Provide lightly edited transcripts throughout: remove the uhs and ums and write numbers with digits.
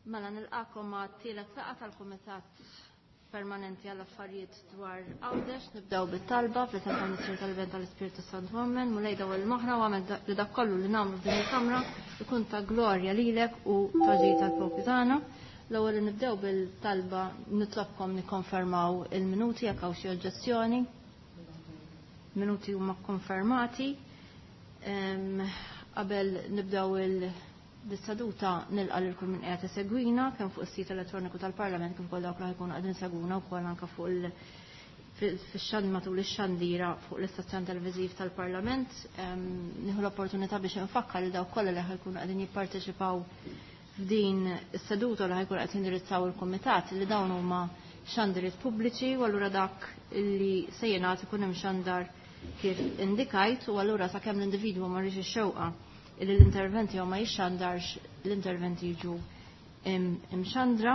Mela nilqakom ma' tielet laqgħa tal-Kumitat Permanenti għall affarijiet dwar Għawdex. Nibdew bit-talba fl-isem tal-Missier tal-Iben tal-Ispirtu Santu Amen. Mulej daw il-moħħna u għamel li dak kollu li nagħmlu f'din il-kamra ikun ta' glorja lilek u ta' ġid tal-poplu tagħna. L-ewwel li nibdew bil-talba nitlobkom nikkonfermaw il-minuti jekk hawn xi oġġezzjoni. Minuti huma konfermati. Qabel nibdew il-seduta nilqa' lil kull min qiegħed isegwina kemm fuq is-sit elettroniku tal-Parlament kif ukoll dawk li ħajkunu qegħdin segwuna wkoll anke fuq il fix-xand matul ix-xandira fuq l-istazzjon televiżiv tal-Parlament. Nieħu l-opportunità biex infakkar li dawk kollha li ħajkunu qegħdin jipparteċipaw f'din is-seduta li ħajkun qed jindirizzaw il-kumitat li dawn huma xandiriet pubbliċi u allura dak li se jingħad ikun hemm xandar kif indikajt u allura sakemm l-individwu ma rridx ix-xewqa illi l-interventi jew ma jixxandarx l-interventi jiġu imxandra.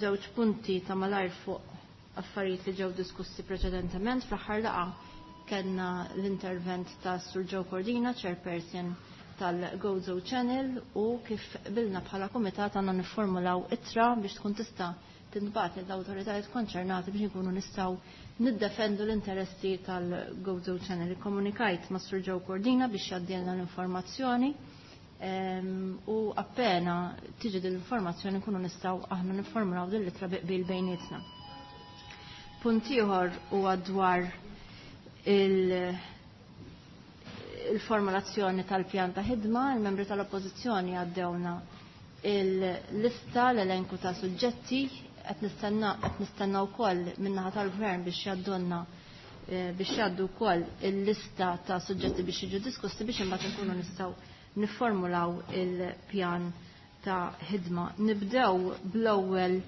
Żewġ punti ta' malajr fuq affarijiet li ġew diskussi preċedentement. Fl-aħħar laqgħa kellna l-intervent ta' Sur Joe Cordina, chairperson tal-Gozo Channel, u kif bilna bħala kumitat għandna niformulaw ittra biex tkun tista' tintbagħat lill-awtoritajiet konċernati biex nkunu nistgħu niddefendu l-interessi tal-Gozo Channel. Ikkomunikajt ma' Sur Joe Cordina biex jgħaddilna l-informazzjoni u appena tiġi din l-informazzjoni nkunu nistgħu aħna niformulaw din l-ittra bi qbil bejnietna. Punt ieħor huwa dwar il-formulazzjoni tal-pjan ta' ħidma, il-membri tal-Oppożizzjoni għaddewna il-lista, l-elenku ta' suġġetti, qed nistenna wkoll min-naħa tal-Gvern biex jgħaddulna biex jgħaddu wkoll il-lista ta' suġġetti biex jiġu diskussi biex imbagħad nkunu nistgħu niformulaw il-pjan ta' ħidma. Nibdew bl-ewwel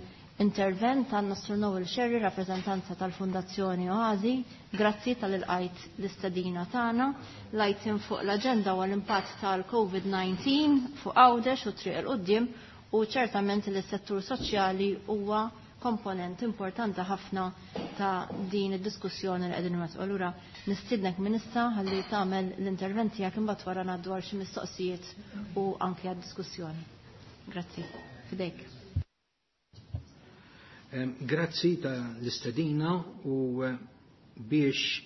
intervent ta' Nostru Noel Scerri, rappreżentanza tal-Fondazzjoni Oasi. Grazzi tal-ilqajt l-istedina tagħna. L-item fuq l-aġenda huwa l-impatt tal-COVID-19 fuq Għawdex u triq il-qudiem u ċertament li s-settur soċjali huwa komponent importanti ħafna ta' din id-diskussjoni li qegħdin nwettqu. Allura nistiednek minn issa ħalli tagħmel l-intervent tiegħek imbagħad wara ngħaddu għal xi mistoqsijiet u anke għad-diskussjoni. Grazzi. Fidejk. Grazzi ta' l-istedina u biex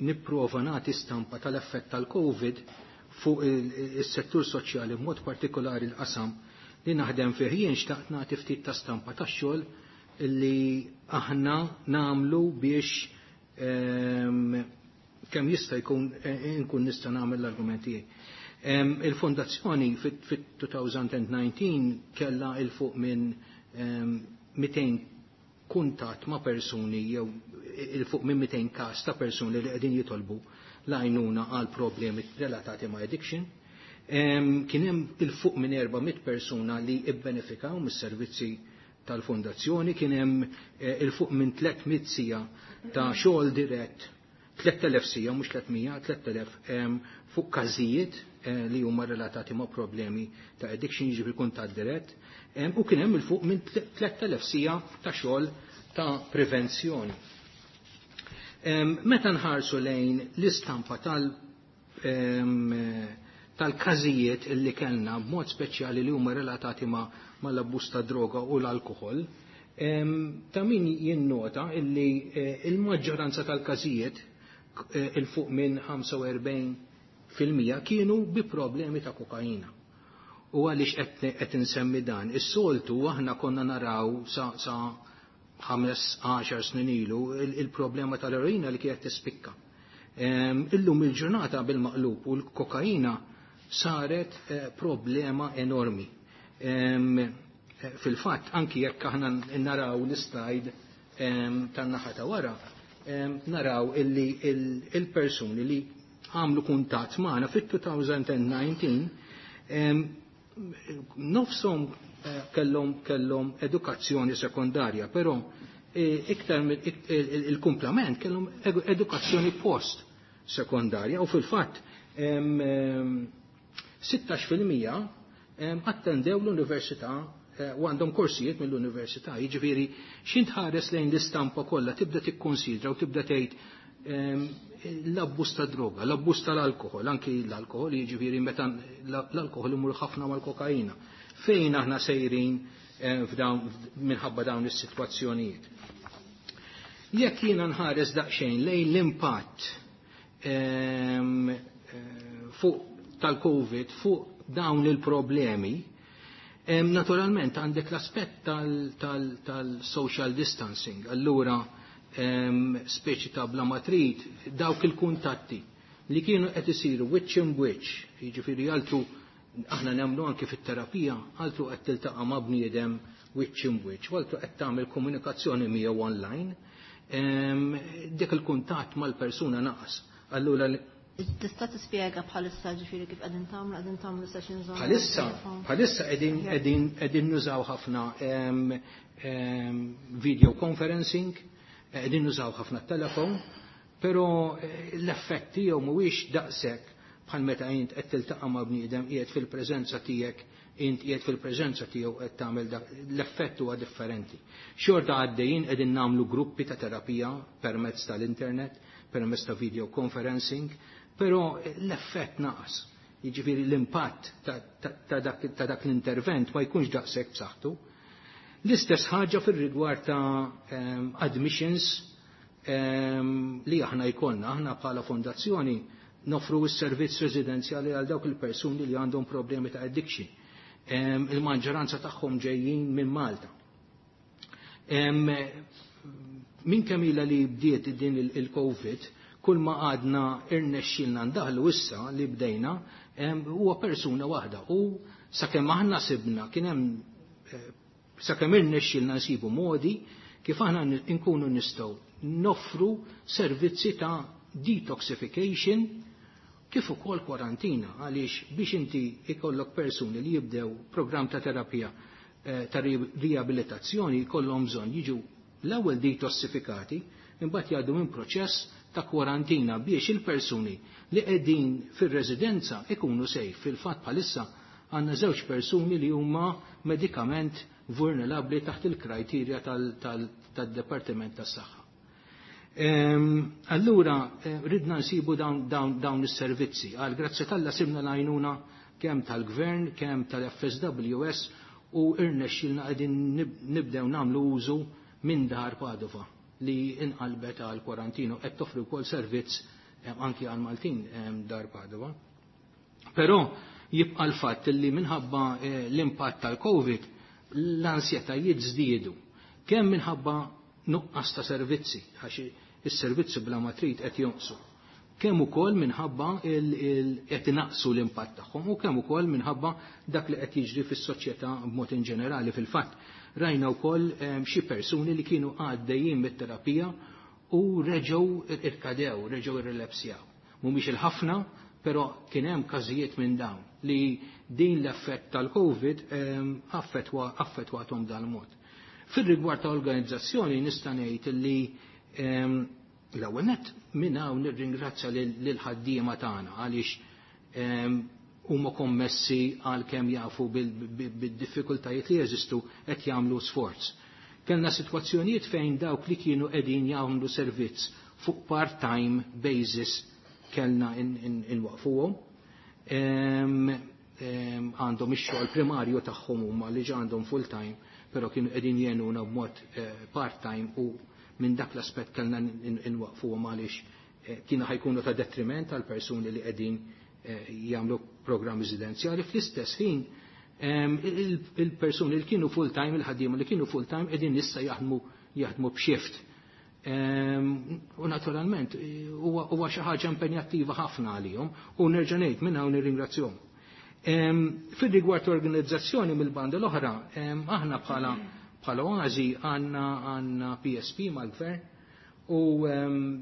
nipprova nagħti stampa tal-effett tal-COVID fuq is-settur soċjali b'mod partikolari l-qasam li naħdem fih jien xtaqt nagħti ftit ta' stampa tax-xogħol li aħna nagħmlu biex kemm jista' jkun inkun nista' nagħmel l-argument tiegħi. Il-fondazzjoni fit-2019 kellha il fuq minn 200 kuntatt ma' persuni jew il fuq minn 200 każ ta' persuni li qegħdin jitolbu l-għajnuna għal problemi relatati ma' addiction. Kien hemm il fuq minn 400 persuna li ibbenefikaw mis-servizzi tal-fondazzjoni, kien hemm il fuq minn 300 sija ta' xogħol dirett, 3000 sija, mhux 300, 3000 fuq każijiet li huma relatati ma' problemi ta' addiction, jiġifieri kuntatt dirett, u kien hemm il fuq minn 3000 sija ta' xogħol ta' prevenzjoni. Meta nħarsu lejn l-istampa tal-każijiet illi kellna b'mod speċjali li huma relatati mal-abbuż ta' droga u l-alkohol, ta' min jinnota illi il-maġġoranza tal-każijiet il fuq minn 45% kienu bi problemi ta' kokaina. U għaliex qed insemmi dan? Is-soltu aħna konna naraw sa 15 snin ilu il-problema tal-eroina li kienet tispikka. Illum il-ġurnata bil-maqlub u l-kokaina saret problema enormi. Fil-fatt, anki jekk aħna naraw l-istajd tan-naħa ta' wara, naraw illi il-persuni li għamlu kuntatt magħna fit-2019 nofshom kellhom edukazzjoni sekondarja, però iktar il-kumplament kellhom edukazzjoni post sekondarja u fil-fatt 16% attendew l-università u għandhom korsijiet mill-università. Jiġifieri x'int ħares lejn l-istampa kollha tibda tikkonsidra u tibda tgħid l-abbuż ta' droga, l-abbuż tal-alkohol, anki l-alkohol, jiġifieri meta l-alkohol imur ħafna mal-kokaina. Fejn aħna sejrin minħabba dawn is-sitwazzjonijiet. Jekk jiena nħares daqsxejn lejn l-impatt fuq tal-COVID fuq dawn il-problemi, naturalment għandek l-aspett tal-social distancing, allura speċi ta' bla ma trid dawk il-kuntatti li kienu qed isiru wiċċ in wiċċ, jiġifieri altru aħna nemmnu anke fit-terapija, altru qed tiltaqa' ma' bniedem wiċċ in wiċċ, u altru qed tagħmel komunikazzjoni miegħu online, dik il-kuntatt mal-persuna naqas. Allura Tista' tispjega bħalissa ġifieri kif qegħdin tagħmlu sessions online? Bħalissa qegħdin nużaw ħafna video conferencing, qegħdin nużaw ħafna telefon, però l-effett tiegħu mhuwiex daqshekk bħal meta int qed tiltaqa' ma' bniedem qiegħed fil-preżenza tiegħek, int qiegħed fil-preżenza tiegħu qed tagħmel dak, l-effett huwa differenti. Xorta għaddejjin qegħdin nagħmlu gruppi ta' terapija permezz tal-internet, permezz ta' video conferencing, però l-effett naqas. Jiġifieri l-impatt ta' dak l-intervent ma jkunx daqshekk b'saħħtu. L-istess ħaġa fir-rigward ta' admissions li aħna jkollna, aħna bħala fondazzjoni nofru s-servizz residenzjali għal dawk il-persuni li għandhom problemi ta' addiction. Il-maġġoranza tagħhom ġejjin minn Malta. Minn kemm ilha li bdiet din il-COVID, kull ma għadna irnexxilna ndaħlu issa li bdejna huwa persuna waħda, u sakemm aħna sibna kien hemm sakemm irnexxilna nsibu modi kif aħna nkunu nistgħu noffru servizzi ta' detoxification kif ukoll kwarantina, għaliex biex inti ikollok persuni li jibdew programm ta' terapija ta' riabilitazzjoni jkollhom bżonn jiġu l-ewwel detossifikati, imbagħad jgħaddu minn proċess ta' kwarantina biex il-persuni li qegħdin fir-residenza ikunu safe. Fil-fatt bħalissa għandna żewġ persuni li huma medikament vulnerabbli taħt il-kriterja tad-Dipartiment tas-Saħħa. Allura ridna nsibu dawn is-servizzi. Għal grazzi t'Alla sibna l-għajnuna kemm tal-Gvern, kemm tal-FSWS, u irnexxilna qegħdin nibdew nagħmlu użu minn Dar Padova li inqalbet għal kwarantino, qed toffri wkoll servizz anki għal Maltin Dar Padova. Però jibqa' l-fatt li minħabba l-impatt tal-COVID l-ansjetajiet żdiedu, kemm minħabba nuqqas ta' servizzi, għax is-servizzi bla ma trid qed jonqsu, kemm ukoll minħabba qed inaqsu l-impatt tagħhom, u kemm ukoll minħabba dak li qed jiġri fis-soċjetà b'mod in ġenerali. Fil-fatt rajna wkoll xi persuni li kienu għaddejjin mit-terapija u reġgħu irkadew, reġgħu irrelapsjaw. Mhumiex il-ħafna, però kien hemm każijiet minn dawn li din l-effett tal-COVID affettwathom dal-mod. Fir-rigward ta' organizzazzjoni nista' ngħid li l-ewwel nett minn hawn nirringrazzja lil ħaddiema tagħna għaliex huma kommessi għal kemm jafu bid-diffikultajiet li jeżistu qed jagħmlu sforz. Kellna sitwazzjonijiet fejn dawk li kienu qegħdin jagħmlu servizz fuq part-time basis kellna inwaqfuhom. Għandhom ix-xogħol primarju tagħhom huma li ġa għandhom full-time, però kienu qegħdin jgħinuna b'mod part-time, u minn dak l-aspett kellna inwaqfuhom għaliex kienu ħajkunu ta' detriment għal persuni li qegħdin jagħmlu programm residenzjali. Fl-istess ħin il-persuni li kienu full-time, il-ħaddiema li kienu full-time qegħdin issa jaħdmu b'shift. U naturalment huwa xi ħaġa impenjattiva ħafna għalihom, u nerġa' ngħid minn hawn nirringrazzjahom. Fir-rigward organizzazzjoni mill-banda l-oħra, aħna bħala Oasi għandna PSP mal-gvern, u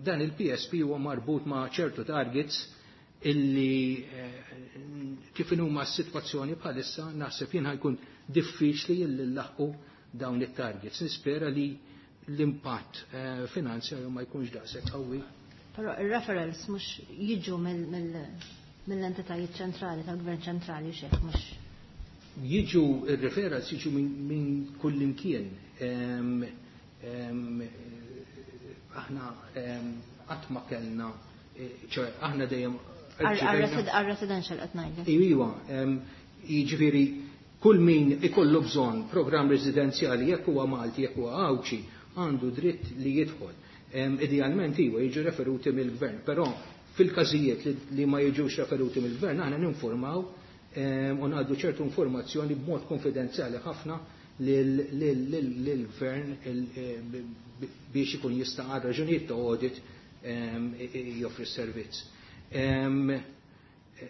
dan il-PSP huwa marbut ma' ċertu targets illi kif huma s-sitwazzjoni bħalissa naħseb jien ħajkun diffiċli illi nlaħqu dawn it-targets. Nispera li l-impatt finanzjarju ma jkunx daqshekk qawwi. Però ir-referrals mhux jiġu mill-entitajiet ċentrali, tal-gvern ċentrali, u xejn mhux. Jiġu ir-referrals jiġu minn kull imkien. Aħna qatt ma kellna, ċoe aħna dejjem Għal-residential qed ngħidlek. Iva, jiġifieri Kull min ikollu bżonn programm residenzjali, jekk huwa Malti, jekk huwa Għawdxi, għandu dritt li jidħol. Idealment iwa jiġu referuti mill-gvern, però fil-każijiet li ma jiġux referuti mill-gvern aħna ninformaw u ngħaddu ċertu informazzjoni b'mod konfidenzjali ħafna lill-gvern biex ikun jista' għal raġunijiet ta' audit joffri s-servizz.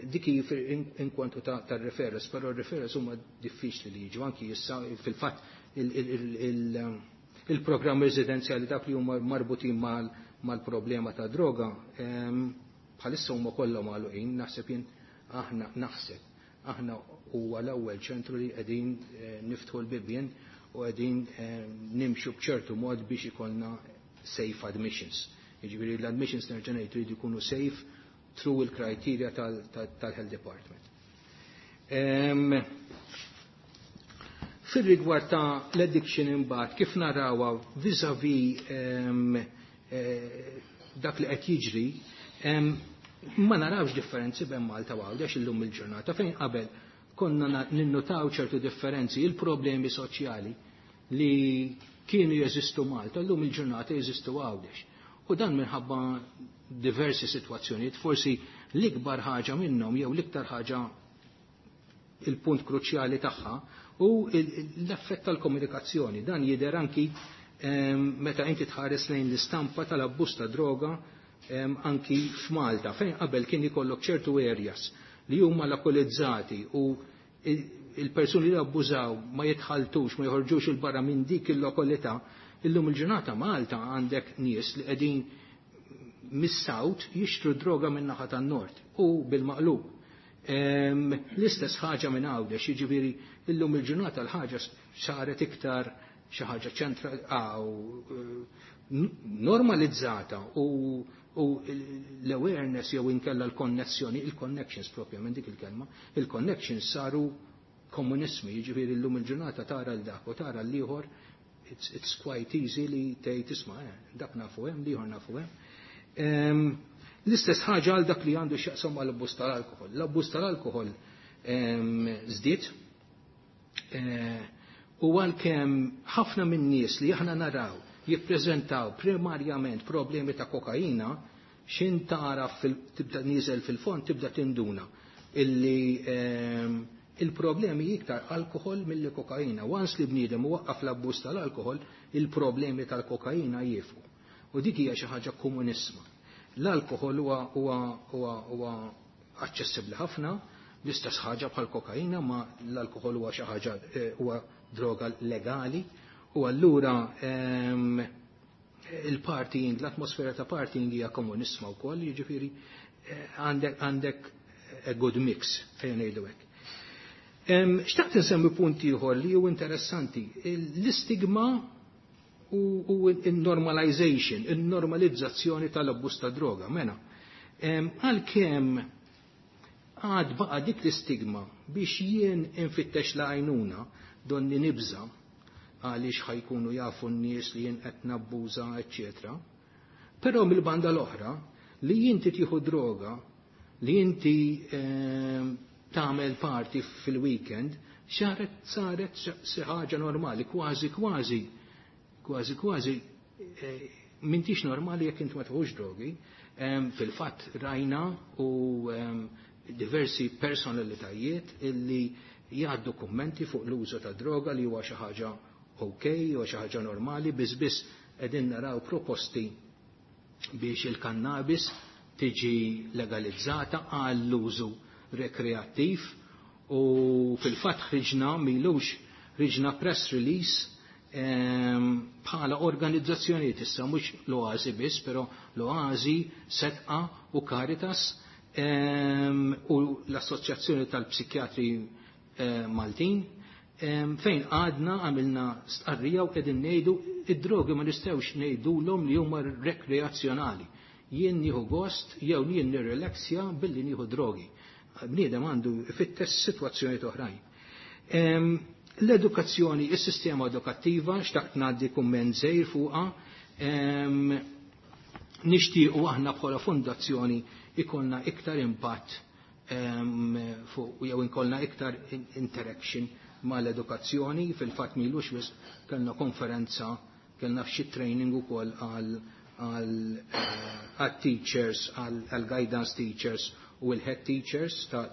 Dik in kwantu ta' referrals, però referrals huma diffiċli li jiġu anki issa. Fil-fatt, il-programm residenzjali, dak li huma marbutin mal-problema ta' droga, bħalissa huma kollha magħluqin. Naħseb jien, aħna naħseb aħna huwa l-ewwel ċentru li qegħdin niftħu l-bibien u qegħdin nimxu b'ċertu mod biex ikollna safe admissions. Jiġifieri l-admissions, nerġa' ngħid, jridu jkunu safe through il-criteria tal-Health Department. Fil-rigward ta' l-addiction imbagħad, kif narawha vis-a-vis dak li qed jiġri, ma narawx differenzi bejn Malta u Għawdex illum il-ġurnata. Fejn qabel konna ninnutaw ċertu differenzi, il-problemi soċjali li kienu jeżistu Malta, llum il-ġurnata jeżistu Għawdex. U dan minħabba diversi sitwazzjonijiet, forsi l-ikbar ħaġa minnhom jew l-iktar ħaġa, il-punt kruċjali tagħha u l-effett tal-komunikazzjoni. Dan jidher anki meta inti tħares lejn l-istampa tal-abbuż ta' droga anki f'Malta, fejn qabel kien ikollok ċertu areas li huma lokalizzati u il-persuni li abbużaw ma jitħaltux, ma joħorġux il-barra minn dik il-lokalità, illum il-ġurnata Malta għandek nies li qegħdin mis-south jixtru droga minn naħa tan-nord u bil-maqlub. L-istess ħaġa minn Għawdex, jiġifieri illum il-ġurnata l-ħaġa saret iktar xi ħaġa ċentra normalizzata u l-awareness jew inkella l-konnessjoni, il-connections propja minn dik il-kelma, il-connections saru komunismi, jiġifieri llum il-ġurnata tara l dak u tara l-ieħor, it's quite easy li tgħid, "Isma', dak nafu hemm, l-ieħor nafu hemm." L-istess ħaġa għal dak li għandu x'jaqsam mal-abbuż tal-alkoħol. L-abbuż tal-alkoħol żdied u għalkemm ħafna minn nies li aħna naraw jippreżentaw primarjament problemi ta' kokaina, xin tara tibda nieżel fil-fond tibda tinduna illi il-problemi iktar alkohol mill kokaina. Once li bniedem waqqaf l-abbuż tal-alkohol, il-problemi tal-kokaina jieqfu. U dik hija xi ħaġa komunissima. L-alkohol huwa aċċessibbli ħafna, l-istess ħaġa bħal kokaina, ma l-alkohol huwa xi ħaġa huwa droga legali u allura il-partying, l-atmosfera ta' partying hija komunissima wkoll, jiġifieri għandek a good mix, ejja ngħidu hekk. Xtaqt insemmi punt ieħor li hu interessanti, l-istigma u il-normalization, il-normalizzazzjoni tal-abbuż ta' droga. Mena, għalkemm għad baqa dik l-istigma biex jien infittex l-għajnuna donni nibża għaliex ħa jkunu jafu n-nies li jien qed nabbuża, eċċetera. Però mill-banda l-oħra, li inti tieħu droga, li inti tagħmel party fil-weekend, saret xi ħaġa normali, kważi kważi, kważi kważi m'intix normali jekk inti ma tieħux drogi. Fil-fatt rajna u diversi personalitajiet illi jgħaddu kummenti fuq l-użu ta' droga li huwa xi ħaġa ok, huwa xi ħaġa normali, biss biss qegħdin naraw proposti biex il-kannabis tiġi legalizzata għall-użu rekreattiv u fil-fatt ħriġna m'ilux, ħriġna press release bħala organizzazzjonijiet, issa mhux l-Oazi biss, però l-Oazi, Sedqa u Caritas u l-Assoċjazzjoni tal-Psikjatri Maltin, fejn għadna għamilna stqarrija u qegħdin ngħidu id-drogi ma nistgħux ngħidulhom li huma rekreazzjonali. Jien nieħu gost jew jien nirrelaxja billi nieħu drogi. Bniedem għandu ifittex sitwazzjonijiet oħrajn. L-edukazzjoni, is-sistema edukattiva, xtaqt ngħaddi kumment żgħir fuqha, nixtiequ aħna bħala fondazzjoni ikollna iktar impatt fuq jew inkollna iktar interaction. mal-edukazzjoni, fil-fatt m'ilux wisq kellna konferenza, kellna f'xi training ukoll għal teachers, għal guidance teachers u l-head teachers ta'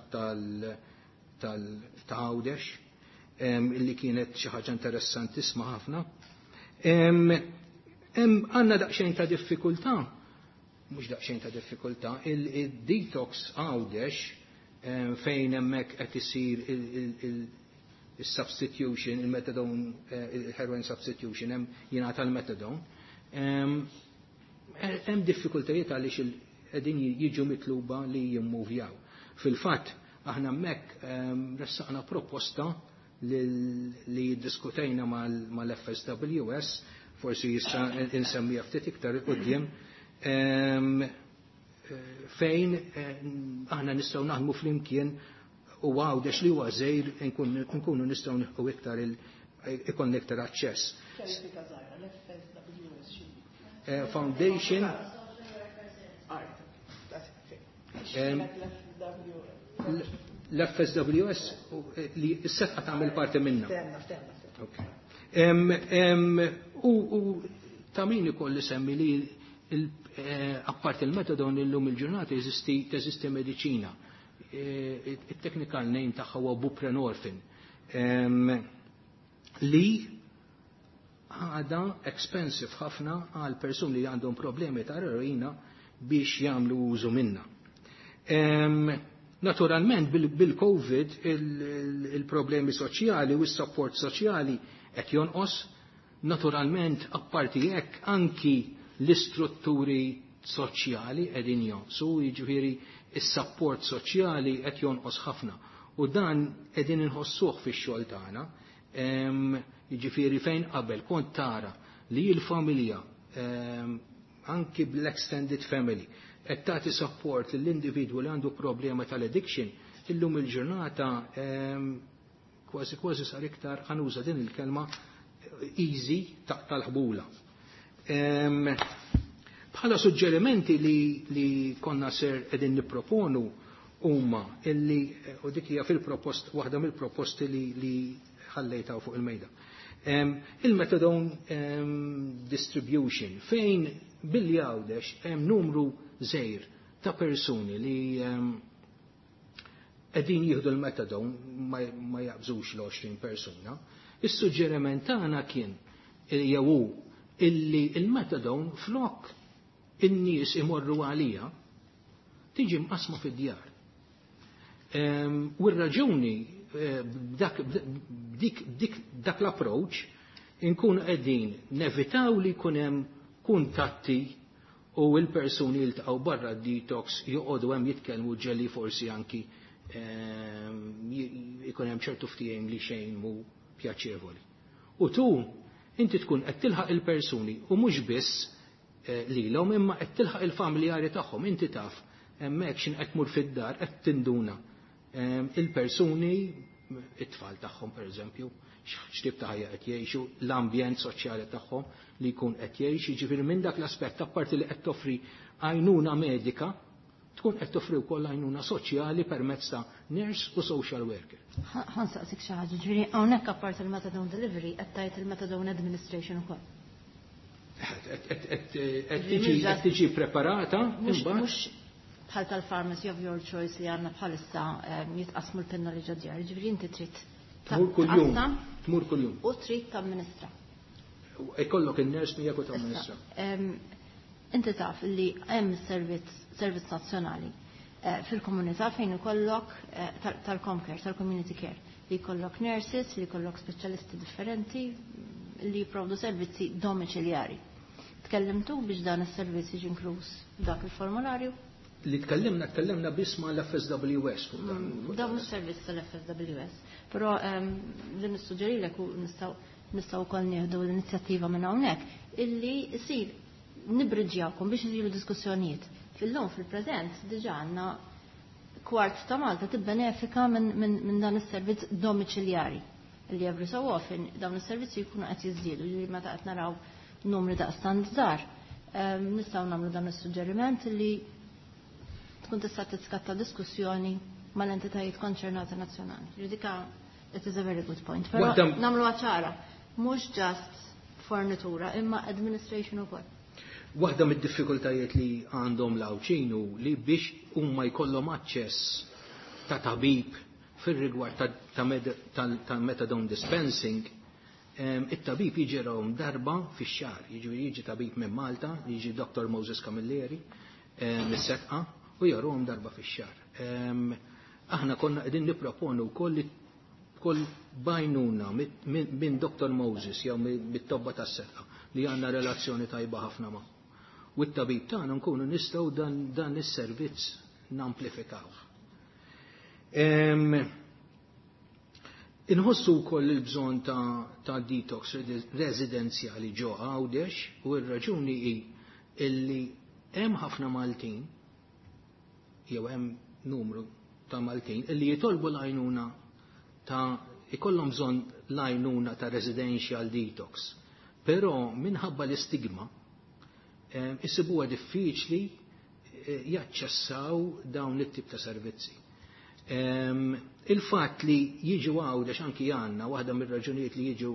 Għawdex, illi kienet xi ħaġa interessantissima ħafna. Għandna daqsxejn ta' diffikultà, mhux daqsxejn ta' diffikultà, il-detox Għawdex fejn hemmhekk qed isir il-substitution, il-methadone, il-heroin substitution, hemm jingħata l-methadone. Hemm diffikultajiet għaliex qegħdin jiġu mitluba li jimmuvjaw. Fil-fatt, aħna hemmhekk ressaqna proposta li ddiskutejna mal-FSWS, forsi jista' insemmija ftit iktar quddiem, fejn aħna nistgħu naħdmu flimkien u Għawdex li huwa żgħir nkunu nistgħu nieħu iktar ikun iktar aċċess. Foundation l-FSWS li s-sefqa tagħmel parti minna. U ta' min ikolli semmi li apparti il-metadon illum il-ġurnata teżisti mediċina. Il-technical name tagħha huwa buprenorfin li għada expensive ħafna għal persuni li għandhom problemi ta' eroina biex jagħmlu użu minna. Naturalment bil-Covid il-problemi soċjali u s-support soċjali qed jonqos, naturalment apparti hekk anki l-istrutturi soċjali qegħdin jonqsu, jiġifieri is-support soċjali qed jonqos ħafna. U dan qegħdin inħossuh fix-xogħol tagħna. Jiġifieri fejn qabel kont tara li l-familja anki bl-extended family qed tagħti support lill-individwu li għandu problema tal-addiction, illum il-ġurnata kważi kważi sar iktar, ħanuża din il-kelma, easy tal-ħbula. Bħala suġġerimenti li konna ser qegħdin nipproponu huma illi, u dik hija fil-propost, waħda mill-proposti li ħallejtaw fuq il-mejda. Il-methadone distribution fejn billi Għawdex hemm numru żgħir ta' persuni li qegħdin jieħdu l-methadone ma jaqbżux l-20 persuna. Is-suġġeriment tagħna kien jew illi il-methadone flok in-nies imorru għalija tiġi mqasma fid-djar. U r-raġuni dak l-approach inkun qegħdin nevitaw li jkun hemm kuntatti u l-persuni jiltaqgħu barra d-detox joqogħdu hemm jitkellmu ġeli forsi anki jkun hemm ċertu ftehim li xejn mhu pjaċevoli. U tu inti tkun qed tilħaq il-persuni u mhux biss lilhom imma qed tilħaq il-familjari tagħhom, inti taf hemmhekk x'in qed tmur fid-dar qed tinduna il-persuni, it-tfal tagħhom pereżempju, x'tip ta' ħajja qed jgħixu, l-ambjent soċjali tagħhom li jkun qed jgħix, jiġifieri minn dak l-aspett apparti li qed toffri għajnuna medika, tkun qed toffri wkoll għajnuna soċjali permezz ta' nurse u social worker. Ħansaqsik xi ħaġa, ġifieri hawnhekk apparti il-methadone delivery qed tgħid il-methadone administration ukoll. Qed tiġi preparata imbagħad. Mhux bħal tal-pharmacy of your choice li għandna bħalissa jitqasmu l-pinna li ġodjar, ġifieri inti trid Tmur kuljum. tqassam Tmur kuljum. U trid tamministra. Ikollok in-nurse miegħek u tamministra. Inti taf li hemm servizz nazzjonali fil-komunità fejn ikollok tal-Comcare, tal-community care, li jkollok nurses, li jkollok speċjalisti differenti li jipprovdu servizzi domiċiljari. Tkellimtu biex dan is-servizz jiġi inkluż dak il-formularju? Li tkellimna biss ma' l-FSWS fuq dan. Dan mhux servizz tal-FSWS, però li nissuġġerilek u nistgħu wkoll nieħdu l-inizjattiva minn hawnhekk illi jsir nibriġjawkom biex isiru diskussjonijiet. Fil-lum fil-preżent diġà għandna kwart ta' Malta tibbenefika minn dan is-servizz domiċiljari li every so often dawn is-servizzi jkunu qed jiżdiedu, li meta qed naraw numri daqstant żgħar. Nistgħu nagħmlu dan is-suġġeriment li tkun tista' titskatta diskussjoni mal-entitajiet konċernati nazzjonali. Ġudika It is a very good point. Però nagħmluha ċara, mhux just fornitura, imma administration ukoll. Waħda mid-diffikultajiet li għandhom l-Għawdxin hu li biex huma jkollhom aċċess ta' tabib fir-rigward ta' methadone dispensing, it-tabib jiġi rawhom darba fix-xahar, jiġifieri jiġi tabib minn Malta, jiġi Dr. Moses Camilleri mis-Setqa u jarahom darba fix-xahar. Aħna konna qegħdin nipproponu wkoll li kull bajnuna minn Dr. Moses jew mit-tobba tas-Setqa li għandna relazzjoni tajba ħafna ma'. U t-tabib tagħna nkunu nistgħu dan is-servizz namplifikawh. Inħossu wkoll il-bżonn ta' detox residenzjali ġo Għawdex u r-raġuni hi illi hemm ħafna Maltin jew hemm numru ta' Maltin illi jitolbu l-għajnuna ta' ikollhom bżonn l-għajnuna ta' residential detox. Però minħabba l-istigma isibuha diffiċli jaċċessaw dawn it-tip ta' servizzi. Il-fatt li jiġu Għawdex anki għandna waħda mir-raġunijiet li jiġu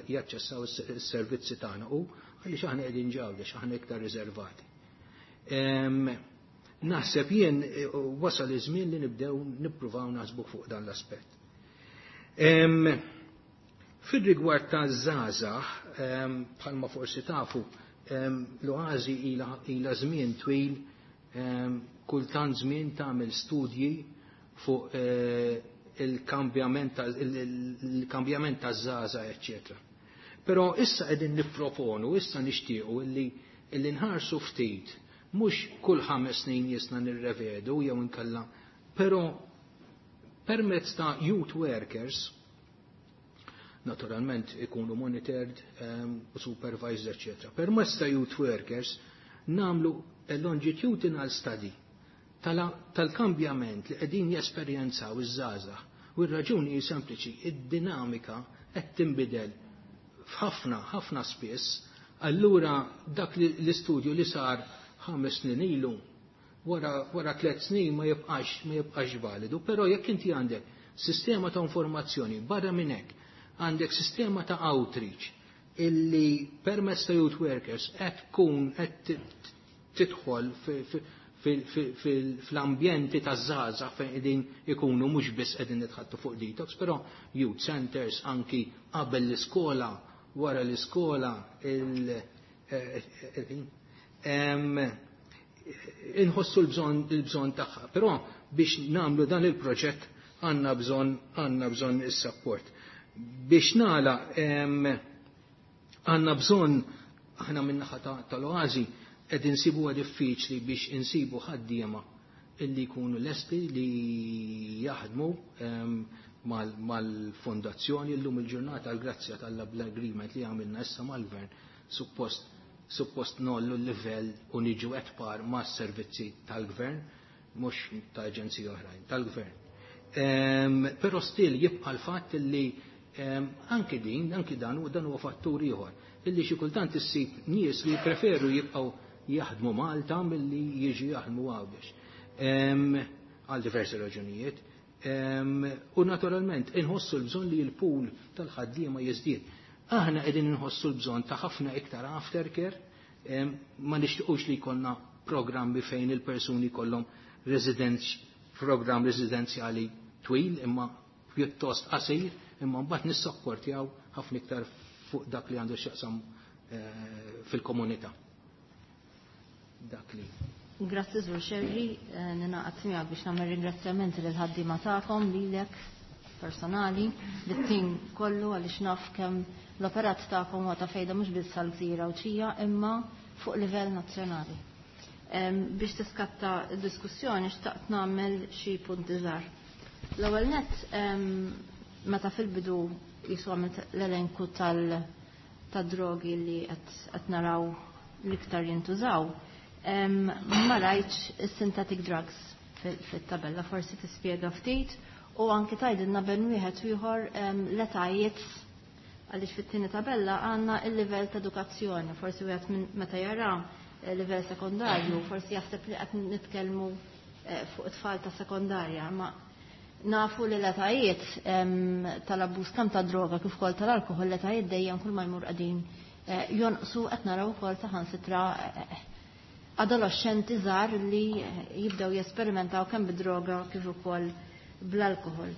jaċċessaw is-servizzi tagħna hu għaliex aħna qegħdin Għawdex, aħna iktar riservati. Naħseb jien wasal iż-żmien li nibdew nippruvaw naħsbu fuq dan l-aspett. Fir-rigward ta' żgħażagħ, bħalma forsi tafu, l-Oażi ilha żmien twil kultant żmien tagħmel studji fuq il-kambjament taż-żgħażagħ, eċċetera. Però issa qegħdin nipproponu, issa nixtiequ illi nħarsu ftit, mhux kull 5 snin jisna nirrevedu jew inkella, però permezz ta' youth workers, naturalment ikunu monitored u supervised, eccetera. Permezz ta' youth workers namlu longitudinal study tal-kambjament li qegħdin jesperjenzaw iż-żgħażagħ. U r-raġuni hi sempliċi, id-dinamika qed tinbidel f'ħafna ħafna spiss, allura dak l-istudju li sar 5 snin ilu wara 3 snin ma jibqax validu, però jekk inti għandek sistema ta' informazzjoni barra minn hekk, għandek sistema ta' outreach illi permezz ta' youth workers qed tkun qed tidħol fl-ambjenti ta' żgħażagħ fejn qegħdin ikunu mhux biss qegħdin nitħattu fuq detox, però youth centers anki qabel l-iskola, wara l-iskola, inħossu l-bżonn tagħha. Però biex nagħmlu dan il-proġett għandna bżonn is-support. Biex nagħlaq għandna bżonn aħna min-naħa tal-Oażi qed insibuha diffiċli biex insibu ħaddiema illi jkunu lesti li jaħdmu mal-fondazzjoni llum il-ġurnata għall-grazzja tal-agreement li għamilna issa mal-gvern suppost nollu l-livell u niġu at par ma' servizzi tal-gvern, mhux ta' aġenziji oħrajn, tal-gvern. Però still jibqa' l-fatt li anki din, anki dan u dan huwa fattur ieħor, illi xi kultant issib nies li jippreferu jibqgħu jaħdmu Malta milli jiġu jaħdmu Għawdex. Għal diversi raġunijiet. U naturalment inħossu l-bżonn li l-pool tal-ħaddiema jiżdied. Aħna qegħdin inħossu l-bżonn ta' ħafna iktar aftercare, ma nixtiequx li jkollna programmi fejn il-persuni kollhom programm residenzjali twil imma pjuttost qasir, imma mbagħad nissapportjaw ħafna iktar fuq dak li għandu x'jaqsam fil-komunità. Dak li. Grazzi Sur Scerri, ninaqgħod miegħek biex nagħmel ringrazzjamenti lil ħaddiema tagħkom, lilek personali, lit-tim kollu għaliex naf kemm l-operat tagħkom huwa ta' fejda mhux biss għall-gżira Għawdxija imma fuq livell nazzjonali. Biex tiskatta d-diskussjoni xtaqt nagħmel xi punti żgħar. L-ewwel nett meta fil-bidu jisu għamilt l-elenku tad-drogi li qed naraw l-iktar jintużaw, ma rajtx is-synthetic drugs fit-tabella, forsi tispjega ftit u anki tgħidilna bejn wieħed u ieħor l-etajiet għaliex fit-tieni tabella għandna il-livell ta' edukazzjoni, forsi wieħed minn meta jara livell sekondarju, forsi jaħseb li qed nitkellmu fuq it-tfal ta' sekondarja, ma Nafu li l-etajiet tal-abbuż kemm ta' droga kif ukoll tal-alkoħol, l-etajiet dejjem kull ma jmur qegħdin jonqsu. Qed naraw ukoll saħansitra adolescenti żgħar li jibdew jesperimentaw kemm bid-droga kif ukoll bl-alkoħol.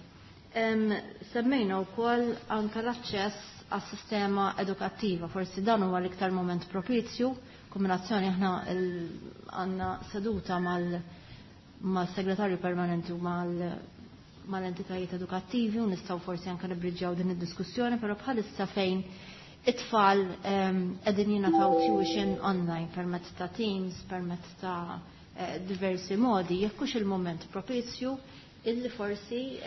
Semmejna wkoll anke l-aċċess għas-sistema edukattiva, forsi dan huwa l-iktar moment propizju, kombinazzjoni aħna għandna seduta mal-segretarju permanenti u mal-entitajiet edukattivi u nistgħu forsi anke nibriġġjaw din id-diskussjoni, però bħalissa fejn it-tfal qegħdin jingħataw tuition online permezz ta' Teams, permezz ta' diversi modi, jekk hux il-moment propizju illi forsi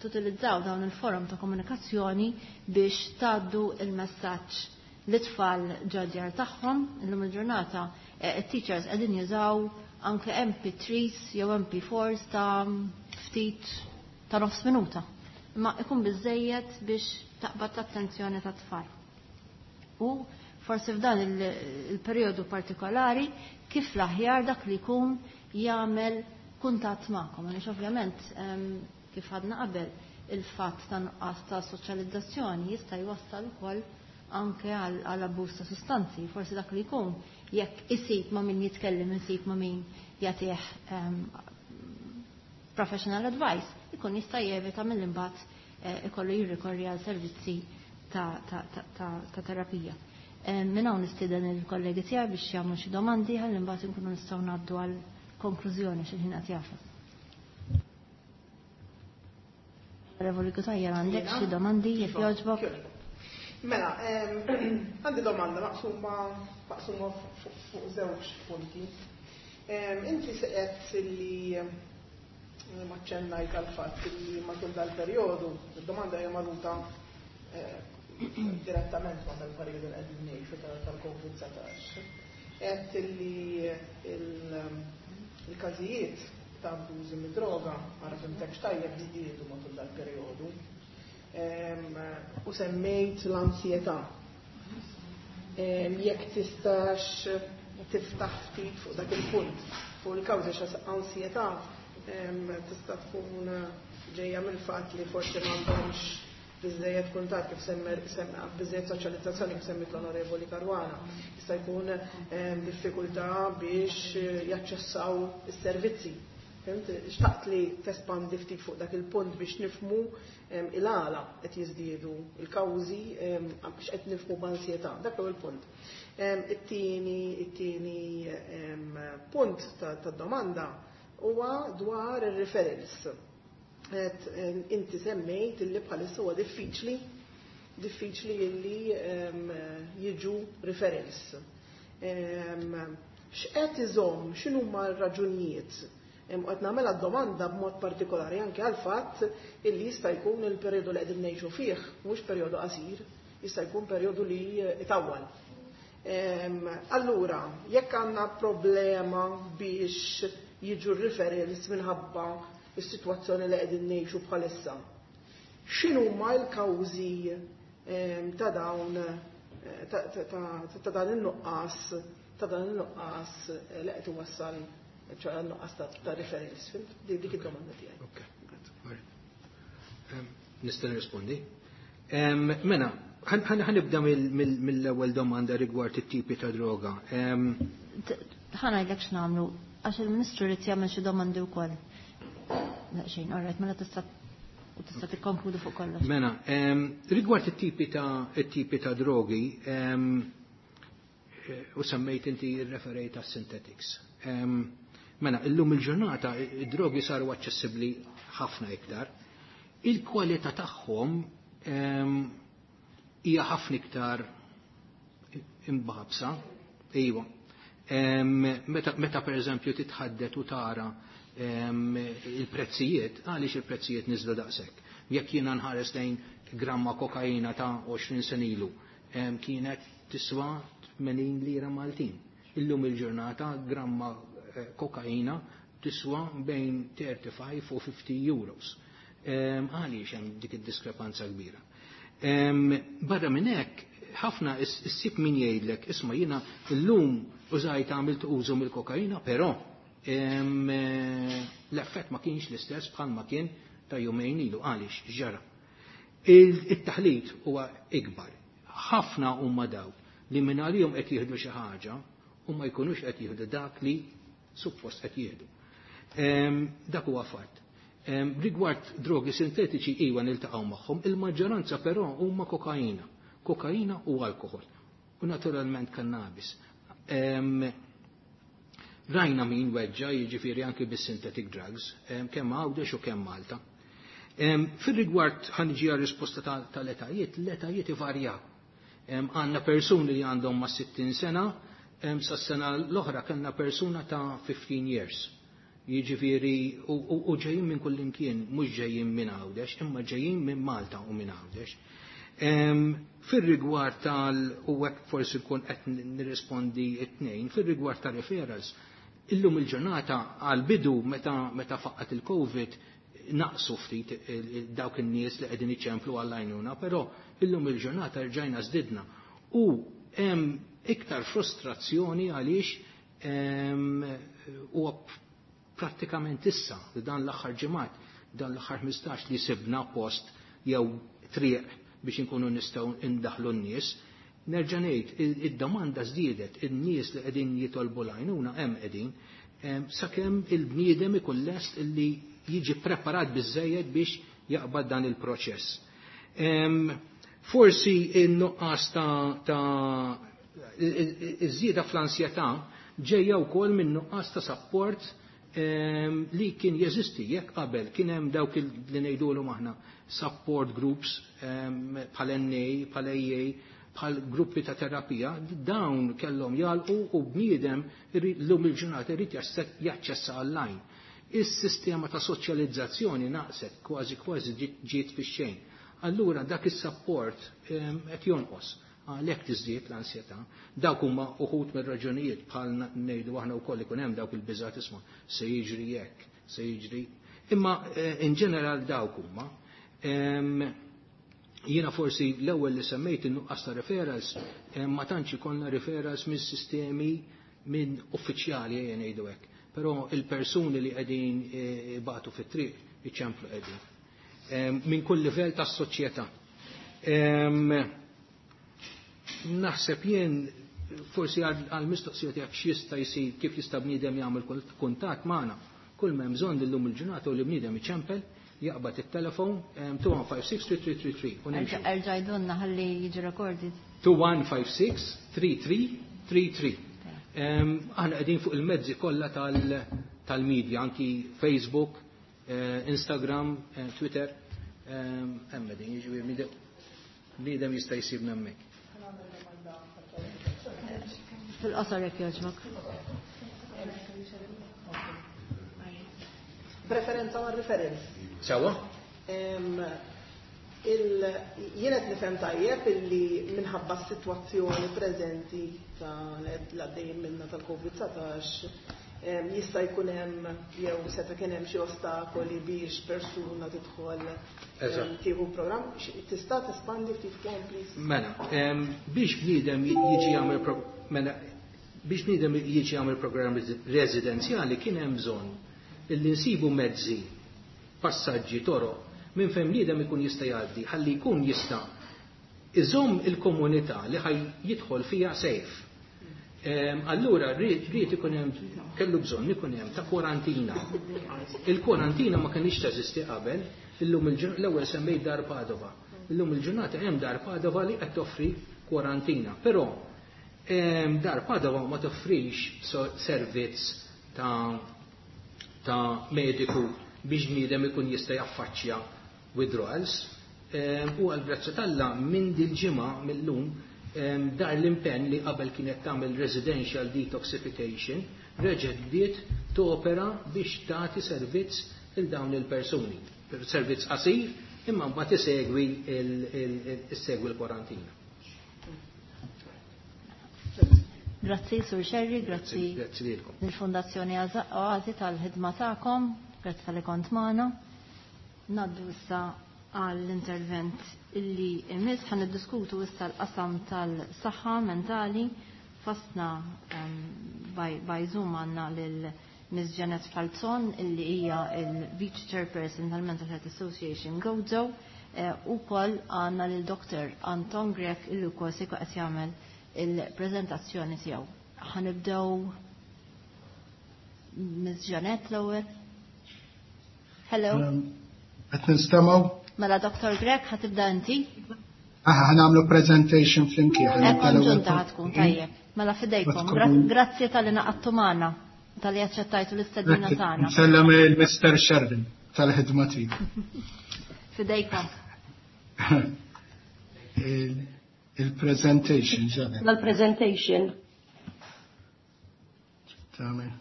tutilizzaw dawn il-forum ta' komunikazzjoni biex tgħaddu il-messaġġ l-tfal ġadjar tagħhom. Illum il-ġurnata it-teachers qegħdin jużaw anke MP3s jew MP4s ta' ftit ta' nofs minuta. Imma ikun biżejjed biex taqbad l-attenzjoni ta' tfal. U forsi f'dan il-perjodu partikolari kif l-aħjar dak li jkun jagħmel kuntatt magħkom. Għaliex ovvjament, kif għadna qabel, il-fatt ta' nuqqas ta' soċjalizzazzjoni jista' jwassal ukoll anke għal abbuż ta' sustanzi. Forsi dak li jkun jekk isib ma' min jitkellem, isib ma' min jagħtih professional advice, ikun jista' jevita mill-imbagħad ikollu jirrikorri għal servizzi ta' terapija. Minn hawn nistieden il-kollegi tiegħi biex jagħmlu xi domandi ħalli imbagħad inkunu nistgħu ngħaddu għal konklużjoni xi ħin qed jagħfas. Onorevoli Cutajar, għandek xi domandi, jekk jogħġbok? Mela, għandi domanda maqsuma fuq żewġ punti. Inti seqet li maċċennajt għal-fatt li matul dal-perjodu, id-domanda hija marbuta direttament ma' dal-perjodu li qegħdin ngħixu tal-Covid-19. Għedt li il-każijiet ta' abbużi mid-droga, ara fhimtekx tajjeb, żdiedu matul dal-perjodu. U semmejt l-ansjetà. Jekk tistax tiftaħ ftit fuq dak il-punt, fuq il-kawża, xa ansjetà tista' tkun ġejja mill-fatt li forsi m'għandhomx biżejjed kuntatt, kif semma, biżejjed soċjalizzazzjoni, kif semmit l-Onorevoli Caruana. Jista' jkun diffikultà biex jaċċessaw is-servizzi. Fhimt? Xtaqt li tespandi ftit fuq dak il-punt biex nifhmu il-għala qed jiżdiedu il-kawżi, biex qed nifhmu b'ansjetà. Dak huwa il-punt. It-tieni punt tad-domanda huwa dwar ir-referrals. Inti semmejt illi bħalissa huwa diffiċli illi jiġu referrals. X'qed iżomm, x'inhuma r-raġunijiet? Qed nagħmel domanda b'mod partikolari anke għal fatt illi jista' jkun il-perjodu li qegħdin ngħixu fih mhux perjodu qasir, jista' jkun perjodu li itawwal. Allura, jekk għandna problema biex jiġu referrals minħabba is-sitwazzjoni li qegħdin ngħixu bħalissa, x'inhuma l-kawżi ta' dan in-nuqqas li qed iwassal, ċoè nuqqas ta' referrals? Dik id-domanda tiegħi. Ok. Nista' nirrispondi. Mela, ħa nibda mill-ewwel domanda rigward it-tipi ta' droga. Ħa ngħidlek x'nagħmlu, għax il-Ministru irid jagħmel xi domandi wkoll. Xejn, alright, mela tista' tikkonkludu fuq kollox. Mela, rigward it-tipi ta' drogi, u semmejt inti, referejt għas synthetics. Mela, illum il-ġurnata id-drogi saru aċċessibbli ħafna iktar. Il-kwalità tagħhom hija ħafna iktar imbabsa, iva. Meta per eżempju titħaddet u tara il-prezzijiet, għaliex il-prezzijiet niżlu daqshekk? Jekk jiena nħares lejn gramma kokaina ta' 20 sena ilu, kienet tiswa 80 lira Maltin. Illum il-ġurnata gramma kokaina tiswa bejn 35 u 50 euros. Għaliex hemm dik id-diskrepanza kbira? Barra minn hekk, ħafna issib min jgħidlek, "Isma', jiena llum użajt, għamilt użu mill-kokaina, però l-effett ma kienx l-istess bħal ma kien ta' jumejn ilu għaliex ġara. Il-taħlit huwa ikbar. Ħafna huma dawk li minn għalihom qed jieħdu xi ħaġa u ma jkunux qed jieħdu dak li suppost qed jieħdu. Dak huwa fatt. Rigward drogi sintetiċi iwa niltaqgħu magħhom, il-maġġoranza però huma kokaina. Kokaina u alkohol. U naturalment kannabis. Rajna min weġġa jiġifieri anki bis-synthetic drugs, kemm Għawdex u kemm Malta. Fir-rigward ħanġi risposta tal-etajiet, l-etajiet ivarjaw. Għandna persuni li għandhom ma' 60 sena, sas-sena l-oħra kellna persuna ta' 15 years. Jiġifieri u ġejjin minn kullimkien, mhux ġejjin minn Għawdex, imma ġejjin minn Malta u minn Għawdex. Fir-rigward tal u hekk forsi nkun qed nirrispondi t-tnejn, fir-rigward ta' referrals, illum il-ġurnata għal-bidu meta faqqat il-Covid naqsu ftit dawk in-nies li qegħdin iċemplu għall-għajnuna, però illum il-ġurnata rġajna żdidna. U hemm iktar frustrazzjoni għaliex huwa prattikament issa li dan l-aħħar ġimgħat, dan l-aħħar 15 li sibna post jew triq biex inkunu nistgħu indaħlu n-nies. Nerġa' ngħid, id-domanda żdiedet, in-nies li qegħdin jitolbu l-għajnuna hemm qegħdin, sakemm il-bniedem ikun lest illi jiġi preparat biżejjed biex jaqbad dan il-proċess. Forsi in-nuqqas ta' iż-żieda fl-ansjetà ġejja wkoll minn nuqqas ta' support li kien jeżisti jekk qabel kien hemm dawk li ngħidulhom aħna support groups bħal NA, bħal AA, bħal gruppi ta' terapija, dawn kellhom jalqu u bniedem llum il-ġurnata irid jaċċessa online. Is-sistema ta' soċjalizzazzjoni naqset kważi kważi ġiet fix-xejn. Allura dak is-support qed jonqos għalhekk tiżdied l-ansjetà. Dawk huma uħud mir-raġunijiet bħal ngħidu aħna wkoll ikun hemm dawk il-biżgħat isma' se jiġri hekk, se jiġri. Imma in ġeneral dawk huma. Jiena forsi l-ewwel li semmejt in-nuqqas ta' referrals, ma tantx ikollna referrals minn sistemi minn uffiċjali ejja ngħidu hekk. Però il-persuni li qegħdin ibatu fit-triq iċemplu qegħdin. Minn kull livell tas-soċjetà. Naħseb jien forsi għal mistoqsija tiegħek x'jista' jsir kif jista' bniedem jagħmel kuntatt magħna. Kull m'hemm bżonn illum il-ġurnata u li bniedem iċempel, jaqbad it-telefon 2156 3333 u nimxu. Erġa' jdunna ħalli jiġi recorded. 2156 3333. Aħna qegħdin fuq il-mezzi kollha tal-media, anki Facebook, Instagram, Twitter, hemm qegħdin, jiġifieri bniedem jista' jsibna hemmhekk. Fil-qosor jekk jogħġbok. Preferenza ma' referenz. Sewa? Jien qed nifhem tajjeb illi minħabba s-sitwazzjoni preżenti ta' l-għaddejjin minna tal-Covid-19 jista' jkun hemm jew seta' kien hemm xi ostakoli biex persuna tidħol tieħu programm. Tista' tespandi ftit fuqhom, please? Mela, biex bniedem jiġi jagħmel mela, biex bniedem jiġi jagħmel programm residenzjali kien hemm bżonn illi nsibu mezzi, passaġġi, toroq minn fejn bniedem ikun jista' jgħaddi ħalli jkun jista' iżomm il-komunità li ħaj jidħol fiha safe. Allura rrid ikun hemm, kellu bżonn ikun hemm ta' kwarantina. Il-kwarantina ma kienx teżisti qabel, illum l-ewwel semmejt Dar Padova. Illum il-ġurnata hemm Dar Padova li qed toffri kwarantina, però Dar Padova ma toffrix servizz ta' mediku biex bniedem ikun jista' jaffaċċja withdrawals. U għal-grazzja t'Alla minn dil-ġimgħa mill-lum dar l-impenn li qabel kienet tagħmel residential detoxification reġgħet bdiet topera biex tagħti servizz il dawn il-persuni. Servizz qasir imma mbagħad isegwi l-kwarantina. Grazzi Sur Scerri, grazzi Grazzi lilkom. lill-Fondazzjoni Oasi tal-ħidma tagħkom, grazzi tal-li kont magħna. Naddu issa għall-intervent illi imiss ħan niddiskutu issa l-qasam tal-saħħa mentali. Fostna by Zoom għandna lil Ms. Janet Falzon illi hija il-Vice Chairperson tal-Mental Health Association Gozo u wkoll għandna lil Dr. Anton Grech illi wkoll se jkun qed jagħmel il-preżentazzjoni tiegħu. Ħa nibdew Ms. Janet l-ewwel. Hello. Qed ninstemgħu? Mela Dr. Grech ħa tibda inti? Aha, ħa nagħmlu presentation flimkien. Konġunta ħa tkun tajjeb. Mela fidejkom. Grazzi talli ngħaqadtu magħna, talli aċċettajtu l-istedina tagħna. Nsellem il-Mr. Shervin tal-ħidma tiegħu. Fidejkom. Il-presentation, Janet. L-presentation. Tagħmel.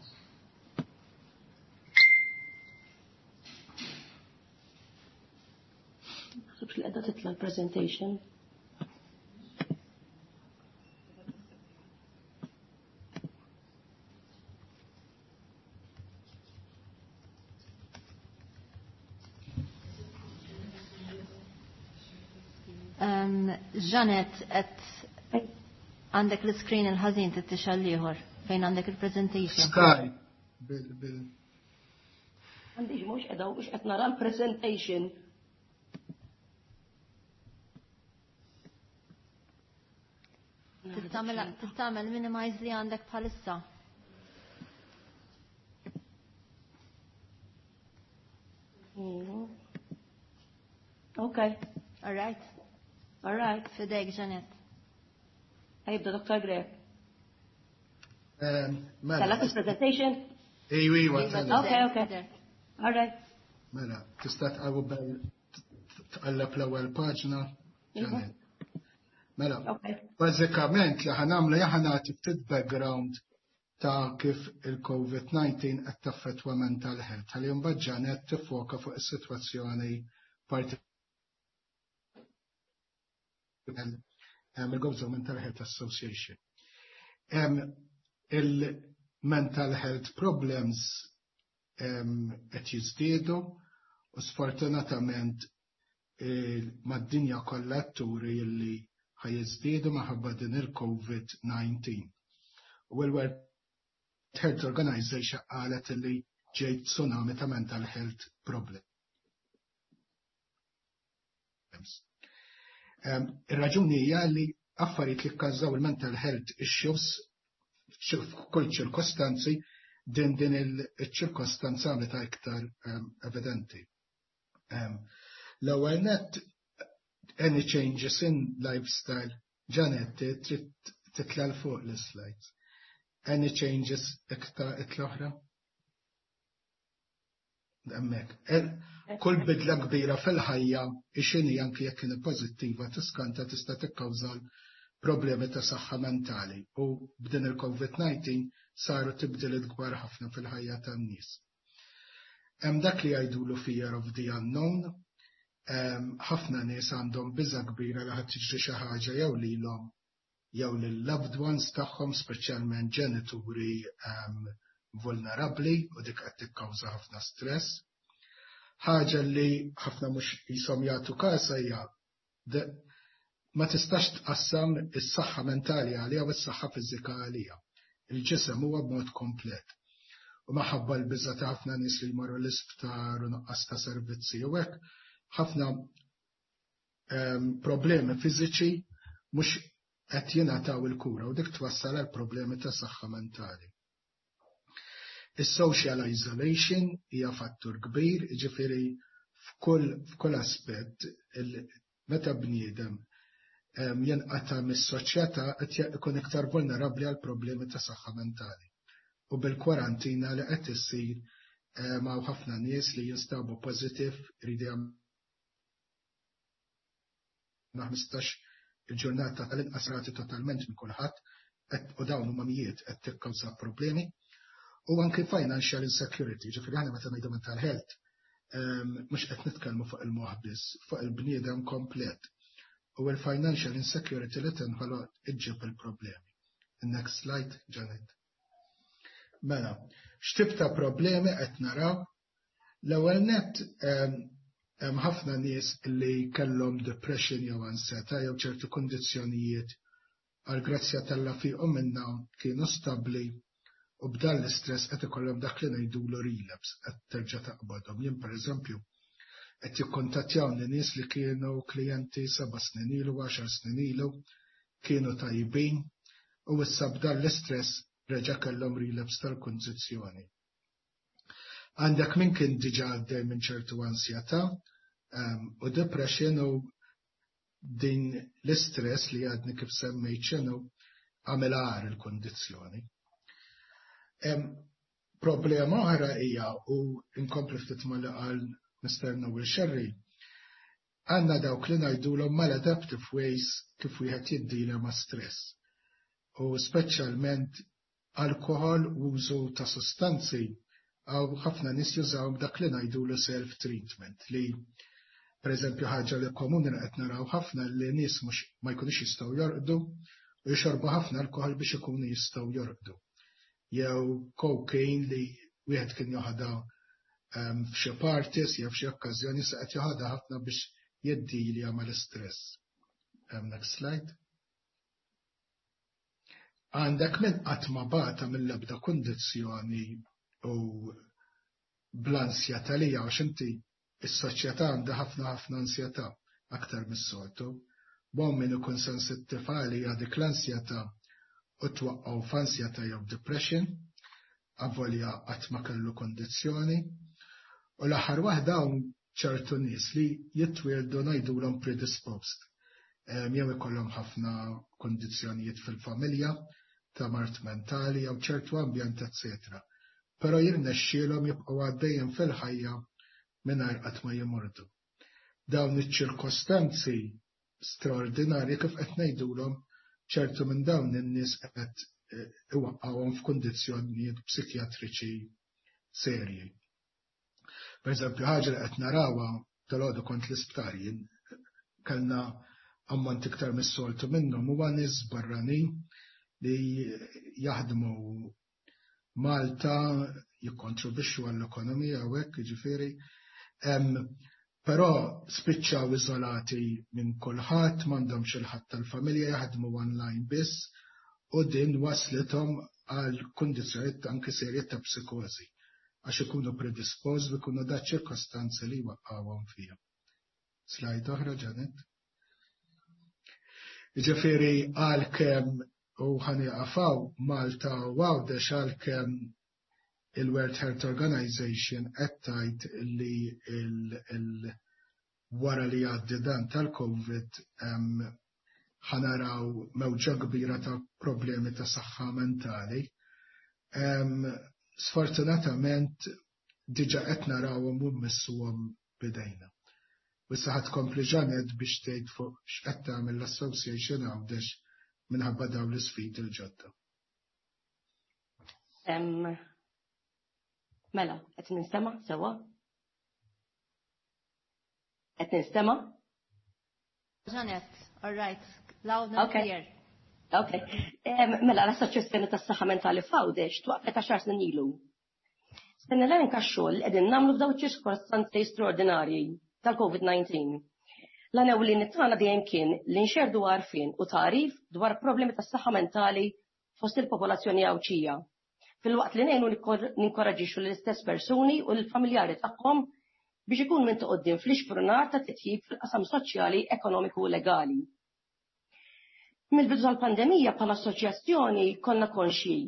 Naħsibx li qiegħda titla' l-presentation. Janet, qed għandek l-screen il-ħażin tixgħel l-ieħor fejn għandek il-presentation. Sky. Bil, bil. Għandix mhux qiegħda mhux qed nara l-presentation. Tagħmel minimize li għandek bħalissa. Okay. All right. All right. Fidejk, Janet. Ħa jibda Dr. Grech. Mela. Tellak il-presentation? Ejwa, iwa, tella. Okay. All right. Mela, tista' tqalleb l-ewwel paġna, Janet. Mela, bażikament li ħa nagħmlu ħa nagħti ftit background ta' kif il-COVID-19 qed taffettwa mental health. Ħalli mbagħad Janet tiffoka fuq is-sitwazzjoni parti il-Gozo Mental Health Association. Il-mental health problems qed jiżdiedu u sfortunatament mad-dinja kollha turi li ħa jiżdiedu minħabba din il-COVID-19. U l-World Health Organization qalet li ġej tsunami ta' mental health problems. Ir-raġuni hija li affarijiet li kkawżaw il-mental health issues f'kull ċirkostanzi din il-ċirkostanza għamlet iktar evidenti. L-ewwel net, any changes in lifestyle, Janet, trid titla' 'l fuq l-slides. Any changes iktar itla' oħra? Hemmhekk. Kull bidla kbira fil-ħajja x'inhi anki jekk kienet pożittiva tiskanta tista' tikkawża problemi ta' saħħa mentali u b'din il-COVID-19 saru tibdiliet kbar ħafna fil-ħajja tan-nies. Hemm dak li jgħidulu fear of the unknown, ħafna nies għandhom biża' kbira li ħadd tiġri xi ħaġa jew lilhom jew lil loved ones tagħhom, speċjalment ġenituri vulnerabbli, u dik qed tikkawża ħafna stress. Ħaġa li ħafna mhux jisom jagħtu kasa hija ma tistax tqassam is-saħħa mentali għalija u s-saħħa fiżika għalija. Il-ġisem huwa b'mod komplet. U minħabba l-biża' ta' ħafna nies li jmorru l-isptar u nuqqas ta' servizzi u hekk, ħafna problemi fiżiċi mhux qed jingħataw il-kura u dik twassal għal problemi ta' saħħa mentali. Is-social isolation hija fattur kbir, jiġifieri f'kull aspett meta bniedem jenqata' mis-soċjetà qed ikun iktar vulnerabbli għal problemi ta' saħħa mentali. U bil-kwarantina li qed issir hawn ħafna nies li jinstabu pożittiv iridu jagħmlu 15 il-ġurnata tal-inqas rati totalment minn kulħadd u dawn huma mijiet qed tikkawża problemi. U anki financial insecurity, ġifieri aħna meta ngħidu mental health, mhux qed nitkellmu fuq il-moħħ biss, fuq il-bniedem komplet. U l-financial insecurity li tinħoloq iġġib il-problemi. Next slide, Janet. Mela, x'tip ta' problemi qed naraw? L-ewwel net hemm ħafna nies li kellhom depression jew ansjetà jew ċertu kundizzjonijiet għal grazzja t'Alla fiqu minnha kienu stabbli. U b'dan l-istress qed ikollhom dak li ngħidulu relapse, qed terġa' taqbadhom. Jien pereżempju qed jikkuntattjawni nies li kienu klijenti 7 snin ilu, 10 snin ilu, kienu tajbin u issa b'dan l-istress reġa' kellhom relapse tal-kundizzjoni. Għandek min kien diġà għaddej minn ċertu ansjetà u depression u din l-istress li għadni kif semmejt x'inhu għamel agħar il-kondizzjoni. Problema oħra hija, u inkompli ftit ma li qal Mr. Noel Sherry, għandna dawk li ngħidulhom maladaptive ways kif wieħed jiddila ma' stress. U speċjalment alkohol u użu ta' sostanzi, għaw ħafna nies jużaw dak li ngħidulu self-treatment, li per eżempju ħaġa li komuni li qed naraw ħafna li nies mhux ma jkunux jistgħu jorqdu u jxorbu ħafna alkohol biex ikunu jistgħu jorqdu. Jew cocaine li wieħed kien joħodha f'xi parties jew f'xi okkażjoni, se qed joħodha ħafna biex jiddilja mal-istress. Next slide. Għandek min qatt ma bata mill-ebda kundizzjoni u bl-ansjetà li għax inti is-soċjetà għandha ħafna ħafna ansjetà aktar mis-soltu. Bon, min ikun sensittiv għalija dik l-ansjetà u twaqqgħu f'ansjetà jew depression, avolja qatt ma kellu kondizzjoni. U l-aħħar waħda, hawn ċertu nies li jitwieldu ngħidulhom predisposed. Jew ikollhom ħafna kondizzjonijiet fil-familja ta' mard mentali jew ċertu ambjent, eccetera. Però jirnexxielhom jibqgħu għaddejjem fil-ħajja mingħajr qatt ma jimordu. Dawn iċ-ċirkostanzi straordinarji, kif qed ngħidulhom, ċertu minn dawn in-nies qed iwaqqawhom f'kundizzjonijiet psikjatriċi serji. Per eżempju, ħaġa li qed narawha, dalgħodu kont l-isptar jien, kellna ammont iktar mis-soltu minnhom, huwa nies barranin li jaħdmu Malta, jikkontribwixxu għall-ekonomija u hekk, jiġifieri. Però spiċċaw iżolati minn kulħadd, m'għandhomx il-ħadd tal-familja, jaħdmu online biss u din waslithom għal kundizzjonijiet anke serji ta' psikożi għax ikunu predispost u ikunu da ċirkostanzi li waqqawhom fihom. Slide oħra, Janet. Ġifieri għalkemm, u ħa nieqaf hawn, Malta u Għawdex, għalkemm il-World Health Organization qed tgħid li il wara li jgħaddi dan tal-COVID ħa naraw mewġa kbira ta' problemi ta' saħħa mentali. Sfortunatament diġa qed narawhom u mmissuhom bidejna. U issa ħa tkompli Janet biex tgħid fuq x'qed tagħmel l-Association Għawdex minħabba dawn l-isfidi l-ġodda. Mela, qed ninstema' sewwa? Qed ninstema'? Janet, all right, loud and clear. Ok. Mela, l-Assoċjazzjoni tas-Saħħa Mentali f'Għawdex twaqfet 10 snin ilu. Se nelenka x-xogħol li qegħdin nagħmlu f'dawn ċirkostanzi straordinarji tal-COVID-19. L-għan ewlieni tagħna dejjem kien li nxerdu għarfien u tagħrif dwar problemi tas-saħħa mentali fost il-popolazzjoni Għawdxija, filwaqt li ngħinu ninkoraġixxu l-istess persuni u l-familjari tagħhom biex ikun minn quddiem fl-ixprunar ta' titjib fil-qasam soċjali, ekonomiku u legali. Mill-bidu tal-pandemija, bħala assoċjazzjoni konna konxji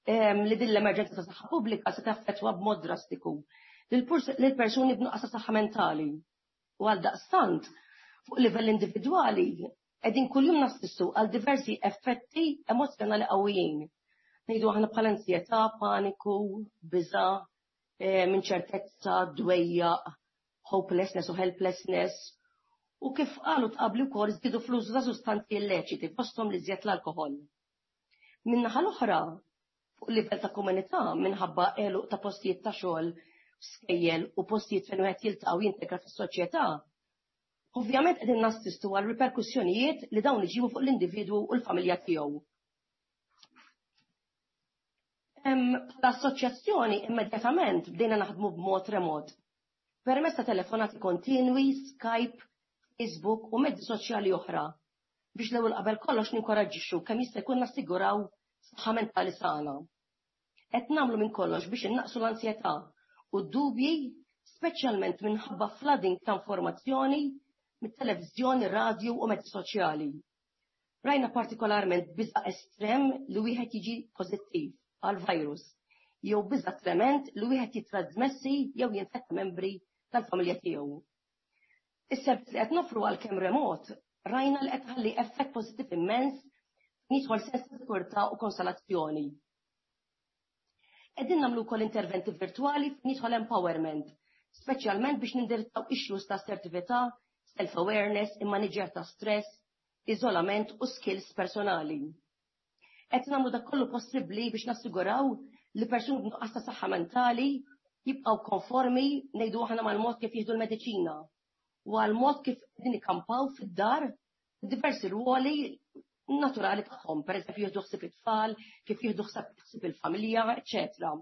li din l-emerġenza ta' saħħa pubblika se taffettwa b'mod drastiku lil persuni b'nuqqas ta' saħħa mentali. U għal daqstant, fuq livell individwali, qegħdin kuljum nassistu għal diversi effetti emozjonali qawwijin. Ngħidu aħna bħal ansjetà, paniku, biża, inċertezza, dwejjaq, hopelessness u helplessness. U kif qalu qabli wkoll, żdiedu fl-użu ta' sustanzi illeċiti, fosthom l-iżjed l-alkohol. Min-naħa l-oħra, fuq livell ta' komunità, minħabba għeluq ta' postijiet ta' xogħol, skejjel u postijiet fejn wieħed jiltaqa' u jintegra fis-soċjetà, ovvjament qegħdin nassistu għal riperkussjonijiet li dawn iġibu fuq l-individwu u l-familja tiegħu. Bħala assoċjazzjoni immedjatament bdejna naħdmu b'mod remot, permezz ta' telefonati kontinwi, Skype, Facebook u mezzi soċjali oħra, biex l-ewwel qabel kollox ninkoraġġixxu kemm jista' jkun nassiguraw saħħa mentali sana. Qed nagħmlu minn kollox biex innaqsu l-ansjetà u d-dubji, speċjalment minħabba flooding ta' informazzjoni mit-televiżjoni, radju u mezzi soċjali. Rajna partikolarment biża' estrem li wieħed jiġi pożittiv għal virus jew biża' trement li wieħed jitrasmessi jew jinfetta membri tal-familja tiegħu. Is-servizz li qed nofru għalkemm remot rajna li qed tħalli effett pożittiv immens jidħol sens ta' sikurtà u konsolazzjoni. Qegħdin nagħmlu wkoll interventi virtwali fejn jidħol empowerment, speċjalment biex nindirizzaw issues ta' assertività, self-awareness, immaniġjar ta' stress, iżolament u skills personali. Qed nagħmlu dak kollu possibbli biex nassiguraw li persuni b'nuqqas ta' saħħa mentali jibqgħu konformi, ngħidu aħna, mal-mod kif jieħdu l-mediċina u għal mod kif qegħdin ikampaw fid-dar diversi ruoli naturali tagħhom, pereżempju jieħdu ħsieb it-tfal, kif jieħdu ħsieb il-familja, eċetera.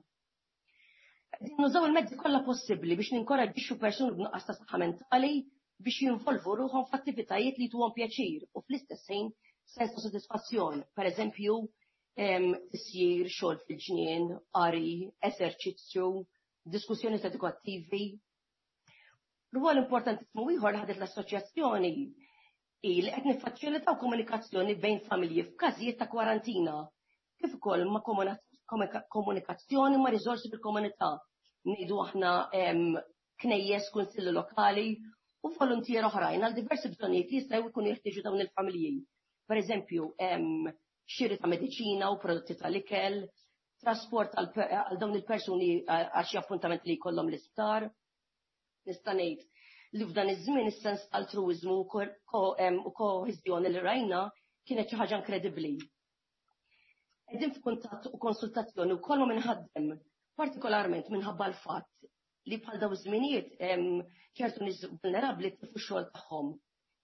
Qegħdin nużaw il-mezzi kollha possibbli biex ninkoraġġixxu persuni b'nuqqas ta' saħħa mentali biex jinvolvu ruħhom f'attivitajiet li jtuhom pjaċir u fl-istess ħin sens ta' sodisfazzjon, pereżempju tisjir, xogħol fil-ġnien, qari, eżerċizzju, diskussjoni edukattivi. Rwol importantissimu ieħor li ħadet l-assoċjazzjoni hi li qed niffaċilitaw komunikazzjoni bejn familji f'każijiet ta' kwarantina, kif ukoll ma' komunikazzjoni ma' riżorsi fil-komunità. Ngħidu aħna knejjes, kunsilli lokali u voluntier oħrajn għal diversi bżonnijiet li jistgħu jkunu jeħtieġu dawn il-familji. Per eżempju, xiri ta' mediċina u prodotti tal-ikel, trasport għal dawn il-persuni għal xi appuntament li jkollhom l-isptar. Nista' ngħid li f'dan iż-żmien is-sens altruiżmu u koeżjoni li rajna kienet xi ħaġa inkredibbli. Qegħdin f'kuntatt u konsultazzjoni wkoll ma' minħaddem, partikolarment minħabba l-fatt li bħal daw iż-żminijiet ċertu nies vulnerabbli tilfu x-xogħol tagħhom.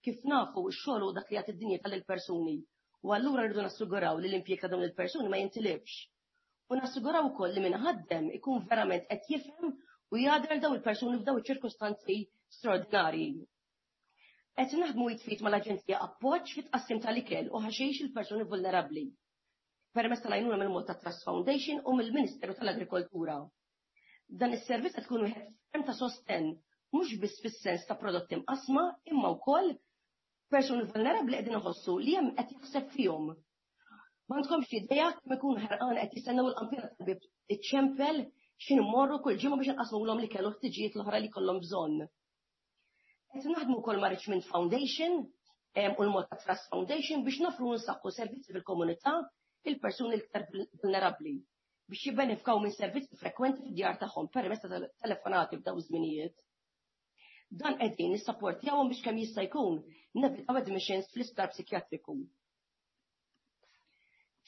Kif nafu, x-xogħol hu dak li jagħti d-dinjità lill-persuni u allura rridu nassiguraw li l-impjieg ta' dawn il-persuni ma jintilifx. U nassiguraw ukoll li min ħaddem ikun verament qed jifhem u jagħder daw il-persuni f'daw iċ-ċirkustanzi straordinarji. Qed naħdmu jitfit mal-Aġenzija Appoġġ fit-tqassim tal-ikel u ħaxix il-persuni vulnerabbli permezz tal-għajnuna mill-Malta Trust Foundation u mill-Ministeru tal-Agrikoltura. Dan is-servizz qed tkun wieħed ferm ta' sostenn mhux biss fis-sens ta' prodotti mqasma imma wkoll persuni vulnerabbli qegħdin iħossu li hemm qed jaħseb fihom. M'għandkomx idea kemm ikun ħerqan qed jistennew il-qampina tal-bib iċċempel x'in immorru kull ġimgħa biex inqasmulhom li kellu ħtiġijiet l-oħra li jkollhom bżonn. Qed naħdmu wkoll ma' Richmond Foundation u l-Malta Trust Foundation biex nofru nsaħħu servizzi fil-komunità il-persuni l-iktar vulnerabbli biex jibbenefikaw minn servizzi frekwenti fid-djar tagħhom permezz ta' telefonati f'daw iż-żminijiet. Dan qegħdin nissapportjawhom biex kemm jista' jkun nevitaw admissions fl-isptar psikjatriku.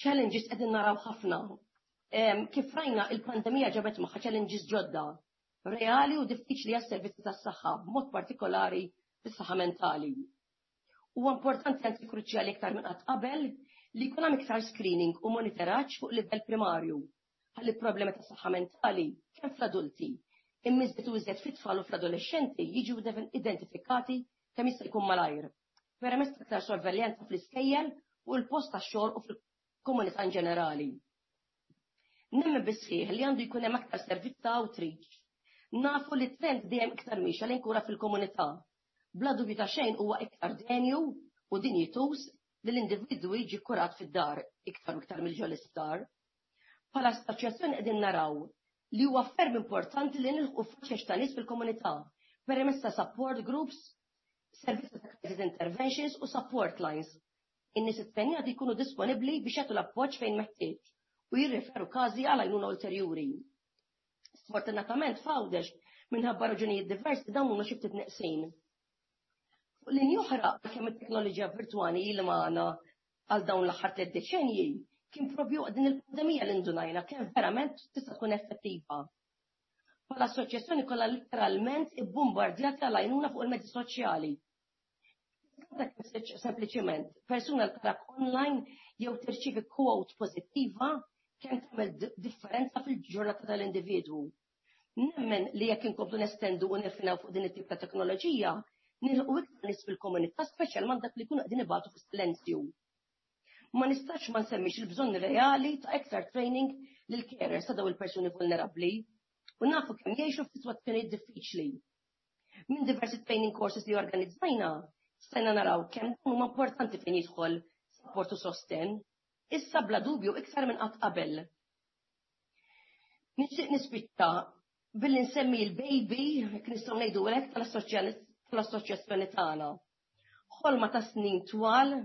Challenges qegħdin naraw ħafna. Kif rajna, il-pandemija ġabet magħha challenges ġodda, reali u diffiċli għas-servizzi tas-saħħa, b'mod partikolari fis-saħħa mentali. Huwa importanti, anzi kruċjali iktar minn qatt qabel, li jkun hemm iktar screening u monitoraġġ fuq livell primarju ħalli problemi ta' saħħa mentali kemm fl-adulti imma iżjed u iżjed fit-tfal u fl-adolescenti jiġu identifikati kemm jista' jkun malajr, permezz ta' iktar sorveljanza fl-iskejjel u l-post tax-xogħol u fil-komunità in ġenerali. Nemmen bis-sħiħ li għandu jkun hemm aktar servizz ta' outreach. Nafu li trend dejjem iktar miexja lejn kura fil-komunità. Bla dubju ta' xejn huwa iktar denju u dinjituż li l-individwu jiġi kurat fid-dar iktar u iktar mill l-isptar. Bħala assoċjazzjoni qegħdin naraw li huwa ferm importanti li nilħqu faxex ta' nies fil-komunità permezz ta' support groups, servizzi ta' crisis interventions u support lines. In-nies ittrenjati jkunu disponibbli biex jagħtu l-appoġġ fejn meħtieġ u jirriferu każi għal għajnuna ulterjuri. Sfortunatament f'Għawdex, minħabba raġunijiet diversi, dawn huma xi ftit neqsin. Fuq linja oħra, kemm it-teknoloġija virtwali li magħna għal dawn l-aħħar 3 deċenji, kien propju din il-pandemija li ndunajna kemm verament tista' tkun effettiva. Bħala assoċjazzjoni kollha literalment ibbombardjati għal għajnuna fuq il-mezzi soċjali. Sempliċiment, persuna li tarak online jew tirċivi quote pożittiva kemm tagħmel differenza fil-ġurnata tal-individwu. Nemmen li jekk inkomplu nestendu u nirfinaw fuq din it-tip ta' teknoloġija, nilħu iktar nies fil-komunità, speċjalment dak li jkunu qegħdin ibatu fis-silenzju. Ma nistax ma nsemmix il-bżonn reali ta' iktar training. lill-carers ta' dawn il-persuni vulnerabbli u nafu kemm jgħixu f'sitwazzjonijiet diffiċli. Minn diversi training courses li organizzajna, stajna naraw kemm huma importanti fejn jidħol support u sosten, issa bla dubju iktar minn qatt qabel. Nixtieq nispiċċa billi nsemmi l-baby, jekk nistgħu ngħidu hekk, tal-assoċjazzjoni tagħna. Ħolma ta' snin twal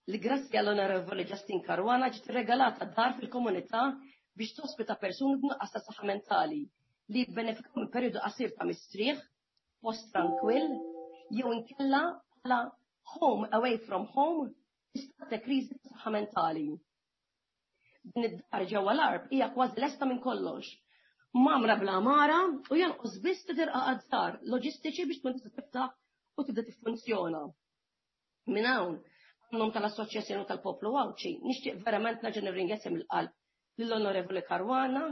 li grazzi għall-Onorevoli Justin Caruana ġiet regalata dar fil-komunità biex tospita persuni b'nuqqas ta' saħħa mentali li jibbenefikaw minn perjodu qasir ta' mistrieħ, post trankwill, jew inkella bħala home away from home fi stat ta' kriżi ta' saħħa mentali. Din id-dar ġewwa l-Għarb hija kważi lesta minn kollox. Mgħammra bl-għamara u jonqos biss ftit irqaqat żgħar loġistiċi biex tkun tista' tiftaħ u tibda tiffunzjona. Minn hawn, għan-nom tal-Assoċjazzjoni tal-Poplu Għawdxi, nixtieq verament nerġa' nirringrazzja mill-qalb lill-Onorevoli Caruana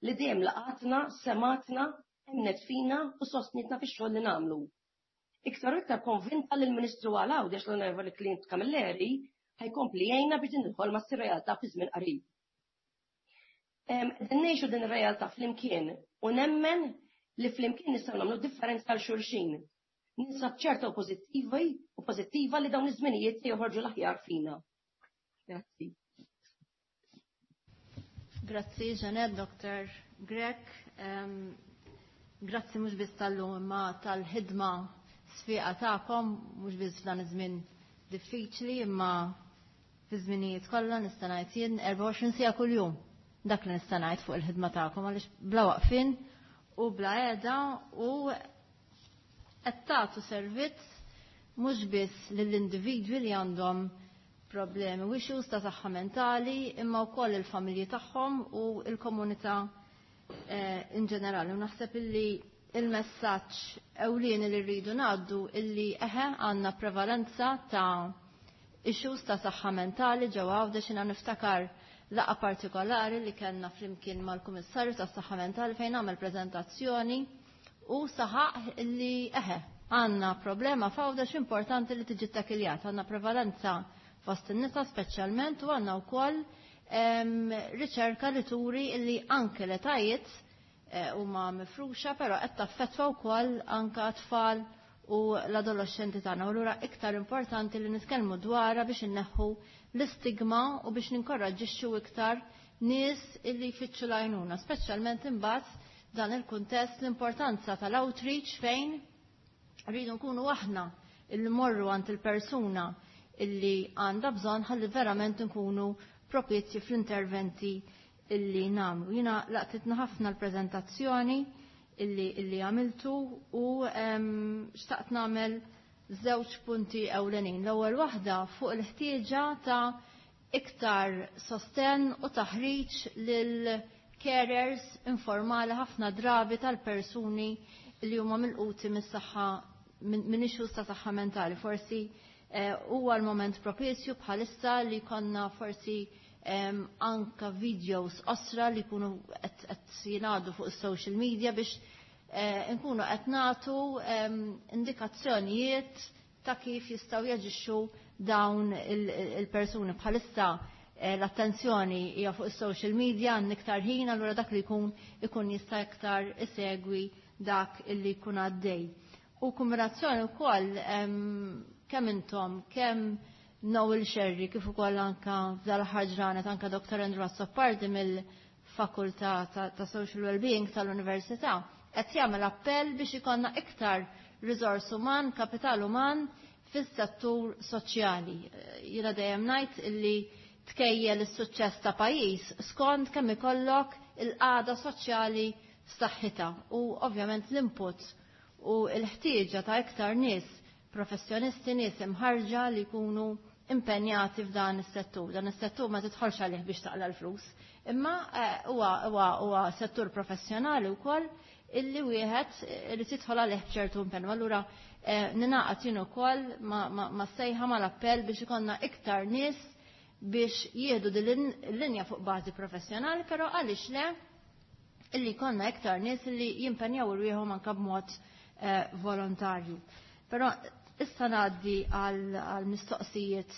li dejjem laqatna, semgħatna, emmnet fina u sostnietna fix-xogħol li nagħmlu. Iktar u iktar konvinta li l-Ministru għal Għawdex l-Onorevoli Clint Camilleri ħa jkompli jgħinna biex din il-ħolma ssir realtà fi żmien qarib. Qegħdin ngħixu din ir-realtà flimkien u nemmen li flimkien nistgħu nagħmlu differenza għal xulxin. Ninsab ċerta u pożittivi u pożittiva li dawn iż-żminijiet se joħorġu l-aħjar fina. Grazzi. Grazzi, Jeanette, Dr. Grech. Grazzi mhux biss tal-lum imma tal-ħidma sfiqa tagħkom, mhux biss f'dan iż-żmien diffiċli imma fi żminijiet kollha nista' ngħid jien 24 siegħa kuljum. Dak li nista' ngħid fuq il-ħidma tagħkom għaliex bla waqfien u bla qiegħda u qed tagħtu servizz mhux biss lill-individwi li għandhom problemi u issues ta' saħħa mentali imma wkoll il-familji tagħhom u l-komunità in ġenerali. U naħseb illi il-messaġġ ewlieni li rridu ngħaddu illi eħe għandna prevalenza ta' issues ta' saħħa mentali ġewwa Għawdex. Jiena niftakar laqgħa partikolari li kellna flimkien mal-Kummissarju tas-Saħħa Mentali fejn għamel preżentazzjoni u saħaq illi eħe għandna problema f'Għawdex importanti li tiġi ttakkiljat, għandna prevalenza fost in-nisa speċjalment u għandna wkoll riċerka li turi illi anke l-etajiet huma mifruxa, però qed taffettwa wkoll anke tfal u l-adolescenti tagħna. U allura iktar importanti li nitkellmu dwarha biex inneħħu l-istigma u biex ninkoraġġixxu iktar nies illi jfittxu l-għajnuna, speċjalment imbagħad dan il-kuntest l-importanza tal-outreach fejn rridu nkunu aħna illi morru għand il-persuna illi għandha bżonn ħalli verament nkunu propizji fl-interventi illi nagħmlu. Jiena laqtitna ħafna l-preżentazzjoni illi għamiltu u xtaqt nagħmel żewġ punti ewlenin. L-ewwel waħda fuq il-ħtieġa ta' iktar sosten u taħriġ lil carers informali ħafna drabi tal-persuni li huma milquti mis-saħħa minn issues ta' saħħa mentali. Forsi huwa l-moment propizju bħalissa li konna forsi anka videos osra li jkunu qed jingħadu fuq is-social media biex nkunu qed nagħtu indikazzjonijiet ta' kif jistgħu jaġixxu dawn il-persuni. Bħalissa l-attenzjoni hija fuq is-social media, għandna iktar ħin, allura dak li jkun ikun jista' iktar isegwi dak illi jkun għaddej. U kombinazzjoni wkoll kemm intom, kemm Noel Sherry, kif ukoll anka f'dal-aħħar ġranet anka Dr. Andrew Azzopardi mill-Fakultà ta' Social Wellbeing tal-Università, qed jagħmel appell biex ikollna iktar riżors uman, kapital uman fis-settur soċjali. Jiena dejjem ngħid illi tkejjel is-suċċess ta' pajjiż skont kemm ikollok il-qagħda soċjali f'saħħitha u ovvjament l-input u l-ħtieġa ta' iktar nies professjonisti, nies imħarġa li jkunu impenjati f'dan is-settur. Dan is-settur ma tidħolx għalih biex taqla l-flus, imma huwa settur professjonali wkoll illi wieħed irid jidħol għalih b'ċertu impenn. Allura ninaqgħod jien ukoll ma' sejħa mal-appell biex ikollna iktar nies biex jieħdu din l-linja fuq bażi professjonali, però għaliex le illi jkollna iktar nies illi jimpenjaw irwieħhom anke b'mod volontarju. Però issa ngħaddi għal mistoqsijiet.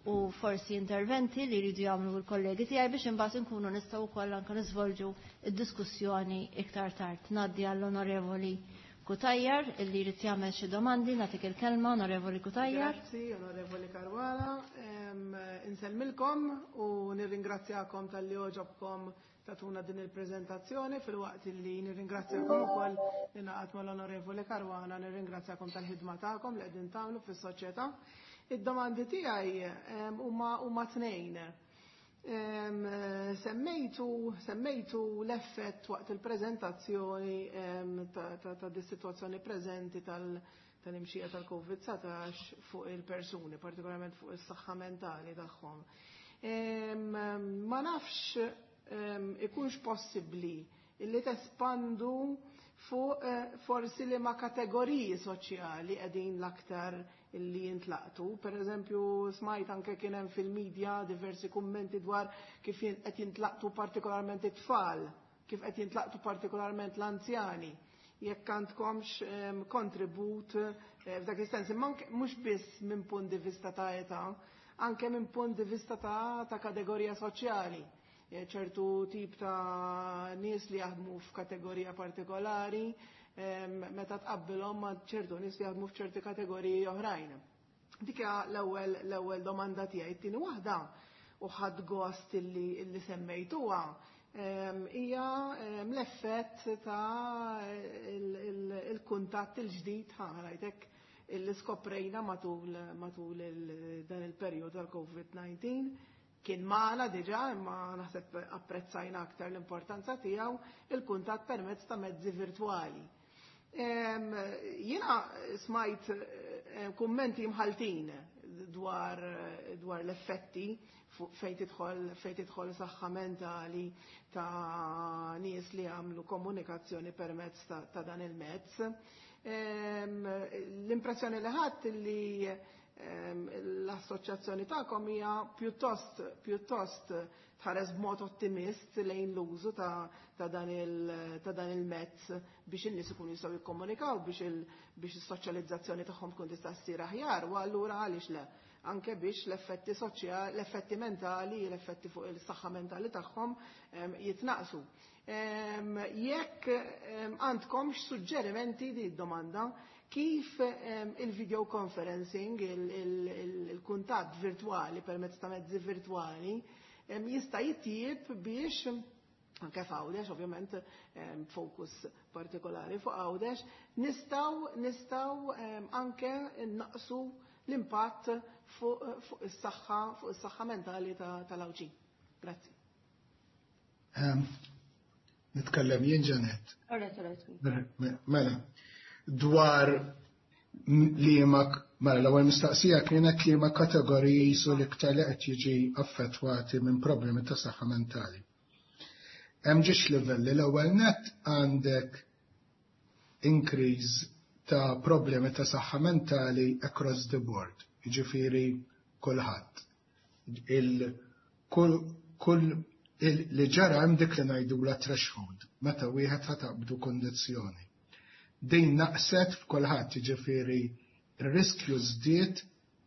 u forsi interventi li jridu jagħmlu l-kollegi tiegħi biex imbagħad inkunu nistgħu wkoll anke niżvolġu id-diskussjoni iktar tard. Ngħaddi għall-Onorevoli Cutajar illi jrid jagħmel xi domandi, nagħtik il-kelma, Onorevoli Cutajar. Grazzi, Onorevoli Caruana. Insellmilkom u nirringrazzjakom talli għoġobkom tagħtuna din il-preżentazzjoni filwaqt li nirringrazzjakom ukoll li naqgħod mal-Onorevoli Caruana, nirringrazzjakom tal-ħidma tagħkom li qegħdin tagħmlu fis-soċjetà. Id-domandi tiegħi huma tnejn. Semmejtu l-effett waqt il-preżentazzjoni ta' dis-sitwazzjoni preżenti tal-imxija tal-COVID-19 fuq il-persuni, partikolarment fuq is-saħħa mentali tagħhom. Ma nafx ikunx possibbli illi tespandu fuq forsi li ma kategoriji soċjali qegħdin l-aktar illi jintlaqtu. Per eżempju, smajt anke kien hemm fil-medja diversi kummenti dwar kif qed jintlaqtu partikolarment it-tfal, kif qed jintlaqtu partikolarment l-anzjani. Jekk għandkomx kontribut f'dak is-sens, imma mhux biss minn punt di vista ta' età, anke minn punt di vista ta' kategorija soċjali. Ċertu tip ta' nies li jaħdmu f'kategorija partikolari, meta tqabbilhom ma' ċertu nies li jaħdmu f'ċerti kategoriji oħrajn. Dik hija l-ewwel domanda tiegħi. It-tieni waħda u ħadd gost illi semmejtuha hija l-effett ta' il-kuntatt il-ġdid ħarajtek illi skoprejna matul dan il-perjodu tal-COVID-19. Kien magħna diġà, imma naħseb apprezzajna aktar l-importanza tiegħu, il-kuntatt permezz ta' mezzi virtwali. Jiena smajt kummenti mħaltin dwar l-effetti fejn tidħol saħħa mentali ta' nies li għamlu komunikazzjoni permezz ta' dan il-mezz. L-impressjoni li ħadd li l-assoċjazzjoni tagħkom hija pjuttost tħares b'mod ottimist lejn l-użu ta' dan il-mezz biex in-nies ikunu jistgħu jikkomunikaw biex is-soċjalizzazzjoni tagħhom tkun tista' ssir aħjar, u allura għaliex le anke biex l-effetti soċjali, l-effetti mentali, l-effetti fuq il-saħħa mentali tagħhom jitnaqsu. Jekk għandkomx suġġerimenti di domanda kif il-video conferencing, il-kuntatt virtuali permezz ta' mezzi virtuali jista' jitjieb biex anke f'Għawdex, ovvjament fokus partikolari fuq Għawdex, nistgħu anke naqsu l-impatt fuq is-saħħa mentali tal-Għawdxin. Grazzi. Nitkellem jien, Janet. Mela, dwar li ma mela l-ewwel mistaqsija kienet li ma kategoriji jisu l-iktar li qed jiġi affettwati minn problemi ta' saħħa mentali. Hemm ġiex livelli. L-ewwel net għandek increase ta' problemi ta' saħħa mentali across the board, jiġifieri kulħadd. Kull li ġara hemm dik li ngħidula threshold, meta wieħed ħataqbdu kondizzjoni. Din naqset f'kulħadd, jiġifieri ir-riskju żdied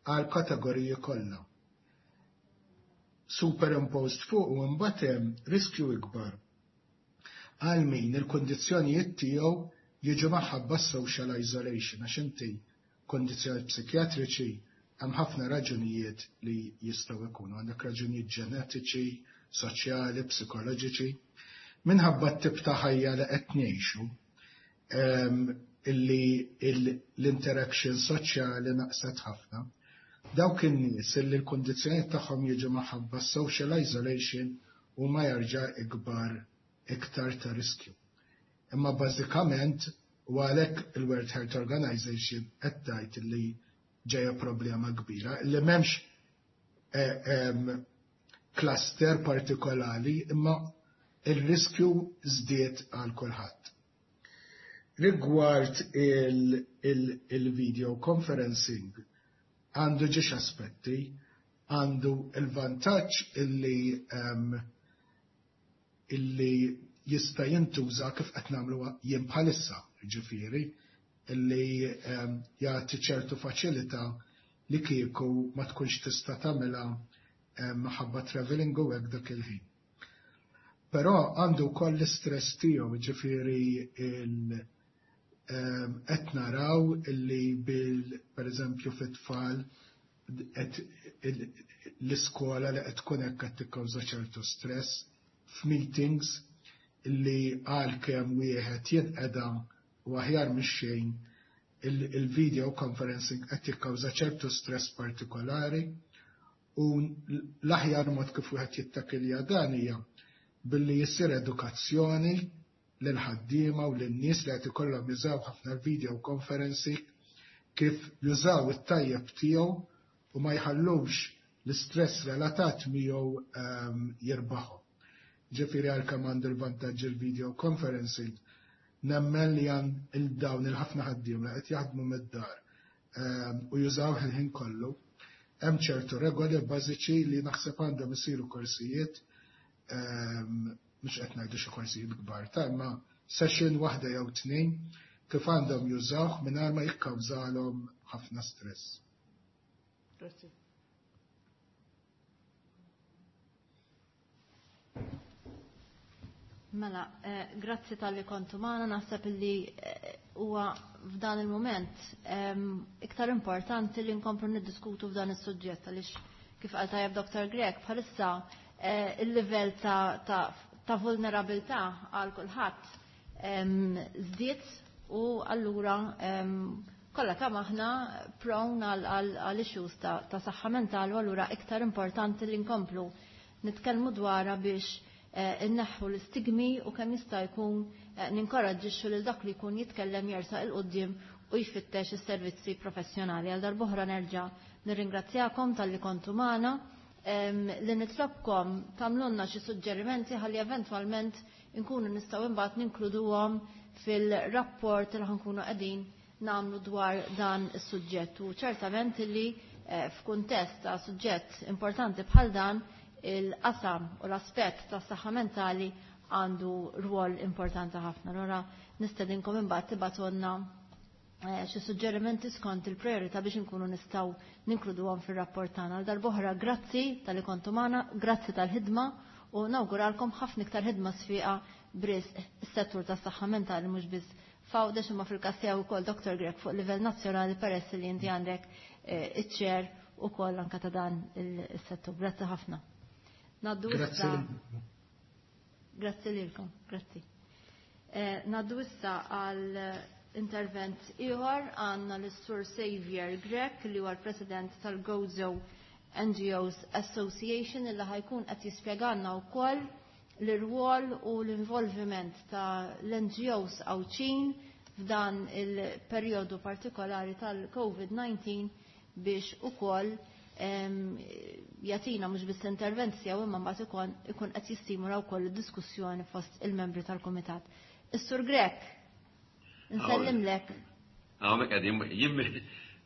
għal kategoriji kollha. Superimposed fuq u mbagħad hemm riskju ikbar għal min il-kondizzjonijiet tiegħu jiġu maħabba social isolation, għax inti kondizzjonijiet psikjatriċi hemm ħafna raġunijiet li jistgħu jkunu, għandek raġunijiet ġenetiċi, soċjali, psikoloġiċi. Minħabba t-tip ta' ħajja li qed ngħixu, illi l-interaction soċjali naqset ħafna, dawk in-nies illi l-kondizzjonijiet tagħhom jiġu maħabba social isolation huma jerġa' ikbar iktar ta' riskju. Imma bażikament u għalhekk il-World Health Organization qed tgħid li ġejja problema kbira, li m'hemmx cluster partikolari, imma il-riskju żdied għal kulħadd. Rigward il-video conferencing, għandu ġiex aspetti, għandu il-vantaġġ illi jista' jintuża kif qed nagħmlu jien bħalissa, ġifieri, illi jagħti ċertu faċilità li kieku ma tkunx tista' tagħmilha minħabba travelling u hekk dak il-ħin. Però għandu wkoll l-istress tiegħu, ġifieri qed naraw illi bil pereżempju fit-tfal l-iskola li qed tkun hekk qed tikkawża ċertu stress f'meetings li għalkemm wieħed jinqeda u aħjar mix-xejn, il-video conferencing qed jikkawża ċertu stress partikolari, u l-aħjar mod kif wieħed jittakilja dan hija billi jissir edukazzjoni lil ħaddiema u lin-nies li qed ikollhom jużaw ħafna l-video conferencing, kif jużaw it-tajjeb tiegħu u ma jħallux l-istress relatat miegħu jirbaħhom. Ġifieri għalkemm għandu l-vantaġġ il-video conferencing, nemmen li għan il-dawn il-ħafna ħaddiema li qed jaħdmu mid-dar u jużaw il-ħin kollu, hemm ċertu regoli bażiċi li naħseb għandhom isiru korsijiet, mhux qed ngħidu xi korsijiet kbar ta' imma session waħda jew tnejn kif għandhom jużawh mingħajr ma jikkawżalhom ħafna stress. Grazzi. Mela, grazzi tal-li kontu maħna, naħseb li huwa f'dan il-moment iktar importanti li nkomplu niddiskutu f'dan is-suġġett, għaliex kif qal tajjeb Dr. Grech, bħalissa il-livell ta' vulnerabilità għal kulħadd żdied, u allura kollha kemm aħna prone għal issues ta' saħħa mentali, u allura iktar importanti li nkomplu nitkellmu dwarha biex inneħħu l-istigmi u kemm jista' jkun ninkoraġġixxu lil dak li jkun jitkellem jersaq il quddiem u jfittex is-servizzi professjonali. Għal darb'oħra nerġa' nirringrazzjakom talli kontu magħna, li nitlobkom tagħmlulna xi suġġerimenti ħalli eventwalment inkunu nistgħu imbagħad ninkluduhom fil-rapport li ħankunu qegħdin nagħmlu dwar dan is-suġġett. U ċertament li f'kuntest ta' suġġett importanti bħal dan, il-qasam u l-aspett tas saħħa mentali għandu rwol importanti ħafna. Allura nistedinkom imbagħad tibgħatulna xi suġġerimenti skont il-priorità biex inkunu nistgħu ninkluduhom fir-rapport tagħna. Għal darb'oħra grazzi tal-li kontu magħna, grazzi tal-ħidma, u nawguralkom ħafna iktar ħidma sfiqa b'risq is-settur tas-saħħa mentali mhux biss f'Għawdex imma fil-każ tiegħu wkoll Dr. Grech fuq livell nazzjonali, peress li inti għandek iċ-chair ukoll anke ta' dan is-settur. Grazzi ħafna. Naddu issa. Grazzi lilkom, grazzi. Naddu issa għal intervent ieħor, għandna l-Sur Xavier Grech li huwa l-President tal-Gozo NGOs Association, illi ħajkun qed jispjegalna wkoll l-irwol u l-involviment ta' l-NGOs Għawdxin f'dan il-perjodu partikolari tal-COVID-19 biex ukoll jagħtina mhux biss intervent tiegħu imma mbagħad ikun qed jistimula wkoll id-diskussjoni fost il-membri tal-kumitat. Is-Sur Grech, nsellimlek. Hawnhekk qegħdin, jien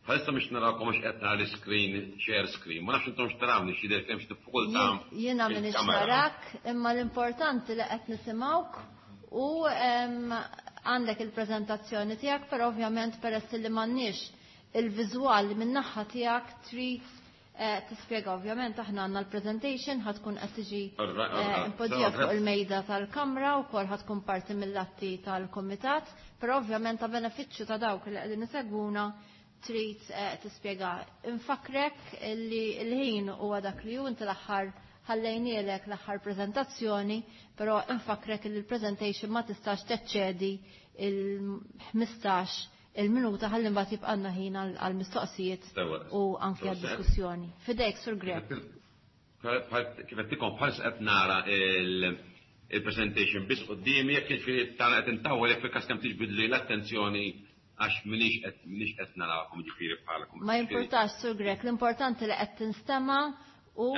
bħalissa mhux narakom għax qed nara l-screen, share screen. Ma nafx intom x'tarawni, xi jidher kemm xi diffikultà. Jiena m'iniex narak, imma l-importanti li qed nisimgħuk u għandek il-preżentazzjoni tiegħek, però ovvjament peress li m'għandniex il-viżwal min-naħa tiegħek trid tispjega. Ovvjament aħna għandna l-presentation ħa tkun qed tiġi impoġġija fuq il-mejda tal-kamra u wkoll ħa tkun parti mill-atti tal-kumitat, però ovvjament ta' benefiċċju ta' dawk li qegħdin isegwuna trid tispjega. Infakrek li l-ħin huwa dak li hu, inti l-aħħar ħallejnielek l-aħħar preżentazzjoni, però infakrek li l-presentation ma tistax teċċedi il-15 il-minuta ħalli mbagħad jibqalna ħin għall-mistoqsijiet u anke għad-diskussjoni. Fidejk, Sur Grech. Kif qed bħalissa qed nara il-presentation biss quddiemi, jekk jiġifieri tara qed intawwel, jekk fil-każ kemm tiġbidli l-attenzjoni għax minix qed narakom ġifieri bħalakom. Ma jimpurtax, Sur Grech, l-importanti li qed tinstema' u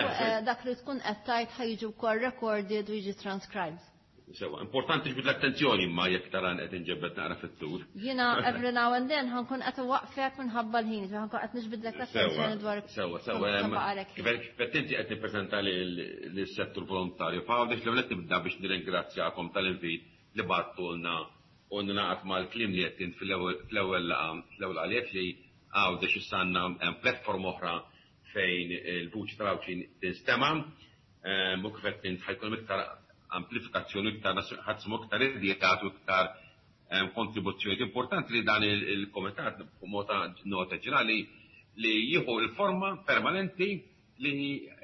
dak li tkun qed tgħid ħa jiġi wkoll recorded u jiġi transcribed. Sewa, importanti ġbid l-attenzjoni ma jekk taran qed inġebbed naqra fit-tul. Jiena every now and then ħa nkun qed waqfek minħabba l-ħin, ħa nkun qed niġbidlek l-attenzjoni dwar. Sewa, kif inti qed nippreżenta lis-settur volontarju f'Għawdex, l-ewwel nibda biex nirringrazzjakom tal-invit li bagħtulna u ningħaqad mal-kliem li qed fl-ewwel laqgħa, fl-ewwel għalek li Għawdex issa għandna platform oħra fejn il-vuċi tal-Għawdxin tinstema' u kif qed int ħa jkun hemm iktar amplifikazzjoni, iktar ħa tisimgħu iktar ideat u iktar kontribuzzjonijiet. Importanti li dan il-komitat b'mod nota ġenerali li jieħu l-forma permanenti li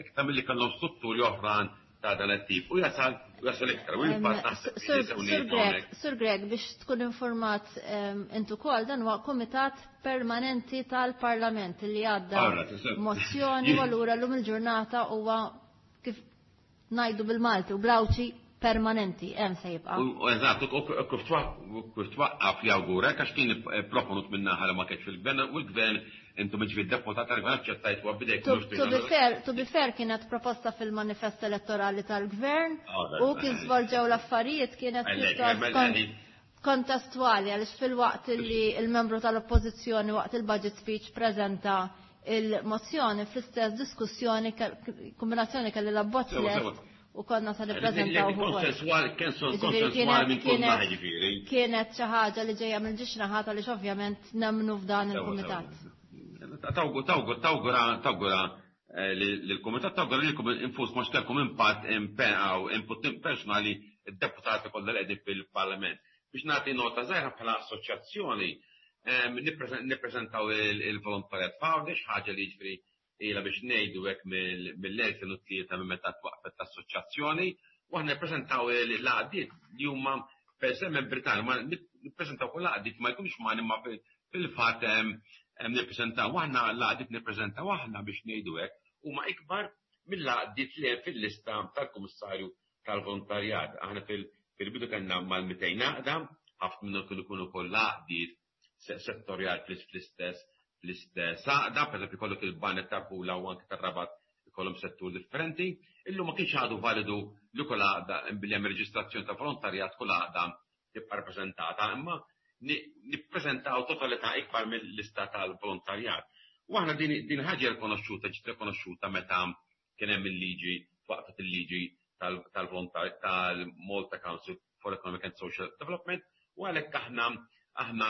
iktar milli kellhom strutturi oħra ta' dan it-tip u jasal u jasal iktar. U il-fatt naħseb li Sur Grech, Sur Grech, biex tkun informat int ukoll, dan huwa komitat permanenti tal-Parlament li għadda mozzjoni u allura llum il-ġurnata huwa kif ngħidu bil-Malti u bl-Għawdxi permanenti, hemm se jibqa'. U eżatt, u kif twaqqaf jawgurek għax kien proponut minn naħa li ma kienx fil-gvern u l-gvern intom ġifieri deputat tal-gvern aċċettajtu bidejkom. To be fair, to be fair kienet proposta fil-manifest elettorali tal-gvern u kif żvolġew l-affarijiet kienet pjuttost kontestwali għaliex fil-waqt li il-membru tal-oppożizzjoni waqt il-budget speech preżenta il-mozzjoni fl-istess diskussjoni kombinazzjoni kelli l-abbozz lest u konna se nippreżentaw ukoll. Konsensuali, konsensuali minn kull naħa ġifieri. Kienet xi ħaġa li ġejja mill ġiex naħat għaliex ovvjament nemmnu f'dan il-kumitat. Tawgura, tawgura lill-kumitat, tawgura lilkom infuskom għax kellkom impatt input personali d-deputati kollha li qegħdin fil-Parlament. Biex nagħti nota żgħira bħala assoċjazzjoni, nippreżentaw il-volontarjat f'Għawdex, ħaġa li jiġifieri ilha biex ngħidu hekk mill-2003 minn meta twaqqfet l-assoċjazzjoni, u aħna nippreżentaw l-għaqdiet li huma per se membri tagħna, ma nippreżentaw kull għaqdiet ma jkunux magħna imma fil-fatt nippreżentaw aħna l-għaqdiet nippreżentaw aħna biex ngħidu hekk huma ikbar mill-għaqdiet li hemm fil-lista tal-Kummissarju tal-Volontarjat. Aħna fil-bidu kellna mal-200 għaqda, ħafna minnhom kienu jkunu wkoll għaqdiet settorjal fl-istess fl-istess għaqda, pereżempju jkollok il-banet tal-Pula u anke tar-Rabat ikollhom settur differenti. Illum ma kienx għadu validu li kull għaqda billi hemm reġistrazzjoni ta' volontarjat kull għaqda tibqa' rappreżentata, imma nippreżentaw totalità ikbar mill-lista tal-volontarjat. U aħna din din ħaġa rikonoxxuta ġiet rikonoxxuta meta kien hemm il-liġi twaqfet il-liġi tal-Malta Council for Economic and Social Development u għalhekk aħna aħna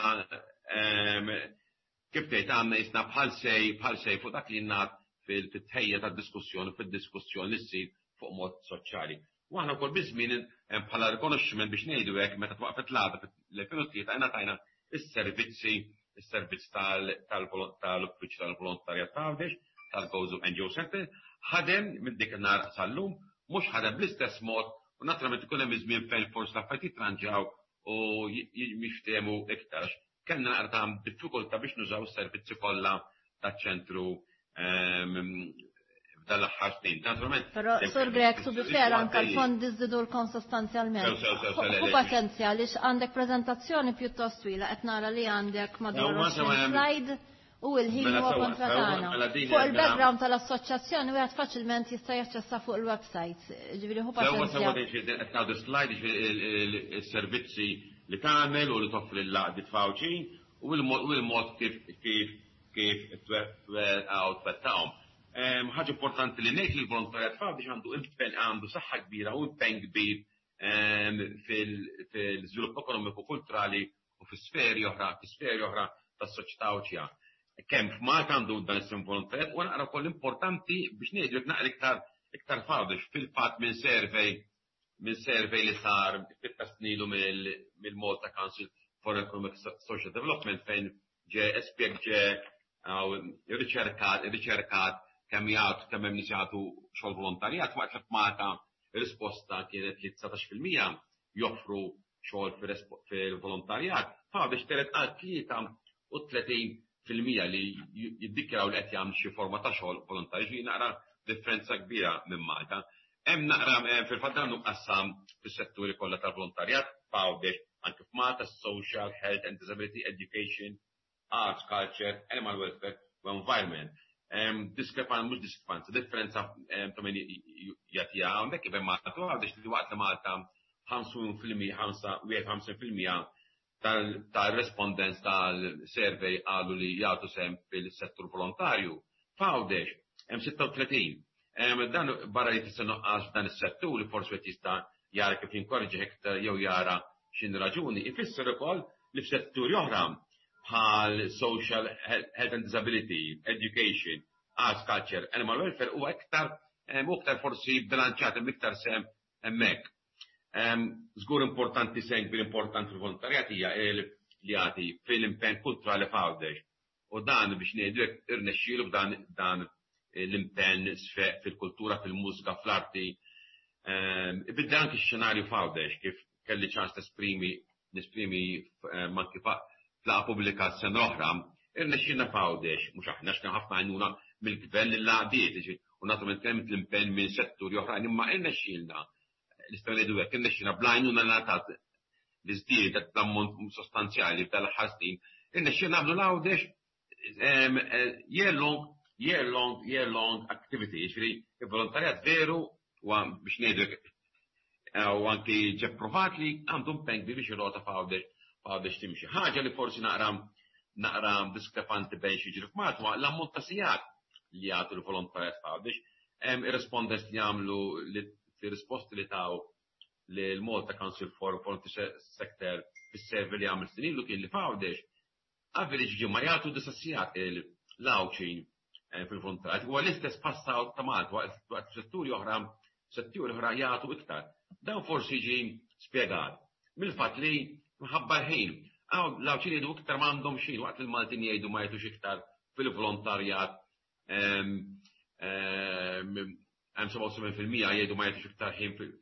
kif tgħid għandna jisna bħal sej bħal sej fuq dak li ngħad fil-tħejja tad-diskussjoni fid-diskussjoni li ssir fuq mod soċjali. U aħna wkoll biż-żmien bħala rikonoxximent biex ngħidu hekk meta twaqfet l-għaqda fil-2003 ingħatajna is-servizzi is-servizz tal-Uffiċċju tal-Volontarjat ta' Għawdex, tal-Gozo NGO Center, ħadem minn dik in-nhar sal-lum, mhux ħadem bl-istess mod u naturalment ikun hemm iż-żmien fejn forsi l-affarijiet jitranġaw u jiftehmu iktar. Kellna naqra ta' diffikultà biex nużaw is-servizzi kollha taċ-ċentru f'dan l-aħħar snin. Naturalment. Però Sur Grech, to be fair, anke l-fondi żdidulkom sostanzjalment. Ħu paċenzja għaliex għandek preżentazzjoni pjuttost twila qed nara li għandek madwar 20 slide u l-ħin huwa kontra tagħna. Fuq il-background tal-assoċjazzjoni wieħed faċilment jista' jaċċessa fuq il-website. Ġifieri ħu paċenzja. Sewwa sewwa qed ngħidu slide jiġifieri s-servizzi li tagħmel u li toffri l-għaqdiet f'Għawdxin u l-mod kif kif kif twettaqhom. Ħaġa importanti li ngħid li l-volontarjat f'Għawdex għandu impenn għandu saħħa kbira u impenn kbir fil-żvilupp ekonomiku kulturali u fi sferi oħra, fi sferi oħra tas-soċjetà Għawdxija. Kemm f'Malta għandu dan is-sem volontarjat u naqra wkoll importanti biex ngħidu jekk naqra iktar iktar f'Għawdex fil-fatt minn survey minn survey li sar ftit ta' snin ilu mill-Malta Council for Economic Social Development fejn ġe espjeg ġe riċerkat riċerkat kemm jagħtu kemm hemm nies jagħtu xogħol volontarjat waqt li f'Malta ir-risposta kienet li 19% joffru xogħol fil-volontarjat, f'Għawdex telgħet għal 33% li jiddikjaraw li qed jagħmlu xi forma ta' xogħol volontarju, ġifieri naqra differenza kbira minn Malta. Hemm naqra fil-fatt dan hu mqassam fis-setturi kollha tal-volontarjat f'Għawdex, anke f'Malta, social, health and disability, education, arts, culture, animal welfare u environment. Diskrepanza, mhux diskrepanza, differenza ta' min jagħtiha hawnhekk kif hemm Malta u Għawdex li waqt li Malta 51% tal-respondents tal-survey qalu li jagħtu sehem fil-settur volontarju. F'Għawdex hemm 36. Dan barra li tista' nuqqas f'dan is-settur li forsi wieħed jista' jara kif jinkoraġġih iktar jew jara x'inhi raġuni, ifisser ukoll li f'setturi oħra bħal social health and disability, education, arts, culture, animal welfare huwa iktar iktar forsi bilanċat hemm iktar sehem hemmhekk. Żgur importanti, sehem kbir importanti fil-volontarjat hija li jagħti fil-impenn kulturali f'Għawdex. U dan biex ngħidu hekk irnexxielu b'dan dan l-impenn fil-kultura, fil-mużika, fl-arti. Ibiddel anki x-xenarju f'Għawdex, kif kelli ċans nesprimi nesprimi anki f'laqgħa pubblika s-sena l-oħra, irnexxielna f'Għawdex, mhux aħna, għax kien ħafna għajnuna mill-gvern lill-għaqdiet, u naturalment kien hemm l-impenn minn setturi oħrajn, imma irnexxielna, nistgħu ngħidu hekk, irnexxielna bl-għajnuna li ngħatat li żdiedet b'ammont sostanzjali f'dan l-aħħar snin, irnexxielna nagħmlu l-Għawdex year long, year long, year long activity, jiġifieri il-volontarjat veru huwa biex ngħidu u anki ġie pprovat li għandu impenn kbir biex ir-rota f'Għawdex timxi. Ħaġa li forsi naqra naqra diskrepanti bejn xi jiġri f'Malta huwa l-ammont ta' sigħat li jagħtu l-volontarjat f'Għawdex. Ir-respondents li għamlu li risposti li taw l-Malta Council for Volunteer Sector fis-survey li għamel snin ilu kien li f'Għawdex average ġimgħa jagħtu 9 sigħat l-Għawdxin fil-volontarjat. Huwa l-istess bħas-South ta' Malta, waqt setturi oħra jagħtu iktar. Dan forsi jiġi spjegat mill-fatt li minħabba l-ħin. L-Għawdxin jgħidu iktar m'għandhom xejn, waqt il-Maltin jgħidu ma jagħtux iktar fil-volontarjat. Hemm 77% jgħidu ma jagħtux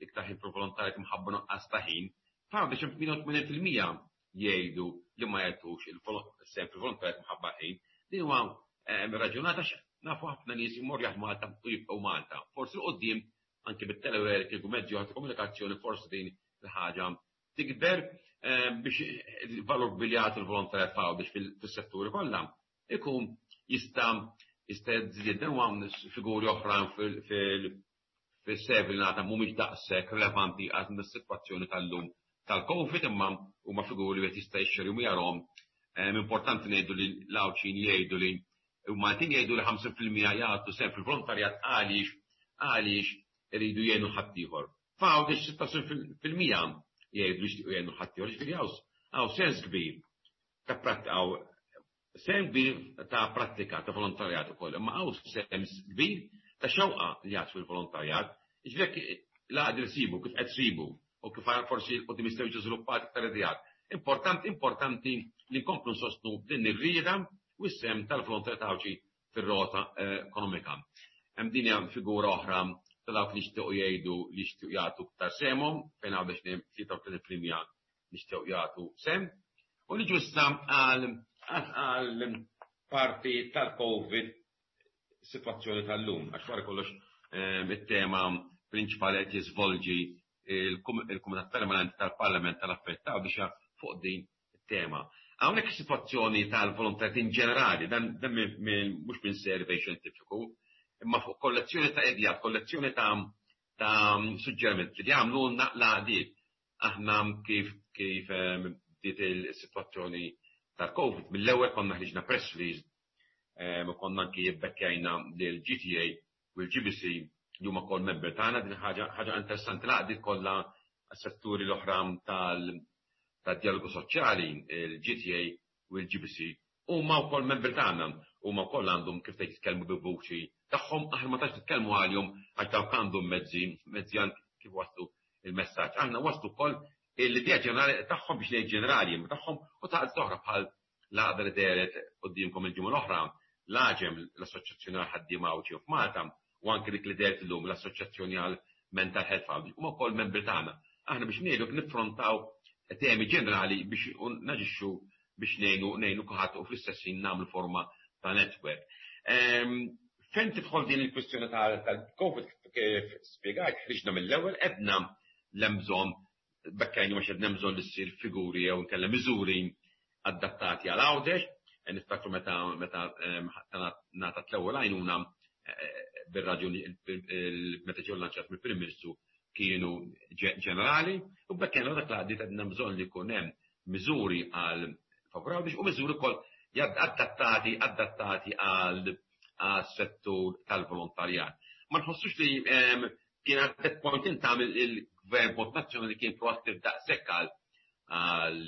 iktar ħin fil-volontarjat minħabba nuqqas ta' ħin. F'Għawdex 88% jgħidu li ma jagħtux il-sehem fil-volontarjat minħabba ħin. Din huwa raġunata, nafu ħafna nies imorru jaħdmu Malta u jibqgħu Malta. Forsi 'l quddiem anke bit-telework u mezzi oħra ta' komunikazzjoni forsi din il-ħaġa tikber biex il-valur kbir li jagħtu l-volontarjat f'Għawdex fis-setturi kollha ikun jista' jżid. Dan huwa figuri oħra fil-survey li ngħata, mhumiex daqshekk relevanti għal is-sitwazzjoni tal-lum tal-Covid, imma huma figuri li jista' jixxerjhom u jarahom. Importanti ngħidu li l-Għawdxin jgħidu li u Maltin jgħidu li 50% jagħtu sehem fil-volontarjat għaliex iridu jgħinu ħaddieħor. F'Għawdex 16% jgħidu li jixtiequ jgħinu ħaddieħor, ġifieri hawn sens kbir ta' prattika, hawn sehem kbir ta' prattika ta' volontarjat ukoll, imma hawn sehem kbir ta' xewqa li jagħtu fil-volontarjat. Ġifieri l-għaqdiet sibu kif qed sibu u kif forsi qudiem jistgħu jiġu żviluppati iktar ideat. Importanti li nkomplu nsostnu din ir-rieda u s-sehem tal-volontarjat Għawdxi fir-rota ekonomika. Hemm din hija figura oħra ta' dawk li jixtiequ jgħidu li jixtiequ jagħtu iktar sehemhom, fejn Għawdex 33% jixtiequ jagħtu sehem. U li ġusta għal parti tal-Covid, situazzjoni tal-lum, għax wara kollox it-tema prinċipali qed jiżvolġi il-Kumitat Permanenti tal-Parlament tal-Affarijiet biex fuq din it-tema. Hawnhekk is-sitwazzjoni tal-volontarjat in ġenerali, dan mhux minn survey xjentifiku, imma fuq kollezzjoni ta' ideat, kollezzjoni ta' suġġerimenti li għamlu l-għaqdiet. Aħna kif bdiet il-sitwazzjoni tal-Covid, mill-ewwel konna ħriġna press release u konna anki jibbekkjajna l-GTA u l-GBC li huma kol member tagħna. Din ħaġa interessanti, l-għaqdiet kollha setturi l-oħra tal-dialogu soċjali, il-GTA u l-GBC, huma wkoll membri tagħna, huma wkoll għandhom kif tgħid jitkellmu bi vuċi tagħhom, aħna ma tantx nitkellmu għalihom għax dawk għandhom mezzi kif waslu il-messaġġ. Aħna waslu wkoll l-idea ġenerali tagħhom, biex ngħid ġenerali tagħhom, u ta' oħra bħal l-għaqda li dehret quddiemkom il-ġimgħa l-oħra, l-AĠEM, l-Assoċjazzjoni għal ħaddiema Għawdxin f'Malta, u anke dik li dehret illum, l-Assoċjazzjoni għal Mental Health Għawdex, huma wkoll membri tagħna. Aħna biex ngħidu niffrontaw temi ġenerali biex naġixxu biex ngħinu kulħadd u fl-istess ħin nagħmlu forma ta' network. Fejn tidħol din il-kwistjoni tal-Covid, kif spjegajt, ħriġna mill-ewwel edna l-bżonn bekkajni għax edna bżonn li ssir figuri jew nkella miżuri adattati għal Għawdex. Niftakru meta ngħatat l-ewwel għajnuna bir-raġuni meta ġew lanċat mill-Prim Ministru kienu ġenerali u bekkajna dak l-għaqdiet għedna bżonn li jkun hemm miżuri għal favur Għawdex u miżuri wkoll adattati għal settur tal-volontarjat. Ma nħossux li kien at that point in time il-gvern mod nazzjonali kien proattiv daqshekk għal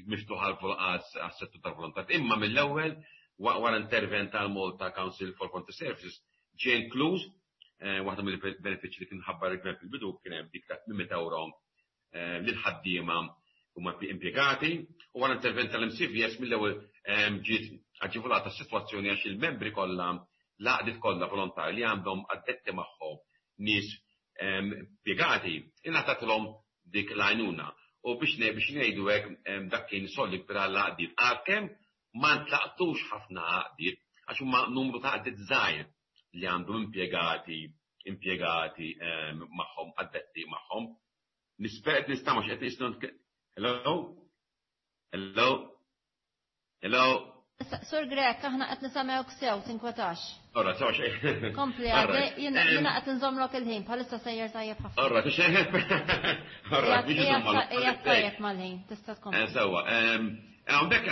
miftuħ għas-settur tal-volontarjat. Imma mill-ewwel wara intervent tal-Malta Council for Volunteer Services ġie inkluż waħda mill-benefiċċji li kien ħabbar il-gvern fil-bidu kien hemm dik ta' 800 euro lil ħaddiema huma impjegati u wara intervent tal-MCVS mill-ewwel ġiet aġevolata s-sitwazzjoni għax il-membri kollha, l-għaqdiet kollha volontari li għandhom addetti magħhom nies impjegati ingħatatilhom dik l-għajnuna. U biex ngħidu hekk, dak kien solli kbir għall-għaqdiet, għalkemm ma ntlaqtux ħafna għaqdiet għax huma numru ta' għaqdiet żgħir li għandhom impjegati magħhom, addetti magħhom. Nispera qed nistama' x'qed nistgħu. Hello? Hello? Hello? Sur Grech, aħna qed nisimgħuk sew, tinkwetax. Ora, sew xejn. Kompli, għadej, jiena qed nżommlok il-ħin, bħalissa sejjer tajjeb ħafna. Ora, xejn. Ora, biex nżommlok. Qiegħed tajjeb mal-ħin, tista' tkompli. Sewwa. Hawnhekk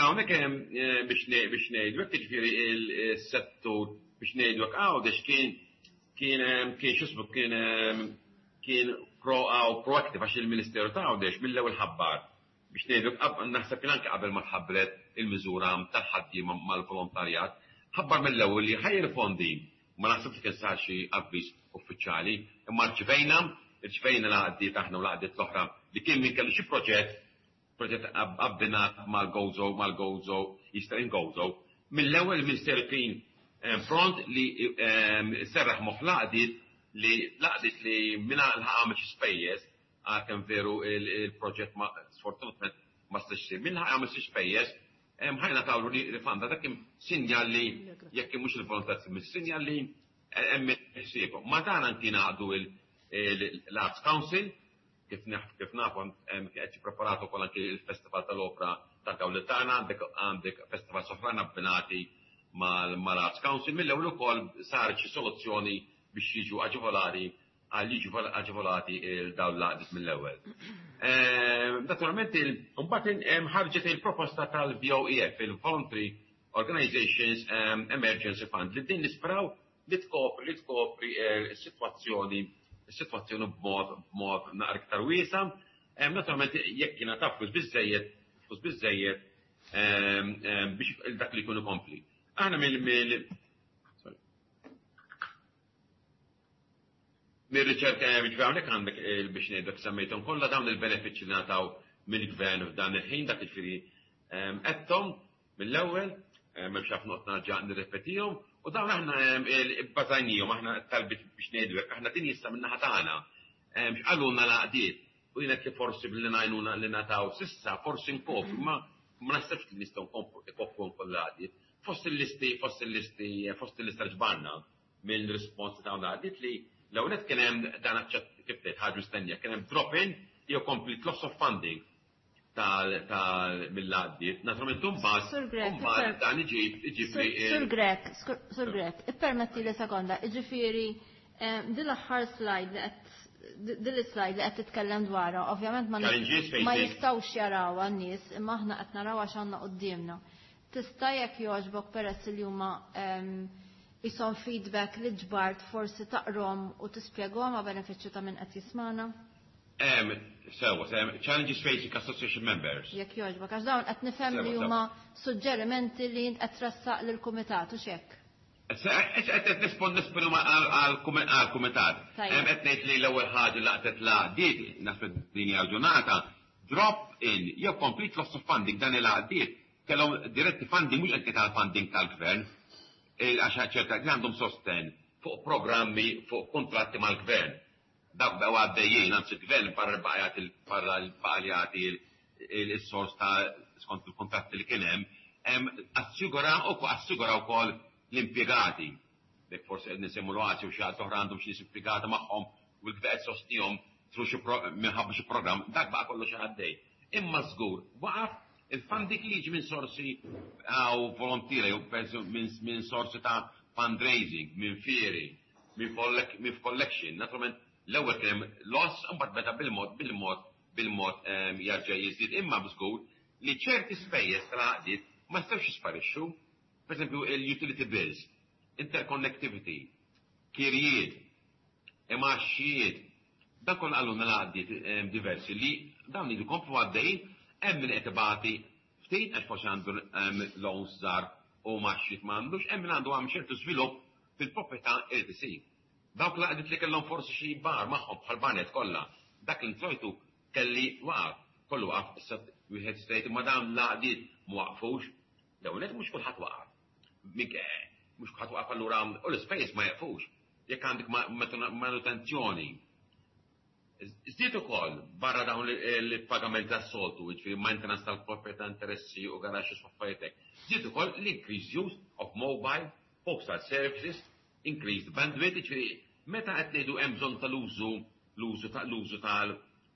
biex ngħidu hekk, jiġifieri il-settur, biex ngħidu hekk, Għawdex kien x'ismu, kien proactive għax il-Ministeru ta' Għawdex mill-ewwel ħabbar, biex ngħidu, naħseb kien anke qabel ma tħabbret il-miżura tal-ħaddiema mal-volontarjat, ħabbar mill-ewwel li ħa jirrifondi. Ma naħsibx li kien sar xi avviż uffiċjali, imma rċivejna l-għaqdiet aħna u l-għaqdiet l-oħra li kien min kellu xi proġett abbinat mal-Gozo, Easter in Gozo. Mill-ewwel il-Ministeru kien pront li serraħ moħħ l-għaqdiet li minna l-ħaqam xi spejjeż, għalkemm veru il-proġett ma sfortunatament ma stax isir. Min għamel xi spejjeż, ħa jingħatawlu rifanda. Dak kien sinjal li jekk mhux il-volontarji, sinjal li hemm ħsiebhom. Ma dan anki ngħaqdu l-Arts Council, kif nafu qed jippreparatu wkoll anki il-Festival tal-Opra tal-Gawlitana, għandek festival oħrajn abbinati mal-Arts Council, mill-ewwel ukoll sar xi soluzzjoni biex jiġu aġevolati għal jiġu aġevolati il-dawn l-għaqdiet mill-ewwel. Naturalment, mbagħad ħarġet il-proposta tal-VOEF, il-Voluntary Organizations Emergency Fund, li din nisperaw li tkopri is-sitwazzjoni b'mod naqra iktar wiesa. Naturalment, jekk jingħata flus biżejjed biex dak li jkunu kompli. Aħna mill, sorry. Mir-riċerka ġifieri hawnhekk għandek, biex ngħidlek, semmejthom kollha dawn il-benefiċċji li ngħataw mill-gvern f'dan il-ħin, dak jiġifieri qedthom mill-ewwel, m'hemmx ħafna noqgħod nerġa' nirrepetihom, u dawn aħna bbażajnihom aħna talbiet, biex ngħidu hekk, aħna din jista' min-naħa tagħna. X'qalulna l-għaqdiet u jiena kif forsi billi ngħinuna li ngħataw s'issa forsi nkopru, ma ma naħsebx li nistgħu nkopru kollha l-għaqdiet. Fost il-lista ġbarna minn rispons ta' l-għaqdiet li l-ewwel kien hemm dan, kif tgħid, ħaġa mistennija, kien hemm drop-in jew complete loss of funding tal mill-għaqdiet. Naturalment imbagħad Sur Grech, imbagħad dan iġib li Sur Grech, Sur Grech, ippermetti li sekonda, jiġifieri din l-slide li qed titkellem dwarha, ovvjament ma Challenges ma facing. jistgħux jaraw għan-nies, imma aħna qed naraw għax għandna quddiemna. Tista' jekk jogħġbok, peress li huma jisom feedback li ġbart, forsi taqrahom u tispjegahom għal benefiċċju ta' min qed jismana? Sewa, challenges facing association members. Jekk jogħġbok, għax dawn qed nifhem li Sewa, huma suġġerimenti li int qed tressaq lill-kumitat u x'hekk. Qed nisponu għal-kumitat. Tajjeb. Qed ngħid li l-ewwel ħaġa laqtet l-għaqdiet, naħseb din hija ġurnata, drop in jew complete loss of funding. Dan il-għaqdiet kellhom diretti funding, mhux qed tal-funding tal-gvern, għax ċerta li għandhom sosten fuq programmi, fuq kontratti mal-gvern. Dak bew għaddejjin, anzi il-gvern barra baqa' jagħti il-sors ta' skont il-kontratti li kien hemm, assigura wkoll l-impjegati. Dek forsi qed nisemmu l-Oasi u xi ħadd oħra għandhom xi nies impjegati magħhom u l-gvern qed sostnihom through xi minħabba xi programm, dak baqa' kollu xi għaddej. Imma żgur waqaf il-funding li jiġi minn sorsi għaw volontiera jew minn sorsi ta' fundraising, minn fieri, minn collection. Naturalment l-ewwel kien hemm loss, imbagħad beda bil-mod bil-mod bil-mod jarġa' jiżdied, imma żgur li ċerti spejjeż tal-għaqdiet ma jistgħux jisparixxu. Per esempio, il-utility bills, interconnectivity, kirjiet, imgħaxijiet, dan kollha qalulna l-għaqdiet diversi li dawn li jkomplu għaddejjin, hemm min qed ibati. Ftit għax forsi għandu loans żgħar u maxxit m'għandux, hemm min għandu għam ċertu żvilupp fil-proprjetà irid isir. Dawk l-għaqdiet li kellhom forsi xi bar magħhom bħal banet kollha, dak l-introjtu kelli waqaf, kollu waqaf, issa wieħed jista' jgħid imma dawn l-għaqdiet ma waqfux. L-ewwel nett mhux kulħadd waqaf. Mhux kulħadd waqaf allura u l-ispejjeż ma jeqfux. Jekk għandek manutenzjoni. Żdied ukoll barra dawn il-pagamenti tas-soltu, jiġifieri maintenance tal-proprjetà, interessi u garaxxi u affarijiet hekk. Żdied ukoll l-increased use of mobile postal services, increased bandwidth, jiġifieri meta qed ngħidu hemm bżonn tal-użu l-użu ta' l-użu tal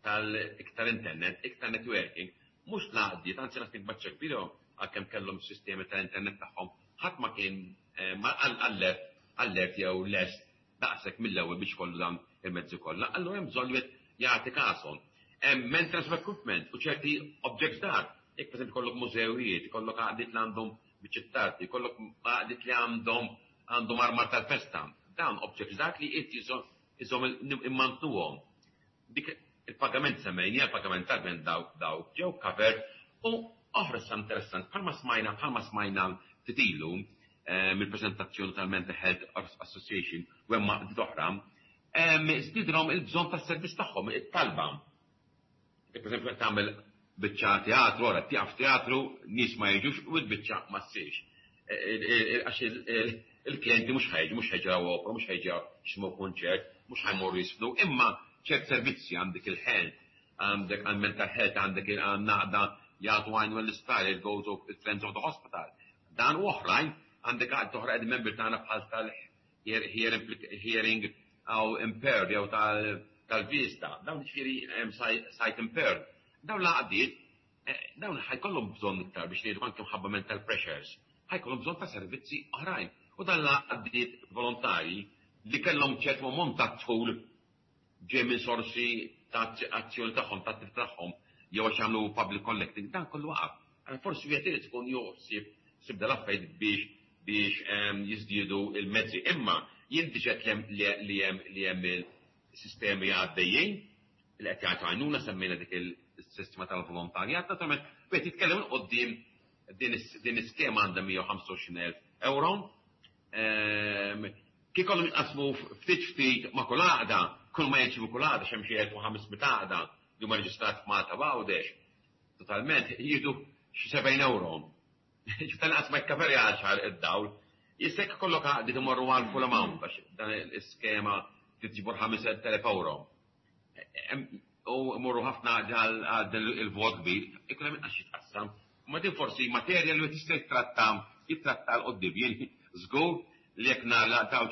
tal-iktar internet, iktar networking, mhux l-għaqdiet, anzi naħseb baċċa kbira għalkemm kellhom sistemi tal-internet tagħhom, ħadd ma kien allert allert jew lest daqshekk mill-ewwel biex ikollu dawn il-mezzi kollha, allura hemm bżonn li wieħed jagħti kashom. Hemm maintenance of equipment u ċerti objects dar. Jekk pereżempju jkollok mużewijiet, ikollok għaqdiet li għandhom biċċiet t'arti, jkollok għaqdiet li għandhom għandhom armar tal-festa. Dawn objects dak li qed iżomm immantnuhom. Dik il-pagament semmejnija, il-pagament tal-gvern dawk dawk ġew covered u oħra issa interessant bħalma smajna bħalma smajna ftit ilu mill-preżentazzjoni tal-Mental Health Association u hemm għaqdiet oħra, żdiedilhom il-bżonn tas-servizz tagħhom, it-talba. Jekk pereżempju qed tagħmel biċċa teatru, ora tieqaf teatru, nies ma jiġux u l-biċċa ma ssirx. Għax il-klijenti mhux ħa jiġu, mhux ħa jiġu opera, mhux ħa jiġu jisimgħu kunċert, mhux ħa jmorru jiżfnu, imma ċert servizzi għandek il-health, għandek għal mental health, għandek għan-naqda jagħtu għajn l-isptar, it goes of friends of the hospital. Dan u oħrajn, għandek għad oħra qegħdin membri tagħna bħal tal-hearing aw impaired jew tal-vista, dawn ġifieri sight impaired. Dawn l-għaqdiet, dawn ħa jkollhom bżonn iktar biex ngħidu anke mħabba mental pressures, ħa jkollhom bżonn ta' servizzi oħrajn. U dan l-għaqdiet volontari li kellhom ċertu ammont ta' dħul ġej minn sorsi ta' azzjoni tagħhom, ta' attività tagħhom, jew għax jagħmlu public collecting, dan kollu waqaf. Allora forsi wieħed irid ikun joħsib sib dal-affarijiet biex jiżdiedu il-mezzi. Imma jien diġà li hemm il-sistemi għaddejjin li qed jagħtu għajnuna, semmejna dik il-sistema tal-volontarjat, naturalment wieħed jitkellem 'il quddiem din iskema għandha 125,000 euro. Kif kollhom jinqasmu ftit ftit ma' kull għaqda, kull ma jirċievu kull għaqda x'hemm xi 1500 għaqda li huma reġistrati f'Malta u Għawdex, totalment jieħdu xi 70 euro. Ġifieri tal-inqas ma jikkaverjax għal id-dawl. Issa jekk ikollok għaqdiet imorru għal full amount għax dan l-iskema trid tiġbor 5,000 euro. U imorru ħafna għal din il-vot kbir, ikun hemm inqas x'jitqassam. Ma din forsi materja li wieħed jista' jittratta jittratta 'l quddiem. Jien żgur li jekk nagħlaq dawn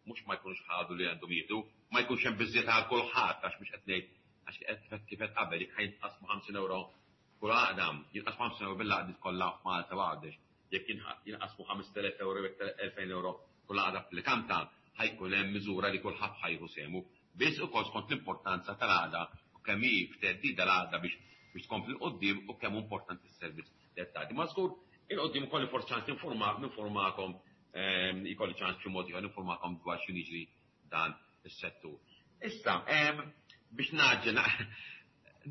mhux ma jkunux ħadu li għandhom jieħdu, ma jkunx hemm biżżejjed għal kulħadd għax mhux qed ngħid għax qed kif qed qabel jekk ħa jinqasmu 50 euro kull għaqda, jinqasmu 50 euro bil-għaqdiet kollha f'Malta u Għawdex. Jekk jinqasmu 5,000 euro jew 2,000 euro kull għaqda applikanta, ħa jkun hemm miżura li kulħadd ħa jieħu sehmu. Biss ukoll skont l-importanza tal-għaqda u kemm hi f'theddida l-għaqda biex biex tkompli 'l quddiem u kemm hu importanti s-servizz li qed tagħti. Ma żgur 'il quddiem ikolli forsi ċans ninforma ninformakom ikolli ċans b'xi mod ieħor ninformakom dwar x'inhu jiġri f'dan is-settur. Issa, biex ngħaġġel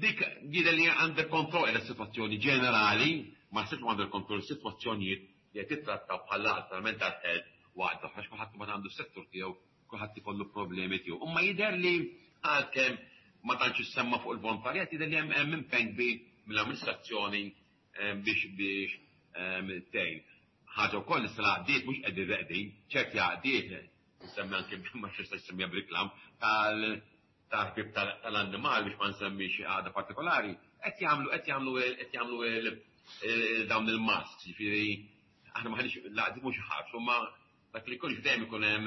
dik jidher li under control qiegħda s-sitwazzjoni ġenerali, ma naħsibx under control is-sitwazzjonijiet li qed jittrattaw bħal għaqda tal-mental health u għaqda oħra għax kulħadd imbagħad għandu s-settur tiegħu, kulħadd ikollu problemi tiegħu. Imma jidher li għalkemm ma tantx issemma fuq il-volontarjat jidher li hemm impenn kbir mill-amministrazzjoni biex biex tgħin. Ħaġa wkoll issa l-għaqdiet mhux qegħdin reqdin, ċerti għaqdiet, nsemmi anke ma nistax nsemmiha b'riklam, tal tal-ħbieb tal-annimal biex ma nsemmix għaqda partikolari, qed jagħmlu qed jagħmlu qed jagħmlu dawn il-masks, jiġifieri aħna m'aħniex l-għaqdiet mhux iħarsu, imma dak li jkun dejjem ikun hemm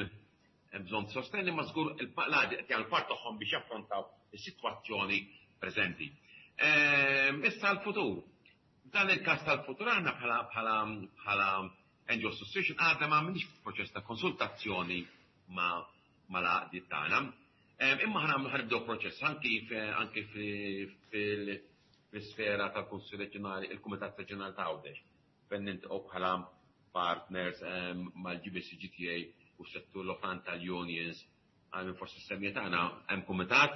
bżonn sostenn imma żgur l-għaqdiet qed jagħmlu part tagħhom biex jaffrontaw is-sitwazzjoni preżenti. Issa l-futur. Dan il-każ tal-futur aħna bħala bħala bħala NGO Association għadna ma għamilniex proċess ta' konsultazzjoni ma' mal-għaqdiet tagħna. Imma ħa nagħmlu ħa nibdew proċess anki anki fil-sfera tal-Kunsill Reġjonali, il-Kumitat Reġjonali ta' Għawdex, fejn niltaqgħu bħala partners mal-GBC GTA u s-settur l-oħrajn tal-unions għal min forsi s-semmijiet tagħna hemm kumitat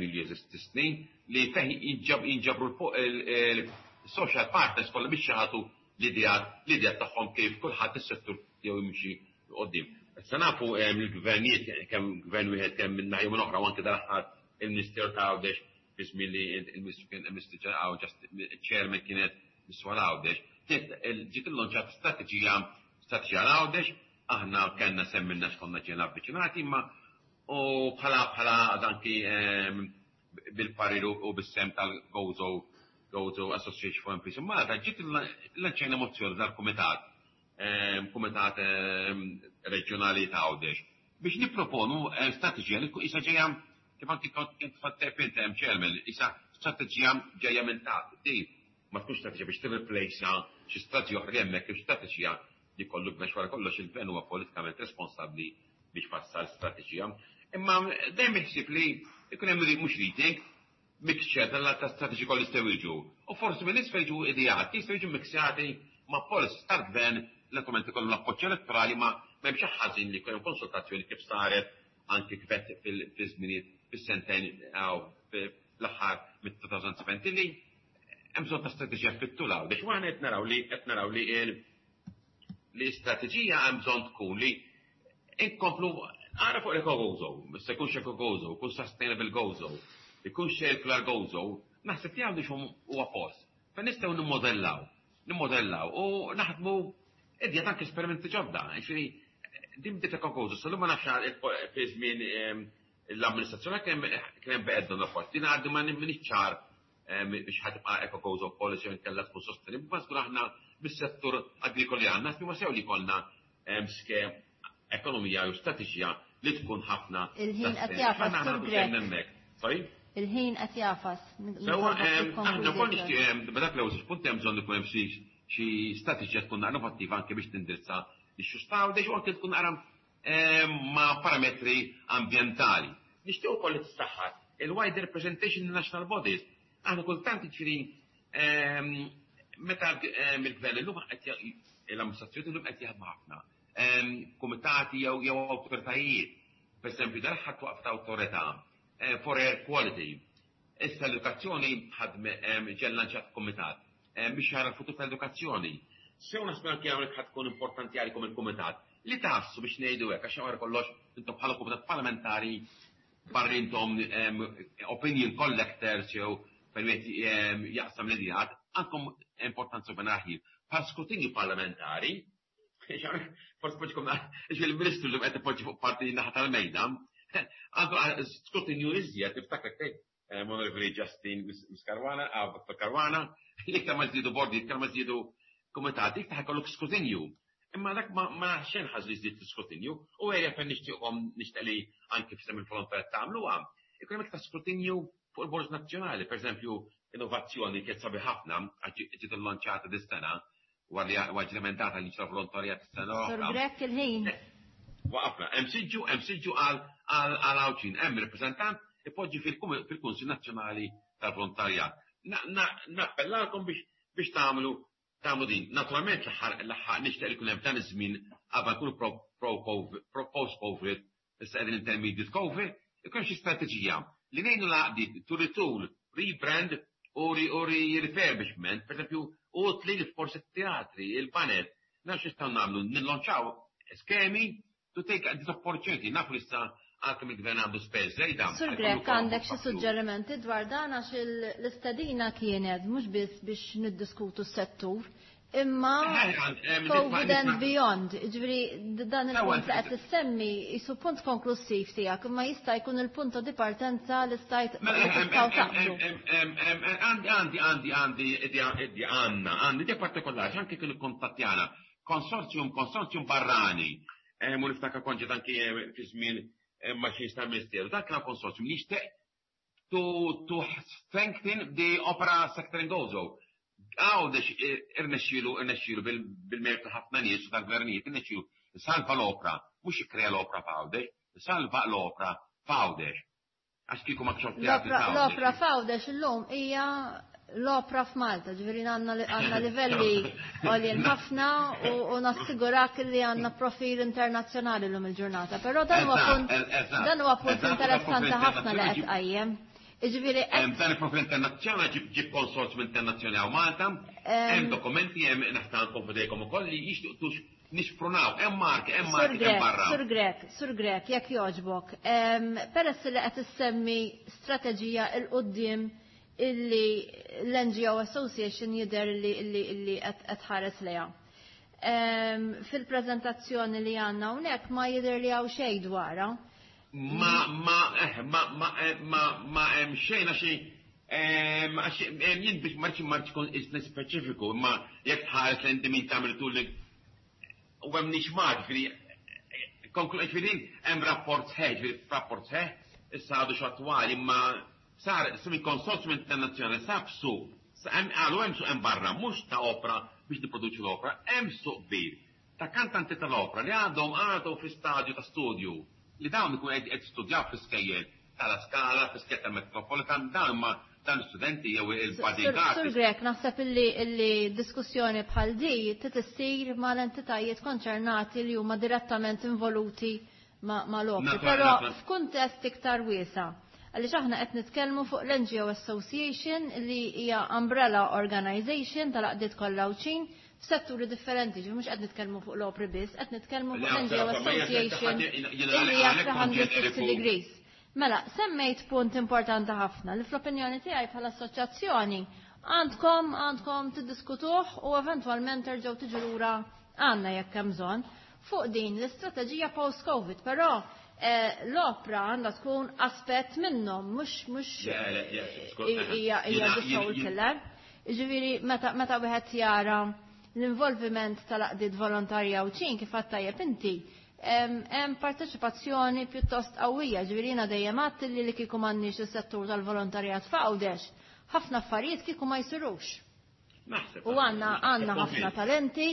li jeżisti snin li fih jinġabru Social partners kollha biex jagħtu l-ideat tagħhom kif kulħadd is-settur tiegħu jimxi quddiem. Issa nafu l-gvernijiet, kemm gvern wieħed, kemm minn naħa minn oħra, u anke dal-aħħar il-Ministeru ta' Għawdex, fi żmien li il-Ministru kien il-Ministru Għawdex, chairman kienet Miswal Għawdex, ġiet illonċat strateġija għal Għawdex. Aħna kellna semmilna x'konna ġejna avviċinati, imma u bħala anki bil-parir u bis-sehem tal-Gozo Gozo Association for MPs in Malta, ġiet lanċejna mozzjoni dal-kumitat kumitat reġjonali ta' Għawdex biex nipproponu strateġija li issa ġejja, kif anki kont fattep int, hemm chairman, issa strateġija ġejja minn taħt. Di ma tkunx strateġija biex tirreplejsa xi strateġija oħra hemmhekk, kif strateġija li kollu gvern. Wara kollox il-gvern huwa politikament responsabbli biex fassal strateġija. Imma dejjem iħsib li jkun hemm mhux rethink, mixture tal ta' strateġi kollu jistgħu jiġu. U forsi minn isfel jiġu ideat, jistgħu jiġu mixjati ma' policies tal-gvern, naturalment ikollu l-appoġġ elettorali, ma m'hemmx ħażin li jkun hemm konsultazzjoni kif saret anki kif fil-żminijiet fis-sentejn fl-aħħar mit-2017 li hemm bżonn ta' strateġija fit-tul Għawdex. U aħna qed naraw li li strateġija hemm bżonn tkun li inkomplu għara fuq l-Eco-Gozo, se jkunx Eco-Gozo, kun Sustainable Gozo, ikun Circular Gozo, naħseb li għandu huwa post. Fejn nistgħu nimmodellaw u naħdmu idja anke esperimenti ġodda. Ġifieri, din bdiet Eco-Gozo, sal ma nafx fi żmien l-amministrazzjoni kien hemm beqed rapport. Din għaddi ma minix ċar biex ħa tibqa' Eco-Gozo policy u nkella tkun sostenibbli, ma żgur aħna bis-settur agrikoli għandna, ma sew li konna skem ekonomija u strateġija li tkun ħafna. Il-ħin qed jagħfas. Sorry? Il-ħin qed jagħfas. Sewa, aħna wkoll nixtieq b'dak l-ewwel punt, hemm bżonn ikun hemm xi strateġija tkun innovattiva anke biex tindirizza l-issues ta' u anke tkun naqra ma' parametri ambjentali. Nixtieq ukoll li tissaħħaħ il-wider representation in national bodies. Aħna kultant, ġifieri, meta il-gvern illum, l-amministrazzjoni illum qed jaħdmu ħafna kumitati jew awtoritajiet. Per esempio, dal-ħadd waqf ta' awtorità for air quality. Issa l-edukazzjoni ħadme ġie llanċat komitat biex jara l-futur tal-edukazzjoni. Sew naħseb anke hawnhekk ħad tkun importanti għalikom il-kumitat li tassu biex ngħidu hekk, għax wara kollox intom bħala kumitat parlamentari barri intom opinion collectors jew fejn wieħed jaqsam l-idejat, għandkom importanza b'naħi bħal skrutinju parlamentari. Forsi poġġikom il-ministru li qed ipoġġi fuq parti naħa tal-mejda, għandu skrutinju iżjed. Tiftakar tgħid, Onorevoli Justin Caruana, Dr. Caruana, li iktar ma żdiedu bordi, iktar ma żdiedu komitati, iktar ikollok skrutinju. Imma dak ma xejn ħaż li żdied skrutinju u ejja fejn nixtieqhom, nixtieq li anke f'isem il-volontariat tagħmluha. Ikun hemm iktar skrutinju fuq il-Bord Nazzjonali, per eżempju, innovazzjoni kienet sabi ħafna, ġiet illanċata dis-sena, wara li ġiet emendata liġi volontarjat is-sena Sur Grech, il-ħin. Waqafna, hemm siġġu għal Għawdxin, hemm rappreżentant ipoġġi fil-Kunsil Nazzjonali tal-Volontarjat. Nappellalkom biex tagħmlu din. Naturalment l-aħħar nixtieq li kun hemm dan iż-żmien qabel nkunu post-COVID, issa qegħdin intermediate COVID, ikun xi strateġija li ngħinu l-għaqdiet to retool, rebrand u refurbishment, per esempio, u tli forsi teatri, il-baned, nafx nistgħu nagħmlu, nillonċaw skemi to take this opportunity. Nafu li issa għalkemm il-gvern għandu spez żejda. Sur Grech, għandek xi suġġerimenti dwar dan, għax l-istedina kienet mhux biss biex niddiskutu s-settur, imma COVID and beyond. Ġifieri dan il-punt li qed tissemmi jisu punt konklusiv tiegħek, imma jista' jkun il-punt di partenza li stajt Mela, tistgħu taqblu. Għandi, għandna, għandi idea partikolari, anke kienu kontattjana, konsorzjum barrani, mu niftakar konġet anki fi żmien ma xie tal-ministeru, dak kien konsorzjum li jixtieq to strengthen the opera sector in Gozo. Għawdex irnexxielu bil-mertu ħafna nies u tal-gvernijiet, irnexxielu salva l-opra, mhux ikkrea l-opra f'Għawdex, salva l-opra f'Għawdex. Għax kieku ma kxof L-opra f'Għawdex illum hija l-opra f'Malta, ġifieri għandna livelli għoljen ħafna u nassigurak li għandna profil internazzjonali l-lum il-ġurnata. Però dan huwa punt interessanti ħafna li qed qajjem. Jiġifieri Hemm dan il-profil internazzjonali ġib konsorzjum internazzjonali hawn Malta, hemm dokumenti hemm naħtankom f'idejkom ukoll li jixtiequ nixprunaw, hemm marki, hemm marki hemm barra. Sur Grech, Sur Grech, jekk jogħġbok, peress li qed issemmi strateġija 'l quddiem illi l-NGO Association jidher li qed tħares lejha. Fil-preżentazzjoni li għandna hawnhekk ma jidher li hawn xejn dwarha. Ma ma eh ma ma eh, ma ma hemm xejn għax għax jien biex marċi marċi kun isni speċifiku, imma jekk tħares l min tagħmel tul u hemm nix ma ġifieri ġifieri hemm rapport sħiħ, ġifieri rapport sħiħ, issa għadu x'attwali, imma sar simi konsorzjum internazzjonali sab suq, għalu hemm suq hemm barra, mhux ta' opra biex nipproduċu l-opra, hemm suq kbir ta' kantanti tal-opra li għadhom għadu fi stadju ta' studju li dawn ikun qed studjaw fi skejjel tal Scala, fi skejjel tal-Metropolitan, dawn ma dan studenti jew il-bodyguard. Sur Grech, naħseb illi diskussjoni bħal di trid mal-entitajiet konċernati li huma direttament involuti ma' l-opri, però f'kuntest iktar wiesa'. Għaliex aħna qed nitkellmu fuq l-NGO Association li hija umbrella organization tal-għaqdiet kollha Għawdxin f'setturi differenti, ġi mhux qed nitkellmu fuq l-opri biss, qed nitkellmu fuq l-NGO Association li hija 360 degrees. Mela, semmejt punt importanti ħafna li fl-opinjoni tiegħi bħala assoċjazzjoni għandkom tiddiskutuh u eventwalment terġgħu tiġu lura għandna jekk hemm bżonn fuq din l-istrateġija post-Covid, però l-opra għandha tkun aspett minnhom, mhux hija the sole killer. Ġifieri meta wieħed jara l-involviment tal-għaqdiet volontarja u ċin kif għedt tajjeb inti, hemm parteċipazzjoni pjuttost qawwija, ġifieri jiena dejjem għedt li kieku m'għandniex is-settur tal-volontarjat f'Għawdex, ħafna affarijiet kieku ma jsirux. U għandna ħafna talenti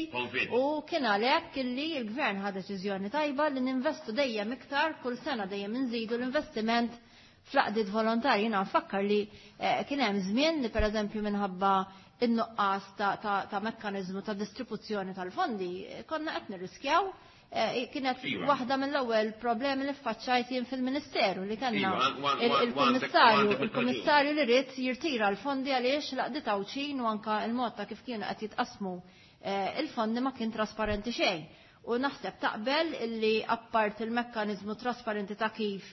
u kien għalhekk illi l-gvern ħa deċiżjoni tajba li ninvestu dejjem iktar kull sena dejjem inżidu l-investiment fl-għaqdiet volontarji. Jiena nfakkar li kien hemm żmien li pereżempju minħabba in-nuqqas ta' mekkaniżmu ta' distribuzzjoni tal-fondi konna qed nirriskjaw kienet waħda mill-ewwel problemi li ffaċċajt jien fil-Ministeru li kellna il-kummissarju li ried jirtira l-fondi għaliex l-għaqdiet Għawdxin u anka il-mod ta' kif kienu qed jitqasmu il-fondi ma kien trasparenti xejn. U naħseb taqbel illi appart il-mekkaniżmu trasparenti ta' kif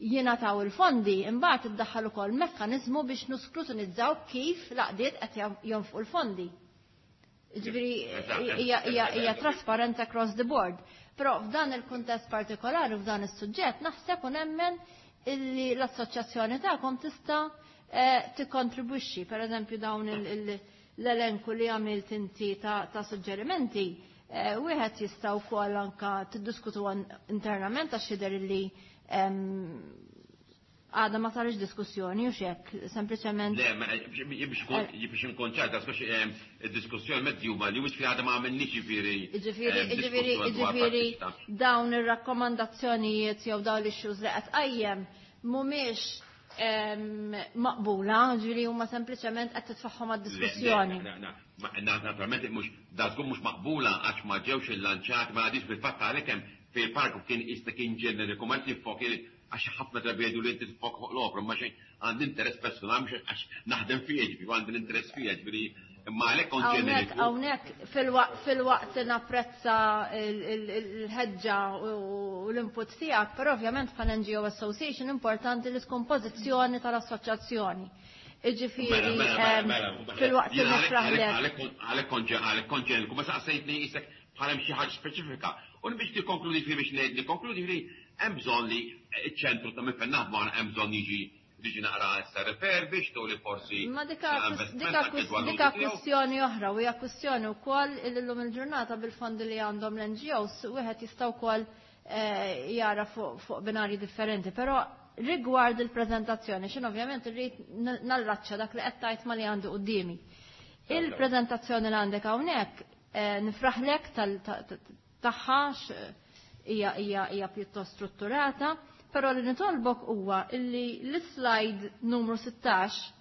jingħataw il-fondi, imbagħad iddaħħal ukoll mekkaniżmu biex nuskrutinizzaw kif l-għaqdiet qed jonfqu l-fondi. Ġifieri hija trasparenza across the board. Però f'dan il-kuntest partikolari, f'dan is-suġġett, naħseb u nemmen illi l-assoċjazzjoni tagħkom tista' tikkontribwixxi. Per eżempju dawn l-elenku li għamilt inti ta' suġġerimenti, wieħed jista' wkoll anka tiddiskutu internament għax jidher illi għadha ma sarix diskussjoni u xek, sempliċement. Le, biex nkun ċar, diskussjoni mezzi huma li mhux fi għadha ma għamilniex ġifieri. Ġifieri dawn ir-rakkomandazzjonijiet jew dawn l-issues li qed qajjem mhumiex maqbula, ġifieri huma sempliċement qed titfaħħom għad-diskussjoni. Naturalment mhux da żgur mhux maqbula għax ma ġewx il-lanċat, ma għadix bil-fatt għalhekk hemm fil-paragrafu kien issa kien ġeneriku ma tifok għax ħafna drabi jgħidu li inti tifok fuq l-opra, ma xejn għandi interess personali mhux għax naħdem fija, ġifieri għandi l-interess fija, ġifieri imma għalhekk kont ġeneriku. Hawnhekk filwaqt napprezza il-ħeġġa u l-input tiegħek, però ovvjament bħala NGO Association importanti li tkun pożizzjoni tal-assoċjazzjoni. Ġifieri filwaqt li nifraħlek. Għalhekk kont ġeneriku, ma saqsejtni isek bħala xi ħaġa speċifika. U biex nikkonkludi fi biex ngħid nikkonkludi fi hemm bżonn li ċ-ċentru ta' minn fejn naħdmu hemm bżonn jiġi naqra issa refurbished u li forsi. Ma dika kwistjoni oħra u hija kwistjoni wkoll illum il-ġurnata bil-fondi li għandhom l-NGOs wieħed jista' wkoll jara fuq binarji differenti, però rigward il-preżentazzjoni, xin ovvjament irrid nallaċċa dak li qed tgħid ma li għandu quddiemi. Il-preżentazzjoni li għandek hawnhekk nifraħlek tagħha hija pjuttost strutturata, però li nitolbok huwa illi l-slide numru 16,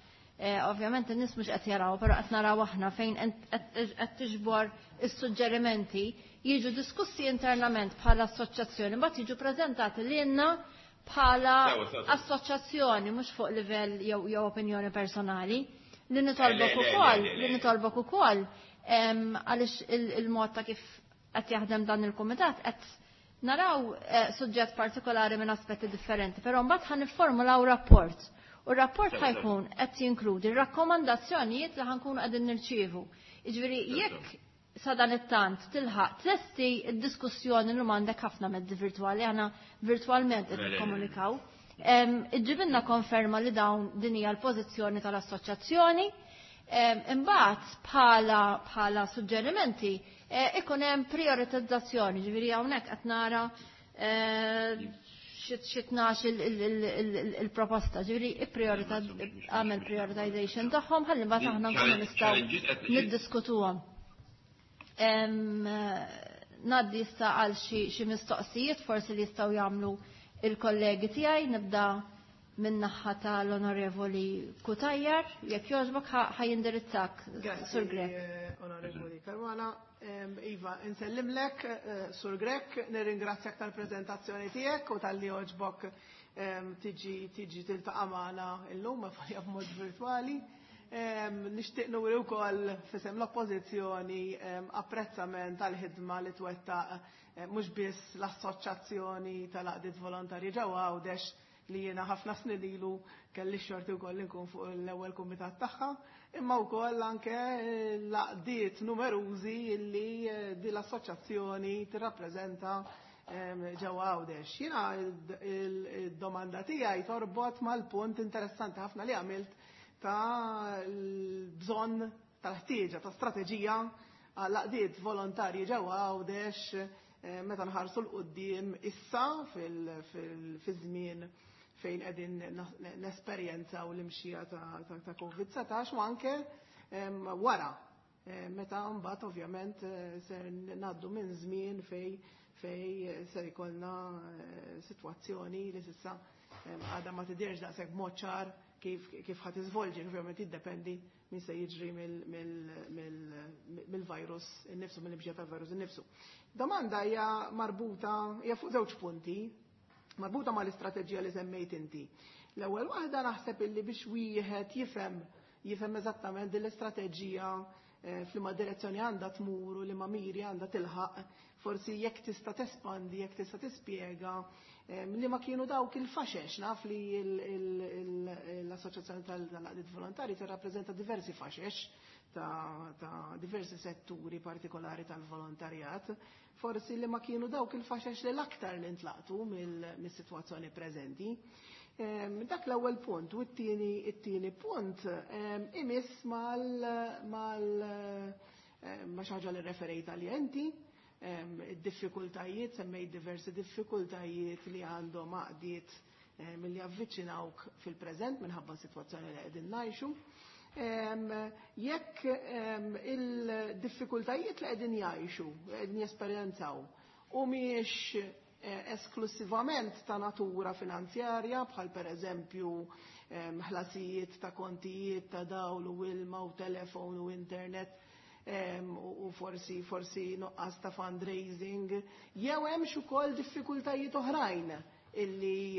ovvjament in-nies mhux qed jaraw, però qed naraw aħna fejn qed tiġbor is-suġġerimenti jiġu diskussi internament bħala assoċjazzjoni, mbagħad jiġu preżentati lilna. bħala assoċjazzjoni, mhux fuq livell jew opinjoni personali. Li nitolbok ukoll, li nitolbok ukoll għaliex il-mod ta' kif qed jaħdem dan il-kumitat qed naraw suġġett partikolari minn aspetti differenti, però mbagħad ħa nifformulaw rapport. U r-rapport ħa jkun qed jinkludi r-rakkomandazzjonijiet li ħa nkunu qegħdin nirċievu. Jiġifieri jekk sa dan it-tant tilħaq tlesti d-diskussjoni li m'għandek ħafna mezzi virtwali, aħna virtwalment qed nikkomunikaw. Iġġibilna konferma li dawn din hija l-pożizzjoni tal-assoċjazzjoni. Imbagħad bħala suġġerimenti ikun hemm prioritizzazzjoni, ġifieri hawnhekk qed nara xi 12 il-proposta, ġifieri għamel prioritization tagħhom ħalli mbagħad aħna nkunu nistgħu niddiskutuhom. Ngħaddi issa għal xi mistoqsijiet forsi li jistgħu jagħmlu il-kollegi tiegħi. Nibda min-naħa tal-Onorevoli Cutajar, jekk jogħġbok ħa jindirizzak, Sur Grech. Onorevoli Caruana. Iva, insellimlek, Sur Grech, nirringrazzjak tal-prezentazzjoni tiegħek u talli għoġbok tiġi tiltaqa' magħna illum ma b'mod virtwali. Nixtieq nuri wkoll f'isem l-Oppożizzjoni apprezzament tal-ħidma li twettaq mhux biss l-Assoċjazzjoni tal-Għaqdiet Volontarji ġewwa Għawdex, li jiena ħafna snin ilu kelli xorti wkoll nkun fuq l-ewwel kumitat tagħha, imma wkoll anke l-għaqdiet numerużi li din l-assoċjazzjoni tirrappreżenta ġewwa Għawdex. Jiena id-domanda tiegħi torbot mal-punt interessanti ħafna li għamilt ta' l-bżonn tal-ħtieġa ta' strateġija għall-għaqdiet volontarji ġewwa Għawdex meta nħarsu 'l quddiem issa fil-żmien fejn qegħdin nesperjenzaw l-imxija ta' COVID-19 u anke wara, meta mbagħad ovvjament ser ngħaddu minn żmien fej ser ikollna sitwazzjoni li s'issa għadha ma tidhirx daqshekk b'mod ċar kif ħa tiżvolġi, ovvjament jiddependi min se jiġri mill-virus innifsu, mill-imxija tal-virus innifsu. Domanda hija marbuta, hija fuq żewġ punti, marbuta mal-istrateġija li semmejt inti. L-ewwel waħda, naħseb illi biex wieħed jifhem eżattament din l-istrateġija, f'liema direzzjoni għandha tmur u liema miri għandha tilħaq, forsi jekk tista' tespandi, jekk tista' tispjega li ma kienu dawk il-faxex. Naf li l-Assoċjazzjoni tal-Għaqdiet Volontari tirrappreżenta diversi faxex ta' diversi setturi partikolari tal-volontarjat, forsi li ma kienu dawk il-faxex li l-aktar li ntlaqtu mill-sitwazzjoni preżenti. Dak l-ewwel punt, u t-tieni punt imiss mal ma xi ħaġa li referejt għalija inti, id-diffikultajiet, semmejt diversi diffikultajiet li għandhom għaqdiet milli avviċinawk fil-preżent minħabba s-sitwazzjoni li qegħdin ngħixu. Jekk il-diffikultajiet li qegħdin jgħixu, qegħdin jesperjenzaw, u mhijiex esklusivament ta' natura finanzjarja, bħal per eżempju ħlasijiet ta' kontijiet ta' dawl u ilma u telefon u internet u forsi nuqqas ta' fundraising, jew hemm ukoll diffikultajiet oħrajn illi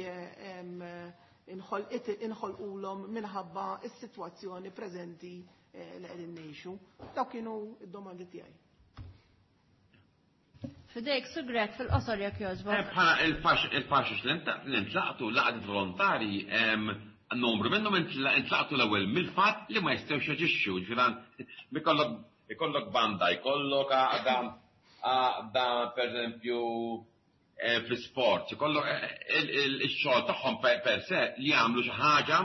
inħolqulhom minħabba s-sitwazzjoni preżenti li qegħdin ngħixu. Dawk kienu id-domandi tiegħi. F'idejk, Sur Grech, fil-qosor jekk jogħġbok. Bħala il-faxix li ntlaqtu l-għaqdiet volontari, numru minnhom intlaqtu l-ewwel mill-fatt li ma jistgħux jaġixxu, ġifieri ikollok banda, jkollok għaqda per eżempju fl-sport, ikollok il-xogħol tagħhom per se li jagħmlu xi ħaġa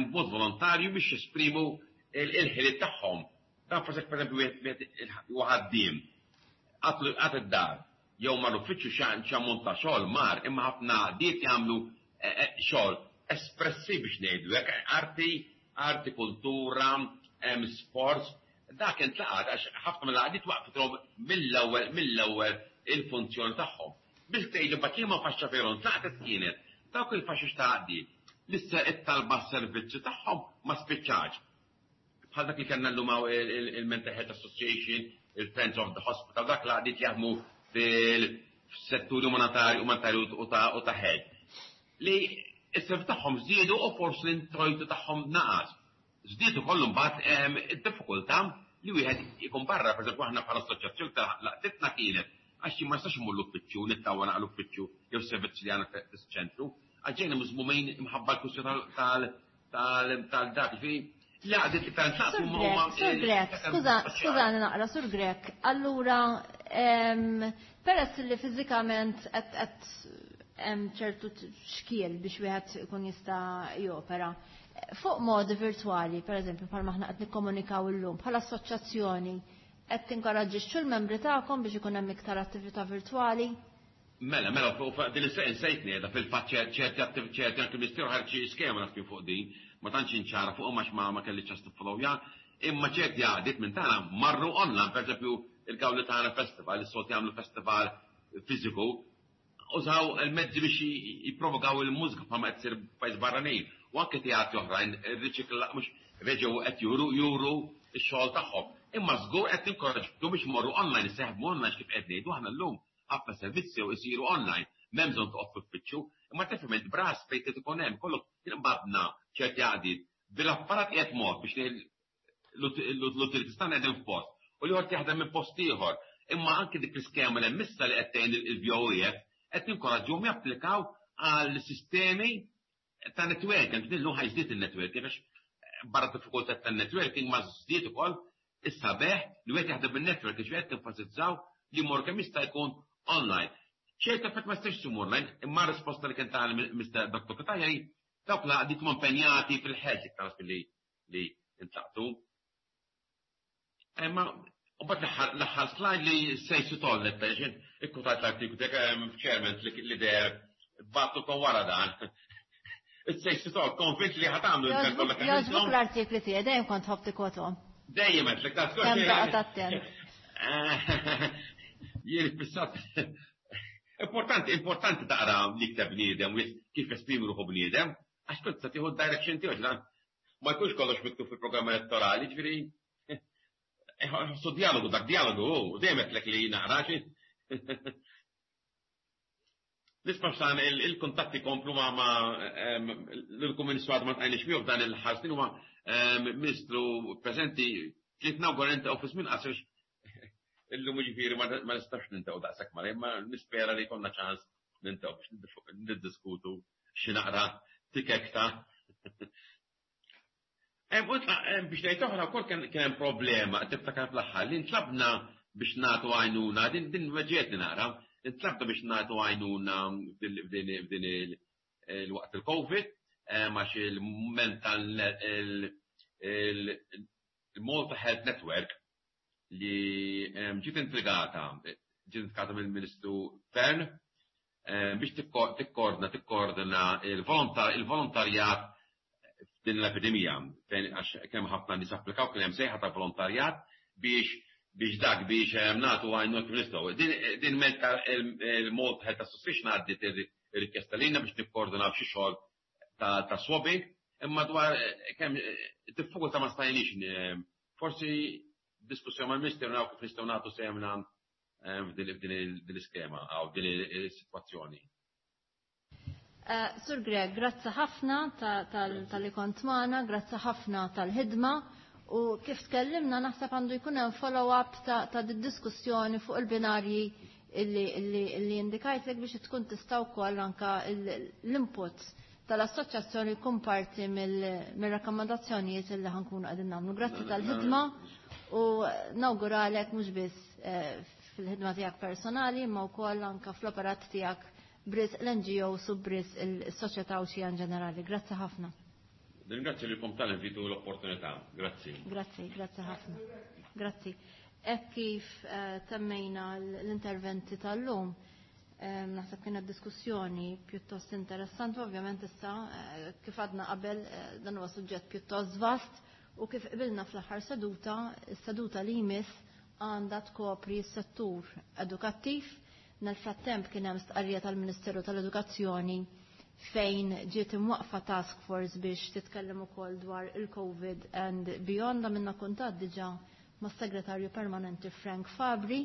b'mod volontarju biex jesprimu il-ħiliet tagħhom. Dan forsi per eżempju wieħed ħaddiem għad id-dar, jew mar uffiċċju x'ammont ta' xogħol mar, imma ħafna għaqdiet jagħmlu xogħol espressiv biex ngħidu hekk, arti, kultura, sports, dak intlaqat għax ħafna mill-għaqdiet waqfithom mill-ewwel il-funzjoni tagħhom. Biex tgħidu mbagħad liema faxxa veru ntlaqtet kienet dawk il-faxxix ta' għaqdiet li it-talba s-servizzi tagħhom ma spiċċax. Bħal dak li kellna llum il-Mental Health Association, il-Friends of the Hospital, dak l-għaqdiet jaħdmu fil-setturi umanitarju u ta' health. li s-self tagħhom żdiedu u forsi l-introjtu tagħhom naqas. Żdied ukoll imbagħad id-diffikultà li wieħed ikun barra, pereżempju aħna bħala assoċjazzjoni ta' laqtitna kienet għax ma nistax immur l-uffiċċju nittawwa naqra l-uffiċċju jew servizzi li għandna fis-ċentru, għax ġejna miżmumin imħabba l-kwistjoni tal-dak, ġifieri l-għaqdiet li tant naqsu huma. Sur Grech, skuża, skużani naqra, Sur Grech, allura peress li fiżikament qed hemm ċertu xkiel biex wieħed ikun jista' jopera. Fuq modi virtwali, per eżempju, bħalma aħna qed nikkomunikaw illum, bħala assoċjazzjoni, qed tinkoraġġixxu l-membri tagħkom biex ikun hemm iktar attività virtwali? Mela, mela, fuq din is-sejtni qiegħda fil-fatt ċerti ċerti anke l-Ministeru ħareġ xi skema naf kien fuq din, ma tantx inċara fuqhom għax ma ma kelli ċans tiffollowja, imma ċerti għaqdiet minn tagħna marru online, pereżempju il-Gawlitana Festival, is-soltu jagħmlu festival fiżiku, użaw il-mezzi biex jipprovokaw il-mużika bħalma qed issir f'pajjiż barranin u anke teatri oħrajn irriċikla mhux reġgħu qed juru juru x-xogħol tagħhom. Imma żgur qed ninkoraġġu biex imorru online, iseħħmu online kif qed ngħidu aħna llum ħafna servizzi u jsiru online, m'hemm bżonn toqgħod f'uffiċċju, imma tifhem int b'ras fejn trid ikun hemm, kollok inqbadna ċerti għaqdiet bil-apparat qiegħed mod biex l-utilities tagħna qegħdin f'post u l-ieħor jaħdem minn post ieħor. Imma anke dik l-iskema li hemm issa li qed tgħin il-VOEF qed ninkoraġġuhom japplikaw għal sistemi ta' networking, din ħa jżdied il-networking għax barra diffikultà tan-networking ma żdied ukoll is-sabeħ li wieħed jaħdem bin-network ġifieri qed nenfasizzaw li jmur kemm jista' jkun online. ċerta fatt ma jistax isum online, imma risposta li kien ta' Mr. Dr. Cutajar dawk l-għaqdiet huma impenjati fil-ħeġ iktar li li intlaqtu. Imma u bat l-aħħar slide li sejsu tollet, pereżempju, ikkutajt l-artiklu tiegħek chairman li deher battu kon wara dan. Sejsu toll, konvint li ħa tagħmlu Jogħġbuk l-artikli tiegħi, dejjem kont tħobb tikkotom. Dejjem qed li ta' Kemm toqgħod attent. Jien fissat. Importanti, importanti taqra li kteb bniedem u kif esprimi ruħu bniedem, għax kont se tieħu direction tiegħu dan ma jkunx kollox miktub fil-programm elettorali, ġifieri ħossu dialogu, dak dialogu, u dejjem qedlek li naqra xi. Nisma' xan il-kuntatti komplu ma' l-Kummissju għadu ma tqajniex miegħu f'dan il-ħarsnin huma Ministru preżenti ġiet nawgura nintaqgħu fi żmien qasir illum ġifieri ma nistax nintaqgħu daqshekk ma imma nispera li jkollna ċans nintaqgħu biex niddiskutu xi naqra tikek ta' Biex ngħid oħra wkoll kien hemm problema tiftakar fl-aħħar li ntlabna biex nagħtu għajnuna din din weġġietni naqra, intlabna biex nagħtu għajnuna f'din il-waqt il-Covid għax il-mental il-Malta Health Network li ġiet intrigata ġiet intrigata mill-Ministru Fearne biex tikkoordina tikkoordina il-volontarjat f'din l-epidemija fejn għax kemm ħafna nies applikaw kien hemm sejħa ta' volontarjat biex biex dak biex nagħtu għajnuna kif nistgħu. Din meta il-Malta Health Association għaddiet ir-rikjesta lilna biex nikkoordinaw xi xogħol ta' swabbing, imma dwar kemm diffikultà ma stajniex forsi diskussjoni mal-Ministeru naraw kif nistgħu nagħtu sehemna f'din l-iskema għaw din is-sitwazzjoni. Sur Grech, grazzi ħafna talli kont magħna, grazzi ħafna tal-ħidma u kif tkellimna naħseb għandu jkun hemm follow-up ta' diskussjoni fuq il-binarji illi indikajtlek biex tkun tista' wkoll anka l-input tal-assoċjazzjoni jkun parti mill-rakkomandazzjonijiet illi ħa nkunu qegħdin nagħmlu. Grazzi tal-ħidma u nawguralek mhux biss fil-ħidma tiegħek personali imma wkoll anka fl-operat tiegħek b'risq l-NGO u b'risq il-soċjetà u in ġenerali. Grazzi ħafna. Ringrazzja lilkom tal-invitu l-opportunità. Grazzi. Grazzi, grazzi ħafna. Grazzi. Hekk kif temmejna l-interventi tal-lum, naħseb kienet diskussjoni pjuttost interessanti, ovvjament issa kif għadna qabel dan huwa suġġett pjuttost vast u kif qbilna fl-aħħar seduta, is-seduta li jmiss għandha tkopri s-settur edukattiv. Nel-frattemp kien hemm stqarrija tal-Ministeru tal-Edukazzjoni fejn ġiet imwaqfa task force biex titkellem ukoll dwar il-COVID and beyond. Għamilna kuntatt diġà mas-segretarju permanenti Frank Fabri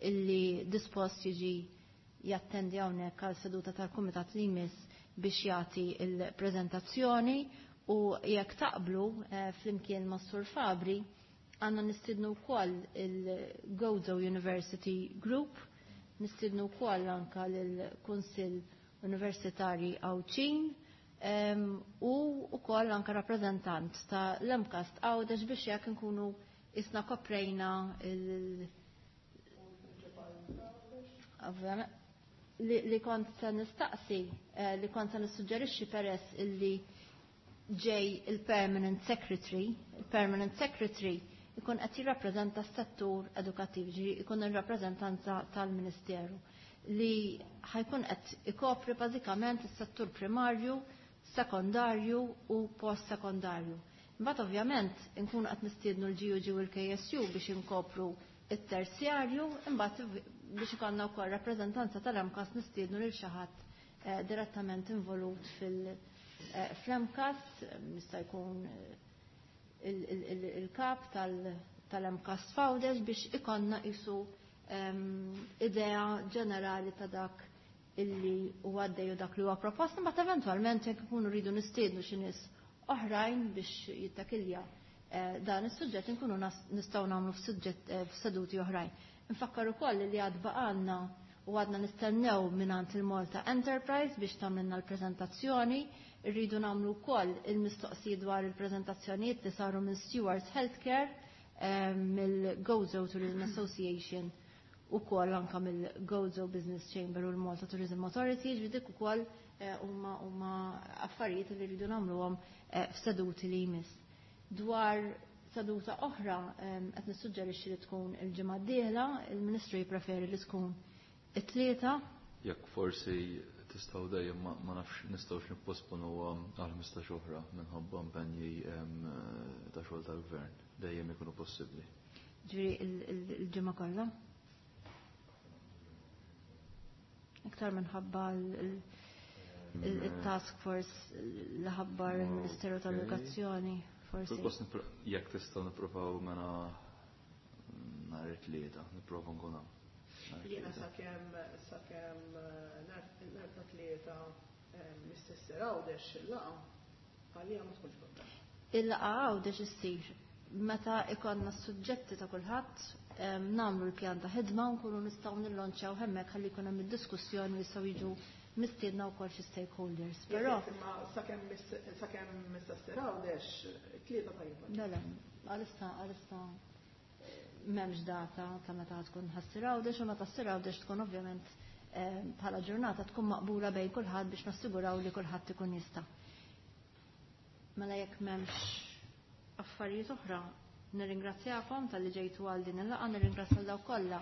illi dispost jiġi jattendi hawnhekk għal seduta tal-Kumitat li jmiss. biex jagħti il-preżentazzjoni u jekk taqblu flimkien ma' Sur Fabri għandna nistidnu wkoll il-Gozo University Group, nistidnu wkoll anka lill-Kunsill Universitari Għawdxin u wkoll anka rappreżentant ta' l-MCAST Għawdex biex jekk nkunu isna koprejna il- li kont se nistaqsi, li kont se nissuġġerixxi peress illi ġej il-Permanent Secretary, il-Permanent Secretary ikun qed jirrappreżenta s-settur edukattiv, ġifieri ikun ir-rappreżentanza tal-Ministeru li ħajkun qed ikopri bażikament is-settur primarju, sekondarju u post-sekondarju. Imbagħad ovvjament inkunu qed nistiednu l-GUG u l-KSU biex inkopru it-terzjarju, imbagħad biex ikollna wkoll rappreżentanza tal-MCAS nistiednu lil xi ħadd direttament involut fil-MCAS, jista' jkun il-kap tal-MCAS Fawdex biex ikonna isu idea ġenerali ta' dak illi huwa għaddej u dak li huwa proposta, imbagħad eventwalment jekk ikunu rridu nistiednu xi nies oħrajn biex jittakilja dan is-suġġett inkunu nistgħu nagħmlu f'suġġett f'seduti oħrajn. Nfakkar ukoll li għad baqalna u għadna nistennew mingħand il-Malta Enterprise biex tagħmilna l-preżentazzjoni, irridu nagħmlu wkoll il-mistoqsijiet dwar il-preżentazzjonijiet li saru minn Stewards Healthcare, mill-Gozo Tourism Association u koll anka mill-Gozo Business Chamber u l-Malta Tourism Authority, ġifieri dik ukoll huma affarijiet li rridu nagħmluhom f'seduti li jmiss. Dwar seduta oħra qed nissuġġerixxi li tkun il-ġimgħa d-dieħla, il-Ministru jippreferi li tkun it-tlieta. Jekk forsi tistgħu dejjem ma nafx nistgħux nipposponu għal 15 oħra minħabba impenji ta' xogħol tal-gvern, dejjem ikunu possibbli. Ġifieri il-ġimgħa kollha? Iktar minħabba il-task force li ħabbar il-Ministeru tal-Edukazzjoni, forsi. Jekk tistgħu nippruvaw mela nhar it-tlieta, nipprova nkun hawn. Jiena sakemm nhar ta' tlieta mistessir Għawdex il-laqgħa għalija ma tkunx problema. Il-laqgħa Għawdex issir meta ikonna s-suġġetti ta' kulħadd, nagħmlu l-pjan ta' ħidma u nkunu nistgħu nillonċjaw hemmhekk ħalli jkun hemm id-diskussjoni jistgħu jiġu mistiedna wkoll xi stakeholders. Però sakemm mistessir Għawdex tlieta tajba. Le, le, għalissa m'hemmx data ta' meta tkun ħassir Għawdex u meta ssir Għawdex tkun ovvjament bħala ġurnata tkun maqbula bejn kulħadd biex nassiguraw li kulħadd ikun jista'. Mela jekk m'hemmx affarijiet oħra, nirringrazzjakom talli ġejtu għal din il-laqgħa, nirringrazzja dawk kollha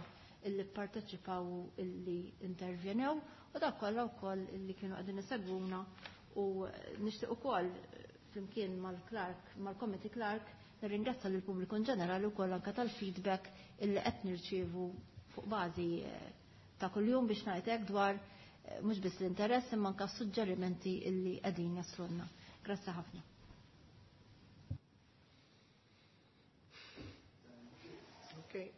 illi pparteċipaw illi intervjenew u dawk kollha wkoll illi kienu qegħdin isegwuna u nixtieq ukoll flimkien mal-Clark, mal-Committee Clark, nirringrazzja lill pubbliku in ġenerali wkoll anke tal-feedback illi qed nirċievu fuq bażi ta' kuljum biex ngħid hekk dwar mhux biss l-interess imma anke s-suġġerimenti illi qegħdin jaslulna. Grazzi ħafna. Okay.